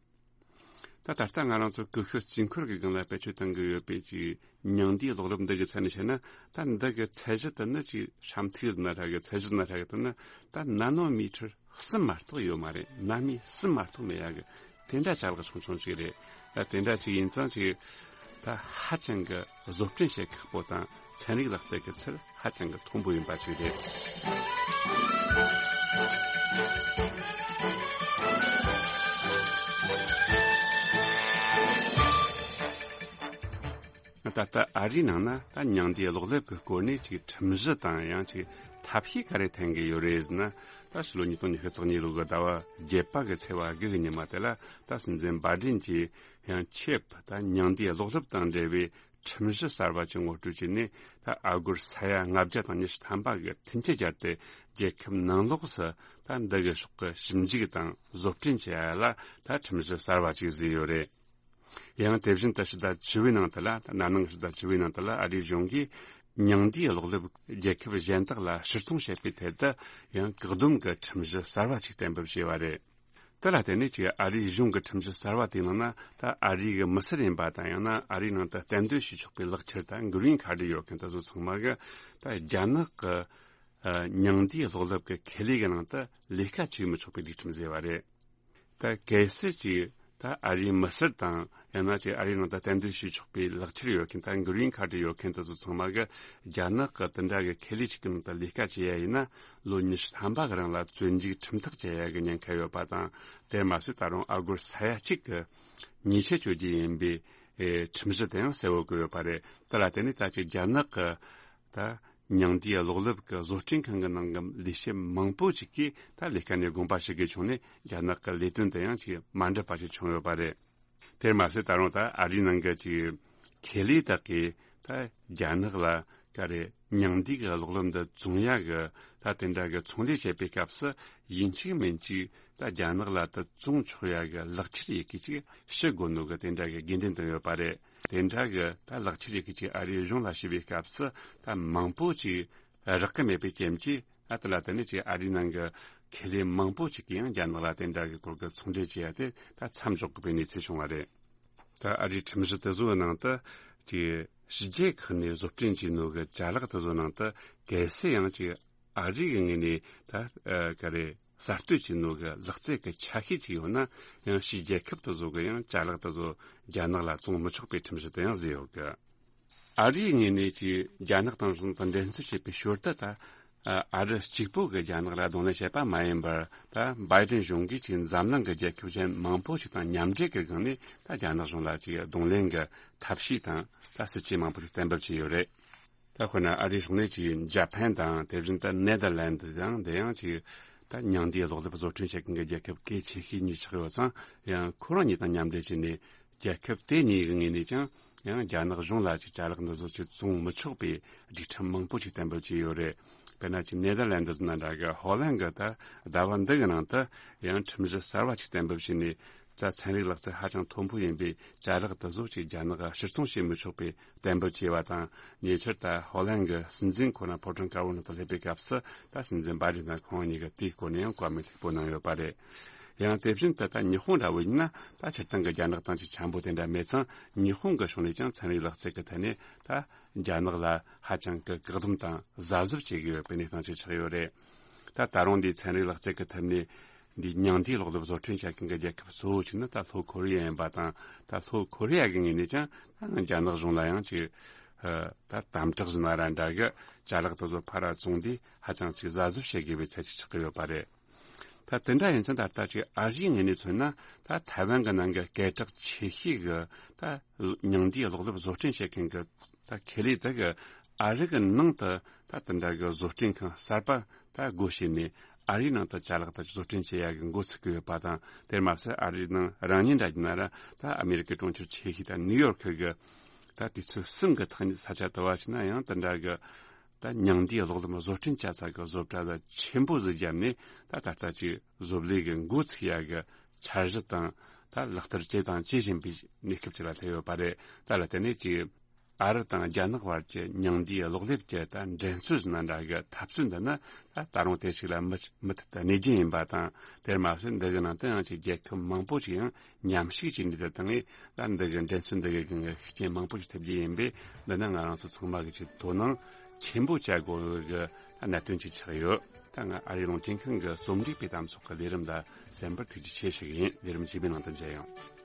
ད་ད་ལྟ་ང་རང་ཚོ་ཀུ་ཤུ་དཀྱིལ་འཁོར་གྱི་སྒང་ལ་བེད་སྤྱོད་གཏང་གི་ཡོད་པའི་ཅིག་མྱང་འདས་གློག་ལེབ་འདི་གི་ཚད་ནས་བཤད་ན། ད་འདི་གི་ཚད་གཞི་དེ་ནི་ཅིག་ཧྲ་ཐིག་ཟེར་ན་ཧྲ་གི། ཚད་གཞི་ཟེར་ན་ཧྲ་གི། དེ་ནི་ད་ན་ནོ་མི་ཊར་གསུམ་མ་གཏོགས་ཡོད་མ་རེད། ན་མི་གསུམ་མ་གཏོགས་མེད་ཡ་གི་དེ་འདྲ་ཅ་ལག་ཆུང་ཆུང་ཅིག་རེད། ད་དེ་འདྲ་ཅིག་ཡིན་ཙང་ཅིག་ད་ཧ་ཅང་གི་བཟོ་སྐྲུན་བྱེད་ཁག་པོ་དང་། ཚན་རིག་ལག་རྩལ་གྱི་ཚད་ཧ་ཅང་གི་མཐོན་པོ་ཡིན་པ་ཅིག་རེད། ད་ལྟ་ཨ་རིའི་ནང་ན་ད་མྱང་འདས་གློག་ལེབ་ཀྱི་སྐོར་ནས་ཅིག་ཁྲིམས་གཞི་དང་ཡང་ཅིག་ཐབས་ཤེས་ག་རེ་འཐེན་གྱི་ཡོད་རེད་ཟེར་ན། ད་ཕྱི་ལོ་ཉིས་སྟོང་ཉི་ཤུ་རྩ་གཉིས་ལོ་གི་ཟླ་བ་བརྒྱད་པ་གི་ཚེས་པ་དགུ་གི་ཉི་མ་དེ་ལ། ད་སྲིད་འཛིན་བྷའི་ཌེན་གྱིས་ཡང་ཆེབ་ད་མྱང་འདས་གློག་ལེབ་དང་འབྲེལ་བའི་ཁྲིམས་གཞི་གསར་བ་ཅིག་ངོ་སྤྲོད་བྱས་ནས། ད་ཨ་སྒོར་ས་ཡ་ལྔ་བརྒྱ་དང་ཉི་ཤུ་ཐམ་པ་གི་མཐུན་རྐྱེན་སྦྱར་ཏེ། རྒྱལ་ཁབ་ནང་ལོགས་སུ་ད་འདི་གི་ཕྱོགས་ཀྱི་ཞིབ་འཇུག་དང་བཟོ་སྐྲུན་བྱེད་ཡ་ལ་ད་ཁྲིམས་གཞི་གསར་བ་ཅིག་བཟོས་ཡོད་རེད། ཡང་དེ་བཞིན་དུ་ཕྱི་ཟླ་བཅུ་པའི་ནང་དུ་ལ། ད་ན་ནིང་ཕྱི་ཟླ་བཅུ་པའི་ནང་དུ་ལ་ཨ་རིའི་གཞུང་གིས་མྱང་འདས་གློག་ལེབ་རྒྱལ་ཁབ་གཞན་དག་ལ་ཕྱིར་ཚོང་བྱེད་པའི་ཐད་དུ་ཡང་བཀག་སྡོམ་གྱི་ཁྲིམས་གཞི་གསར་བ་ཅིག་གཏན་འབེབས་བྱས་པ་རེད། དེ་ལ་བརྟེན་ནས་ཅིག་ཨ་རིའི་གཞུང་གི་ཁྲིམས་གཞི་གསར་བ་དེའི་ནང་ན། ད་ཨ་རི་གི་མི་སེར་ཡིན་པ་དང་། ཡང་ན་ཨ་རིའི་ནང་དུ་གཏན་སྡོད་བྱེད་ཆོག་པའི་ལག་ཁྱེར་དང་གྷི་རིན་ཁཱར་ཌི་ཡོད་མཁན་དེ་ཚོ་ཚང་མ་གི་ད་རྒྱ་ནག་གི་ཨ་མྱང་འདས་གློག་ལེབ་ཀྱི་ཁེ་ལས་ཀྱི་ནང་དུ་ལས་ཀ་བྱེད་མི་ཆོག་པའི་སྒྲིག་ཁྲིམས་བཟོས་པ་རེད། ད་གལ་སྲིད་ཅིག་ད་ཨ་རིའི་མི་སེར་དང་ ཡང་ན་ཅིག་ཨ་རིའི་ནང་དུ་གཏན་སྡོད་བྱེད་ཆོག་པའི་ལག་ཁྱེར་ཡོད་མཁན། ད་གྷི་རིན་ཁ་ཌི་ཡོད་མཁན་དེ་ཚོ་ཚང་མ་གི་རྒྱ་ནག་གི་དེ་འདྲ་གི་ཁེ་ལས་ཅིག་གི་ནང་དུ་ལས་ཀ་བྱེད་ཡ་ཡིན་ན། ལོ་ཉི་ཤུ་ཐམ་པ་གི་རིང་ལ་བཙོན་འཇུག་ཁྲིམས་ཐག་བཅད་ཡ་གི་ཉེན་ཁ་ཡོད་པ་དང་། དེར་མ་ཟད་ད་རུང་ཨ་སྒོར་ས་ཡ་གཅིག་གི་ཉེས་ཆད་གཅོད་རྒྱུ་ཡིན་པའི་ཨེ་ཁྲིམས་གཞི་དེ་ཡང་གསལ་བོ་བཀོད་ཡོད་པ་རེད། དེ་ལ་བརྟེན་ནས་ད་ཅིག་རྒྱ་ནག་གི་ད་མྱང་འདས་གློག་ཀླད་ཀྱི་བཟོ་སྐྲུན་ཁང་གི་ནང་གི་ལས་བྱེད་མང་པོ་ཅིག་གིས་ད་ལས་ཀ་ནས་དགོངས་པ་ཞིག་གི་བྱུང་ནས། རྒྱ་ནག་གི་ལས་དོན་དེ་ཡང་ཅིག་མ་འགྲུབ་པ་ཞིག་བྱུང་ཡོད་པ་རེད། དེར་མ་ཟད་ད་རུང་ད་ཨ་རིའི་ནང་གི་ཅིག་ཁེ་ལས་དག་གིས་ད་རྒྱ་ནག་ལ་ག་རེ་མྱང་འདས་ཀྱི་གློག་ཀླད་འདི་བཙོང་ཡ་གི་ད་དེ་འདྲ་གི་ཚོང་ལས་བྱེད་པའི་སྐབས་སུ། ཡིན་གཅིག་མིན་གཅིག་ད་རྒྱ་ནག་ལ་ད་བཙོང་ཆོག་ཡ་གི་ལག་ཁྱེར་ཡི་གེ་ཅིག་ཞུ་དགོས་ནོ་གི་དེ་འདྲ་གི་དགོས་འདུན་བཏོན་ཡོད་པ་རེད། དེ་འདྲ་གི་ད་ལག་ཁྱེར་ཡི་གེ་ཅིག་ཨ་རིའི་གཞུང་ལ་ཞུ་བའི་སྐབས་སུ། ད་མང་པོ་ཅིག་རག་གི་མེད་པའི་རྐྱེན་གྱིས། ཨ་དེ་ལ་བརྟེན་ནས་ཅིག་ཨ་རིའི་ནང་གི་ཁེ་ལས་མང་པོ་ཅིག་གིས་ཡང་རྒྱ་ནག་ལ་དེ་འདྲ་གི་སྐོར་གྱི་ཚོང་འབྲེལ་བྱེད་ཡ་དེ་ད་མཚམས་འཇོག་དགོས་པའི་གནས་ཚུལ་བྱུང་བ་རེད། ད་ཨ་རིའི་ཁྲིམས་གཞི་དེ་ཚོའི་ནང་དུ་ཅིག་ཕྱི་རྒྱལ་ཁག་ནས་བཟོ་སྐྲུན་བྱས་ནོ་གི་ཅ་ལག་དེ་ཚོའི་ནང་དུ་གལ་སྲིད་ཡང་ཅིག་ཨ་རི་གི་ངོས་ནས་ད་ཨ་ག་རེ་གསར་གཏོད་བྱས་ནོ་གི་ལག་རྩལ་གྱི་ཆ་ཤས་ཅིག་ཡོད་ན། ཡང་ཕྱིའི་རྒྱལ་ཁབ་དེ་ཚོ་གི་ཡང་ཅ་ལག་དེ་ཚོ་རྒྱ་ནག་ལ་བཙོང་མི་ཆོག་པའི་ཁྲིམས་གཞི་དེ་ཡང་བཟོས་ཡོད་གི། ཨ་རིའི་ངོས་ནས་ཀྱི་རྒྱ་ནག་དང་གཞུང་དང་འགྲན་རྩོད་བྱེད་པའི་ཞོར་དུ། ད་ཨ་རི་གཅིག་པུ་གི་རྒྱ་ནག་ལ་གདོང་ལེན་བྱེད་པ་མ་ཡིན་པར། ད་བྷའི་ཏིན་གཞུང་གིས་ཀྱི་འཛམ་གླིང་གི་རྒྱལ་ཁབ་གཞན་མང་པོ་ཞིག་དང་མཉམ་འབྲེལ་གྱི་སྒང་ནས་ད་རྒྱ་ནག་གཞུང་ལ་ཀྱི་གདོང་ལེན་གྱི་ཐབས་ཤེས་དང་ད་སྲིད་ཇུས་མང་པོ་ཞིག་གཏན་འབེབས་བྱས་ཡོད་རེད། ད་དཔེར་ན་ཨ་རིའི་ཕྱོགས་ནས་ཀྱི་ཇ་པན་དང་། དེ་བཞིན་དུ་ནེ་དར་ལན་དི་དང་། དེ་ཡང་ཀྱི་ད་མྱང་འདས་གློག་ཀླད་བཟོ་སྐྲུན་བྱེད་མཁན་གྱི་རྒྱལ་ཁབ་གལ་ཆེ་ཤོས་གཉིས་ཆགས་ཡོད་ཙང་། ཡང་ཁོ་རང་གཉིས་དང་མཉམ་འབྲེལ་བྱས་ནས། རྒྱལ་ཁབ་དེ་གཉིས་ཀྱི་ངོས་ནས་ཀྱང་ཡང་རྒྱ་ནག་གཞུང་ལ་ཅིག་ཅ་ལག་འདི་ཚོ་ཅིག་བཙོང་མི་ཆོག་པའི་སྒྲིག་ཁྲིམས་མང་པོ་ཅིག་གཏན་འབེབས་བྱས་ཡོད་རེད། དཔེར་ན་ཅིག་ནེ་དར་ལན་ཌི་ནང་འདྲ་གི། ཧོ་ལན་གྱི་ད་ཟླ་བ་འདི་གི་ནང་དུ་ཡང་ཁྲིམས་གཞི་གསར་བ་ཅིག་གཏན་འབེབས་བྱས་ནས། ད་ཚན་རིག་ལག་རྩལ་ཧ་ཅང་མཐོན་པོ་ཡིན་པའི་ཅ་ལག་དེ་ཚོ་ཅིག་རྒྱ་ནག་ག་ཕྱིར་ཚོང་བྱེད་མི་ཆོག་པའི་གཏན་འབེབས་བྱས་པ་དང་། ཉེ་ཆར་ད་ཧོ་ལན་གྱི་སྲིད་འཛིན་ཁོ་ན་ཕོ་བྲང་དཀར་པོ་ནང་དུ་སླེབས་པའི་སྐབས་སུ། ད་སྲིད་འཛིན་བྷའི་ཏིན་དང་ཁོང་གཉིས་ཀྱིས་དེའི་སྐོར་ནས་ཡང་བཀའ་མོལ་མཐུག་པོ་གནང་ཡོད་པ་རེད། ཡང་དེ་བཞིན་དུ་ད་ཉི་ཧོང་འདྲ་བོ་ཡིན་ན། ད་སྤྱིར་བཏང་གི་རྒྱ་ནག་དང་ཅིག་འཆམ་པོ་དེ་འདྲ་མེད་ཙང་། ཉི་ཧོང་གི་ཕྱོགས་ནས་ཀྱང་ཚན་རིག་ལག་རྩལ་གྱི་ཐད་ནས་ད་རྒྱ་ནག་ལ་ཧ་ཅང་གི་བཀག་སྡོམ་དང་གཟབ་གཟབ་བྱེད་དགོས་ཡོད་པའི་གནས་སྟངས་ཅིག་ཆགས་ཡོད་རེད། ད་ད་རུང་འདིའི་ཚན་རིག་ལག་རྩལ་གྱི་ཐད་ནས་འདི་མྱང་འདས་གློག་ཀླད་བཟོ་སྐྲུན་བྱེད་མཁན་གྱི་རྒྱལ་ཁབ་གཙོ་བོ་གཅིག་ནི་ད་ལྷོ་ཁོ་རི་ཡ་ཡིན་པ་དང་། ད་ལྷོ་ཁོ་རི་ཡ་གི་ངོས་ནས་ཀྱང་ད་རྒྱ་ནག་གཞུང་ལ་ཡང་ཅིག་ཨ་ད་དམ་དྲག་ཟིན་ན་ར་འདྲ་གི་ཅ་ལག་དེ་ཚོ་ཕར་ར་བཙོང་དུས་ཧ་ཅང་ཅིག་གཟབ་གཟབ་བྱེད་དགོས་པའི་ཚད་ཅིག་ཆགས་ཀྱི་ཡོད་པ་རེད། ད་དེ་འདྲ་ཡིན་ཙང་ད་ལྟ་ཅིག་ཨ་རིའི་ངོས་ནས་མཚོན་ན། ད་ཐའེ་ཝན་གྱི་ནང་གི་སྐད་གྲགས་ཆེ་ཤོས་ཀྱི་ད་མྱང་འདས་གློག་ཀླད་བཟོ་སྐྲུན་བྱེད་མཁན་གྱི་ད་ཁེ་ལས་དེ་གི་ཨ་རི་གི་ནང་དུ་ད་དེ་འདྲ་གི་བཟོ་སྐྲུན་ཁང་གསར་པ་ད་སྒོ་ཕྱེ་ནས། ཨ་རིའི་ནང་དུ་ཅ་ལག་དེ་བཟོ་སྐྲུན་བྱེད་ཡ་གི་འགོ་ཚུགས་ཀྱི་ཡོད་པ་དང་། དེར་མ་ཟད་ཨ་རིའི་ནང་རང་ཉིད་འདྲ་གྱི་ན་ར། ད་ཨ་མེ་རི་ཀའི་གྲོང་ཁྱེར་ཆེ་ཤོས་ད་ནིའུ་ཡོག་གི་ད་དུས་ཚོད་གསུམ་གྱི་ཐག་ཉེ་ས་ཆ་དུ་བ་ཕྱིན་ན་ཡང་། དེ་འདྲ་གི་ད་མྱང་འདས་གློག་ལམ་བཟོ་སྐྲུན་བྱ་ས་གི་བཟོ་གྲྭ་ད་ཆེན་པོ་ཟིག་བརྒྱབ་ནས། ད་ད་ལྟ་ཅིག་བཟོ་ལས་གི་འགོ་ཚུགས་ཡ་གི་འཆར་གཞི་དང་། ད་ལག་བསྟར་བྱེད་དང་བྱེད་བཞིན་པའི་གནས་སྐབས་ཅིག་ལ་སླེབས་ཡོད་པ་རེད། ད་ལ་དེ་ནས་ཅིག་ཨ་རི་དང་རྒྱ་ནག་བར་གྱི་མྱང་འདས་གློག་ཀླད་ཀྱི་ད་འགྲན་རྩོད་ཟིན་ན་འདྲ་གི་འཐབ་རྩོད་འདི་ནི། ད་ད་རུང་དེ་ཞིག་ལ་མུ་མུ་མཐུད་དུ་གནས་རྒྱུ་ཡིན་པ་དང་། དེར་མ་ཟད་འདི་གི་ནང་དུ་ཡང་ཅིག་རྒྱལ་ཁབ་མང་པོ་ཞིག་ཡང་མཉམ་ཞུགས་བྱས་ནས། དེ་དང་ད་འདི་གི་འགྲན་རྩོད་འདི་གི་སྒང་གི་ཤུགས་རྐྱེན་མང་པོ་ཞིག་ཐེབས་རྒྱུ་ཡིན་པས། འདི་ནི་ང་རང་ཚོ་ཚང་མ་གི་ཅིག་དོ་སྣང་ཆེན་པོ་བྱ་དགོས་གི་གནད་དོན་ཅིག་ཆགས་ཡོད། ད་ང་ཨ་རིའི་རླུང་འཕྲིན་ཁང་གི་རྩོམ་སྒྲིག་པའི་གཏམ་ཚོགས་ཀྱི་ལས་རིམ་ལ་གསན་པར་ཐུགས་རྗེ་ཆེ་ཞུ་གི་ཡིན། ལས་རིམ་རྗེས་མའི་ནང་དུ་མཇལ་ཡོང་།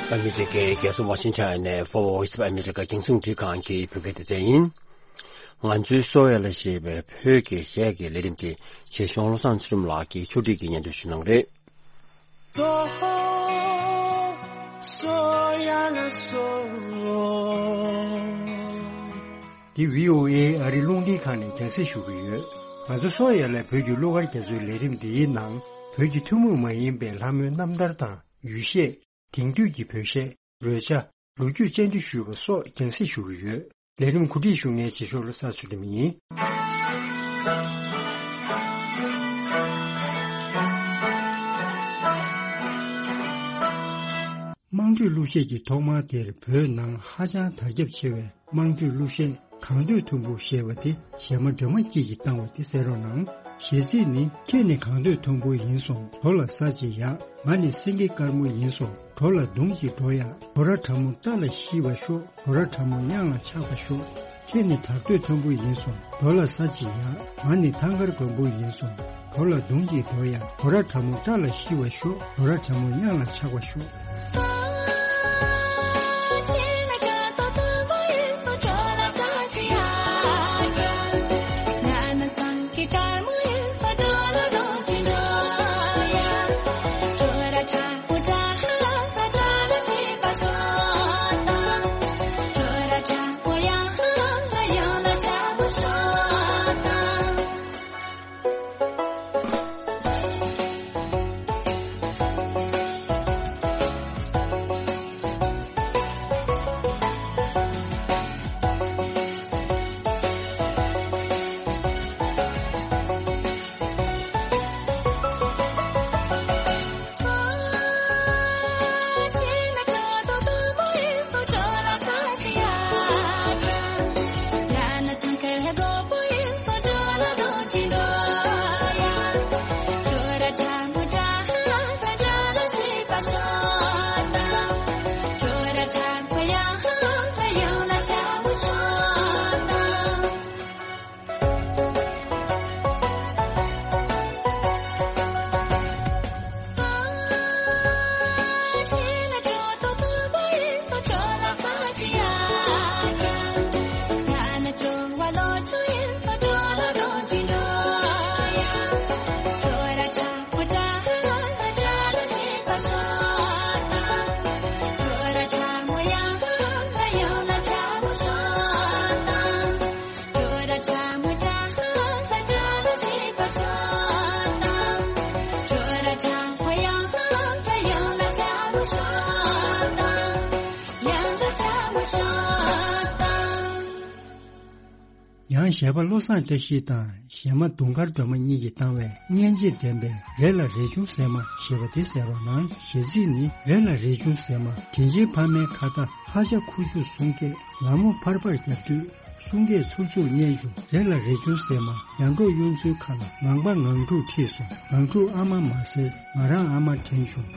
ཨ་མི་རི་ཀའི་རྒྱལ་ས་ཝ་ཤིང་ཊོན་ནས་Voice of America རྒྱང་སྲིང་རླུང་འཕྲིན་ཁང་གི་བོད་སྐད་སྡེ་ཚན་ཡིན། ང་ཚོའི་སོ་ཡ་ལ་ཞེས་པའི་བོད་ཀྱི་གཞས་ཀྱི་ལས་རིམ་དེ་རྗེ་གཞུང་བློ་བཟང་ཚེ་རིང་ལགས་ཀྱིས་ཕྱོགས་སྒྲིག་གིས་སྙན་སྒྲོན་ཞུ་གནང་རེད། འདི་བྷི་ཨོ་ཨེ་ཨ་རི་རླུང་འཕྲིན་ཁང་ནས་རྒྱང་སྲིང་ཞུ་གི་ཡོད། ང་ཚོ་སོ་ཡ་ལ་བོད་ཀྱི་གླུ་གར་རྒྱ་མཚོའི་ལས་རིམ་འདིའི་ནང་། བོད་ཀྱི་ཐུན་མོང་མ་ཡིན་པའི་ལྷ་མོའི་རྣམ་ཐར་དང་། ཡུལ་གཞས། དེང་དུས་ཀྱི་བོད་གཞས། རོལ་ཆ། ལོ་རྒྱུས་བཅར་འདྲི་ཞུས་པ་སོགས་རྒྱང་སྲིང་ཞུ་གི་ཡོད། ལས་རིམ་གོ་སྒྲིག་ཞུ་མཁན་རྗེ་ཤོག་བློ་བཟང་ཚུལ་ཁྲིམས་ཡིན། དམངས་ཁྲོད་གླུ་གཞས་ཀྱི་ཐོག་མ་དེར་བོད་ནང་ཧ་ཅང་དར་ཁྱབ་ཆེ་བའི་དམངས་ཁྲོད་གླུ་གཞས་གངས་འདོད་མཐོན་པོ་ཞེས་པ་དེ་གཞས་མ་སྒྲོལ་མ་སྐྱིད་ཀྱིས་བཏང་བ་དེ་གསན་རོགས་གནང་། གཞས་ཚིག་ནི། ཁྱེད་ནི་གངས་འདོད་མཐོན་པོ་ཡིན་སོང་། གྲོ་ལ་ཟ་ཅིག་ཡག་ང་ནི་སེང་གེ་དཀར་མོ་ཡིན་སོང་། གྲོ་ལ་བརྡུང་ཅིག་འགྲོ་ཡག་གོ་ར་ཁྲ་མོ་རྟ་ལ་ཤི་བ་ཤོག་གོ་ར་ཁྲ་མོ་གཡང་ལ་ཆགས་པ་ཤོག་ཁྱེད་ནི་བྲག་སྟོད་མཐོན་པོ་ཡིན་སོང་། རྡོ་ལ་ས་གཅིག་ཡ། ང་ནི་ཐང་དཀར་དགོན་པོ་ཡིན་སོང་། རྡོ་ལ་མདུང་གཅིག་རྡོ་ཡ། རྡོ་ར་ཁྲ་མོ་སྐྲ་ལ་ཤི་བར་ཤོག། རྡོ་ར་ཁྲ་མོ་གཡང་ལ་ཆགས་པར་ཤོག། ཡང་གཞས་པ་བློ་བཟང་བཀྲ་ཤིས་དང་གཞས་མ་དུང་དཀར་སྒྲོལ་མ་གཉིས་ཀྱིས་བཏང་བའི་སྙན་འཇེབས་ལྡན་པའི་རེད་ལ་རས་ཆུང་ཟེར་མ་ཞེས་པ་དེ་གསན་རོགས་གནང་། གཞས་ཚིག་ནི། རེད་ལ་རས་ཆུང་ཟེར་མ། དྲིན་ཆེན་ཕ་མའི་ཁ་བརྡ། ཧ་ཤ་ཁུ་བྱུག་གསུང་སྐད། ལ་མོ་ཕར་ཕར་རྒྱབ་དུས་གསུང་སྐད་ཚུར་ཚུར་སྙན་བྱུང་། རེད་ལ་རས་ཆུང་ཟེར་མ། ཡང་འབྲོག་གཡུ་མཚོའི་ཁ་ལ་ངང་པ་ངང་ཕྲུག་ཁྲིད་སོང་། ངང་ཕྲུག་ཨ་མ་མ་ཟེར། ང་རང་ཨ་མ་དྲན་བྱུང་།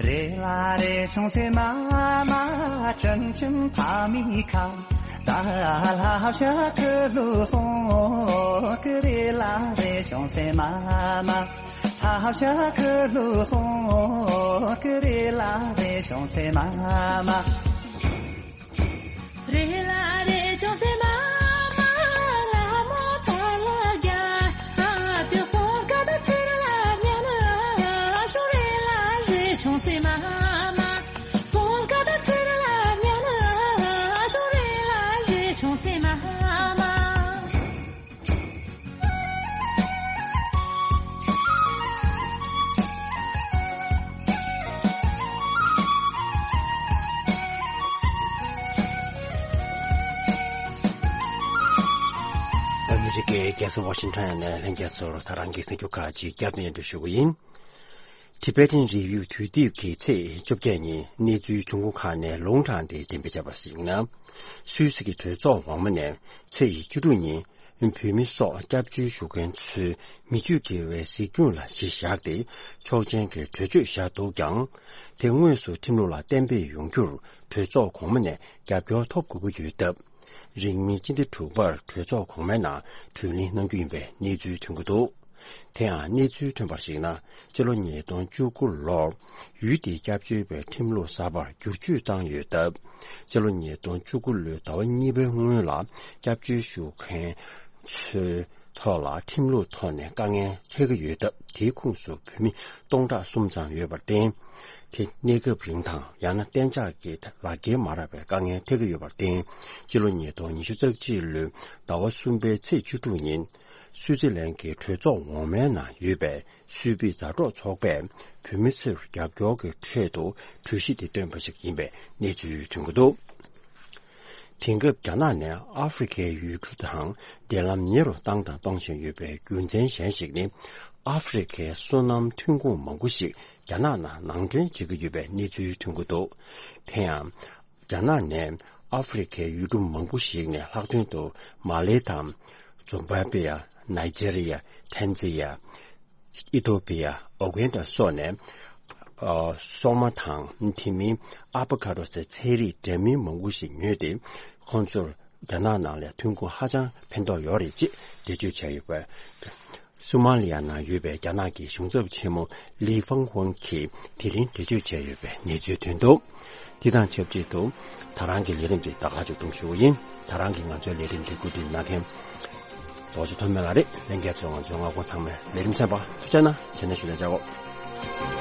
རེད་ལ་རས་ཆུང་ཟེར་མ་མ། དྲིན་ཆེན་ཕ་མའི་ཁ་བརྡ། ཧ་ཤ་ཁུ་བྱུག་གསུང་སྐད། རེད་ལ་རས་ཆུང་ཟེར་མ་མ། ཧ་ཤ་ཁུ་བྱུག་གསུང་སྐད། རེད་ལ་རས་ཆུང་ཟེར་མ་མ། རེད་ལ་རས་ཆུང་ཟེར་མ་མ། ལ་མོ་ཕར་ལ་རྒྱབ་དུས་གསུང་སྐད་ཚུར་ལ་སྙན་བྱུང་། རེད་ལ་རས་ཆུང་ཟེར་མ་མ། གསུང་སྐད་ཚུར་ལ་སྙན་བྱུང་། རེད་ལ་རས་ཆུང་ཟེར་མ་མ། ཨ་མི་རི་ཀའི་རྒྱལ་ས་ཝ་ཤིང་ཊོན་ནས་ལྷན་རྒྱས་ཚོར་ད་རང་གི་གསར་འགྱུར་ཁག་ཅིག་བསྐྱར་ཟློས་སྙན་སྒྲོན་ཞུ་གི་ཡིན། Tibetan Review དུས་དེབ་ཀྱིས་ཚེས་བཅོ་བརྒྱད་ཉིན་གནས་ཚུལ་ཆུང་ངུ་ཁག་ནས་ལུང་དྲངས་ཏེ་གཏན་འབེབས་བྱས་པར་གཞིགས་ན། སུད་སི་གི་གྲོས་ཚོགས་འོག་མ་ནས་ཚེས་བཅུ་དྲུག་ཉིན་བོད་མི་སོགས་སྐྱབས་བཅོལ་ཞུ་མཁན་ཚོའི་མི་སྤྱོད་དགེ་བའི་གཟིགས་སྐྱོང་ལ་གཞི་བཞག་སྟེ་ཆོག་མཆན་གྱི་གྲོས་ཆོད་བཞག་འདུག་ཀྱང་། དེ་དངོས་སུ་ཁྲིམས་ལུགས་ལ་གཏན་འབེབས་ཡོང་རྒྱུར་གྲོས་ཚོགས་གོང་མ་ནས་རྒྱབ་སྐྱོར་ཐོབ་དགོས་ཀྱི་ཡོད་སྟབས། རིང་མིན་སྤྱི་ཟླ་དྲུག་པར་གྲོས་ཚོགས་གོང་མའི་ནང་གྲོས་གླེང་གནང་རྒྱུ་ཡིན་པའི་གནས་ཚུལ་ཐོན་གྱི་འདུག་དེ་ཡང་གནས་ཚུལ་ཐོན་པར་གཞིགས་ན། སྤྱི་ལོ་ཉིས་སྟོང་བཅུ་དགུ་ལོར་ཡུལ་དེའི་སྐྱབས་བཅོལ་བའི་ཁྲིམས་ལུགས་གསར་པར་བསྒྱུར་བཅོས་བཏང་ཡོད་སྟབས། སྤྱི་ལོ་ཉིས་སྟོང་བཅུ་དགུ་ལོའི་ཟླ་བ་གཉིས་པའི་སྔོན་ལ་སྐྱབས་བཅོལ་ཞུ་མཁན་ཚོའི་ཐོག་ལ་ཁྲིམས་ལུགས་ཐོག་ནས་དཀའ་ངལ་འཕྲད་ཀྱི་ཡོད་སྟབས། དེའི་ཁོངས་སུ་བོད་མི་སྟོང་ཕྲག་གསུམ་ཙམ་ཡོད་པར་བརྟེན། དེ་གནས་སྐབས་རིང་དང་ཡང་ན་གཏན་འཇགས་ཀྱི་ལག་འཁྱེར་མ་རག་པའི་དཀའ་ངལ་འཕྲད་ཀྱི་ཡོད་པར་བརྟེན། སྤྱི་ལོ་ཉིས་སྟོང་ཉི་ཤུ་རྩ་གཅིག་ལོའི་ཟླ་བ་གསུམ་པའི་ཚེས་བཅུ་དྲུག་ཉིན། སུའུ་ཙི་ལན་གྱི་གྲོས་ཚོགས་འོག་མའི་ནང་ཡོད་པའི་སུད་པི་མཛའ་གྲོགས་ཚོགས་པས་བོད་མི་ཚོར་རྒྱབ་སྐྱོར་གྱི་ཆེད་དུ་གྲོས་གཞི་དེ་བཏོན་པ་ཞིག་ཡིན་པའི་གནས་ཚུལ་ཐོན་གྱི་འདུག་དེང་སྐབས་རྒྱ་ནག་ནས་ཨ་ཧྥེ་རི་ཁའི་ཡུལ་གྲུ་དང་འབྲེལ་ལམ་ཉེ་རུ་བཏང་དང་གཏོང་བཞིན་ཡོད་པའི་རྒྱུ་མཚན་གཞན་ཞིག་ནི། ཨ་ཧྥེ་རི་ཁའི་སོ་ནམ་ཐོན་ཁུངས་མང་པོ་ཞིག་རྒྱ་ནག་ནང་ནང་འདྲེན་བྱེད་ཀྱི་ཡོད་པའི་གནས་ཚུལ་ཐོན་གྱི་འདུག་དེ་ཡང་། རྒྱ་ནག་ནས་ཨ་ཧྥེ་རི་ཁའི་ཡུལ་གྲུ་མང་པོ་ཞིག་ནས་ལྷག་དོན་དུ་མ་ལེ་དང་། ཛིམ་བྷ་བྷེ་ཡ། ནཱི་ཇེ་རི་ཡ། ཐན་ཛི་ཡ། ཨི་ཐོ་པི་ཡ། ཨུ་གན་ཌ་སོགས་ནས། ཨ། སོག་མ་དང་དེ་མིན་ཨ་བྷོ་ཁ་ཌོ་ཟེར་ཚལ་རིགས་འདྲ་མིན་མང་པོ་ཞིག་ཉོས་ཏེ། ཁོང་ཚོར་ རྒྱ་ནག་ནང་ལ་ཐོན་ཁུངས་ཧ་ཅང་ཕན་ཐོགས་ཡོད་རེད་ཅེས་འགྲེལ་བརྗོད་བྱས་ཡོད་པས། སུ་མ་ལི་ཡ་ནང་ཡོད་པའི་རྒྱ་ནག་གི་གཞུང་ཚབ་ཆེན་མོ་ལི་ཧྥང་ཧུན་གྱིས་དེ་རིང་འགྲེལ་བརྗོད་བྱས་ཡོད་པའི་གནས་ཚུལ་ཐོན་འདུག་དེ་དང་ཆབས་ཅིག་ཏུ་ད་རང་གི་ལས་རིམ་དེ་ད་ག་ཅིག་ཏུ་ཞུ་བ་ཡིན། ད་རང་གི་ང་ཚོའི་ལས་རིམ་དེ་བཀོད་སྒྲིག་གནང་མཁན་རྡོ་རྗེ་ཐོགས་མེད་ལགས་རེད། ལྷན་རྒྱས་ཚོས་ང་ཚོའི་མངའ་ཁོངས་ཚང་མའི་ལས་རིམ་གསན་པར་ཐུགས་རྗེ་གནང་། ཇི་ནས་ཞུ་ལན་བྱ་གོ།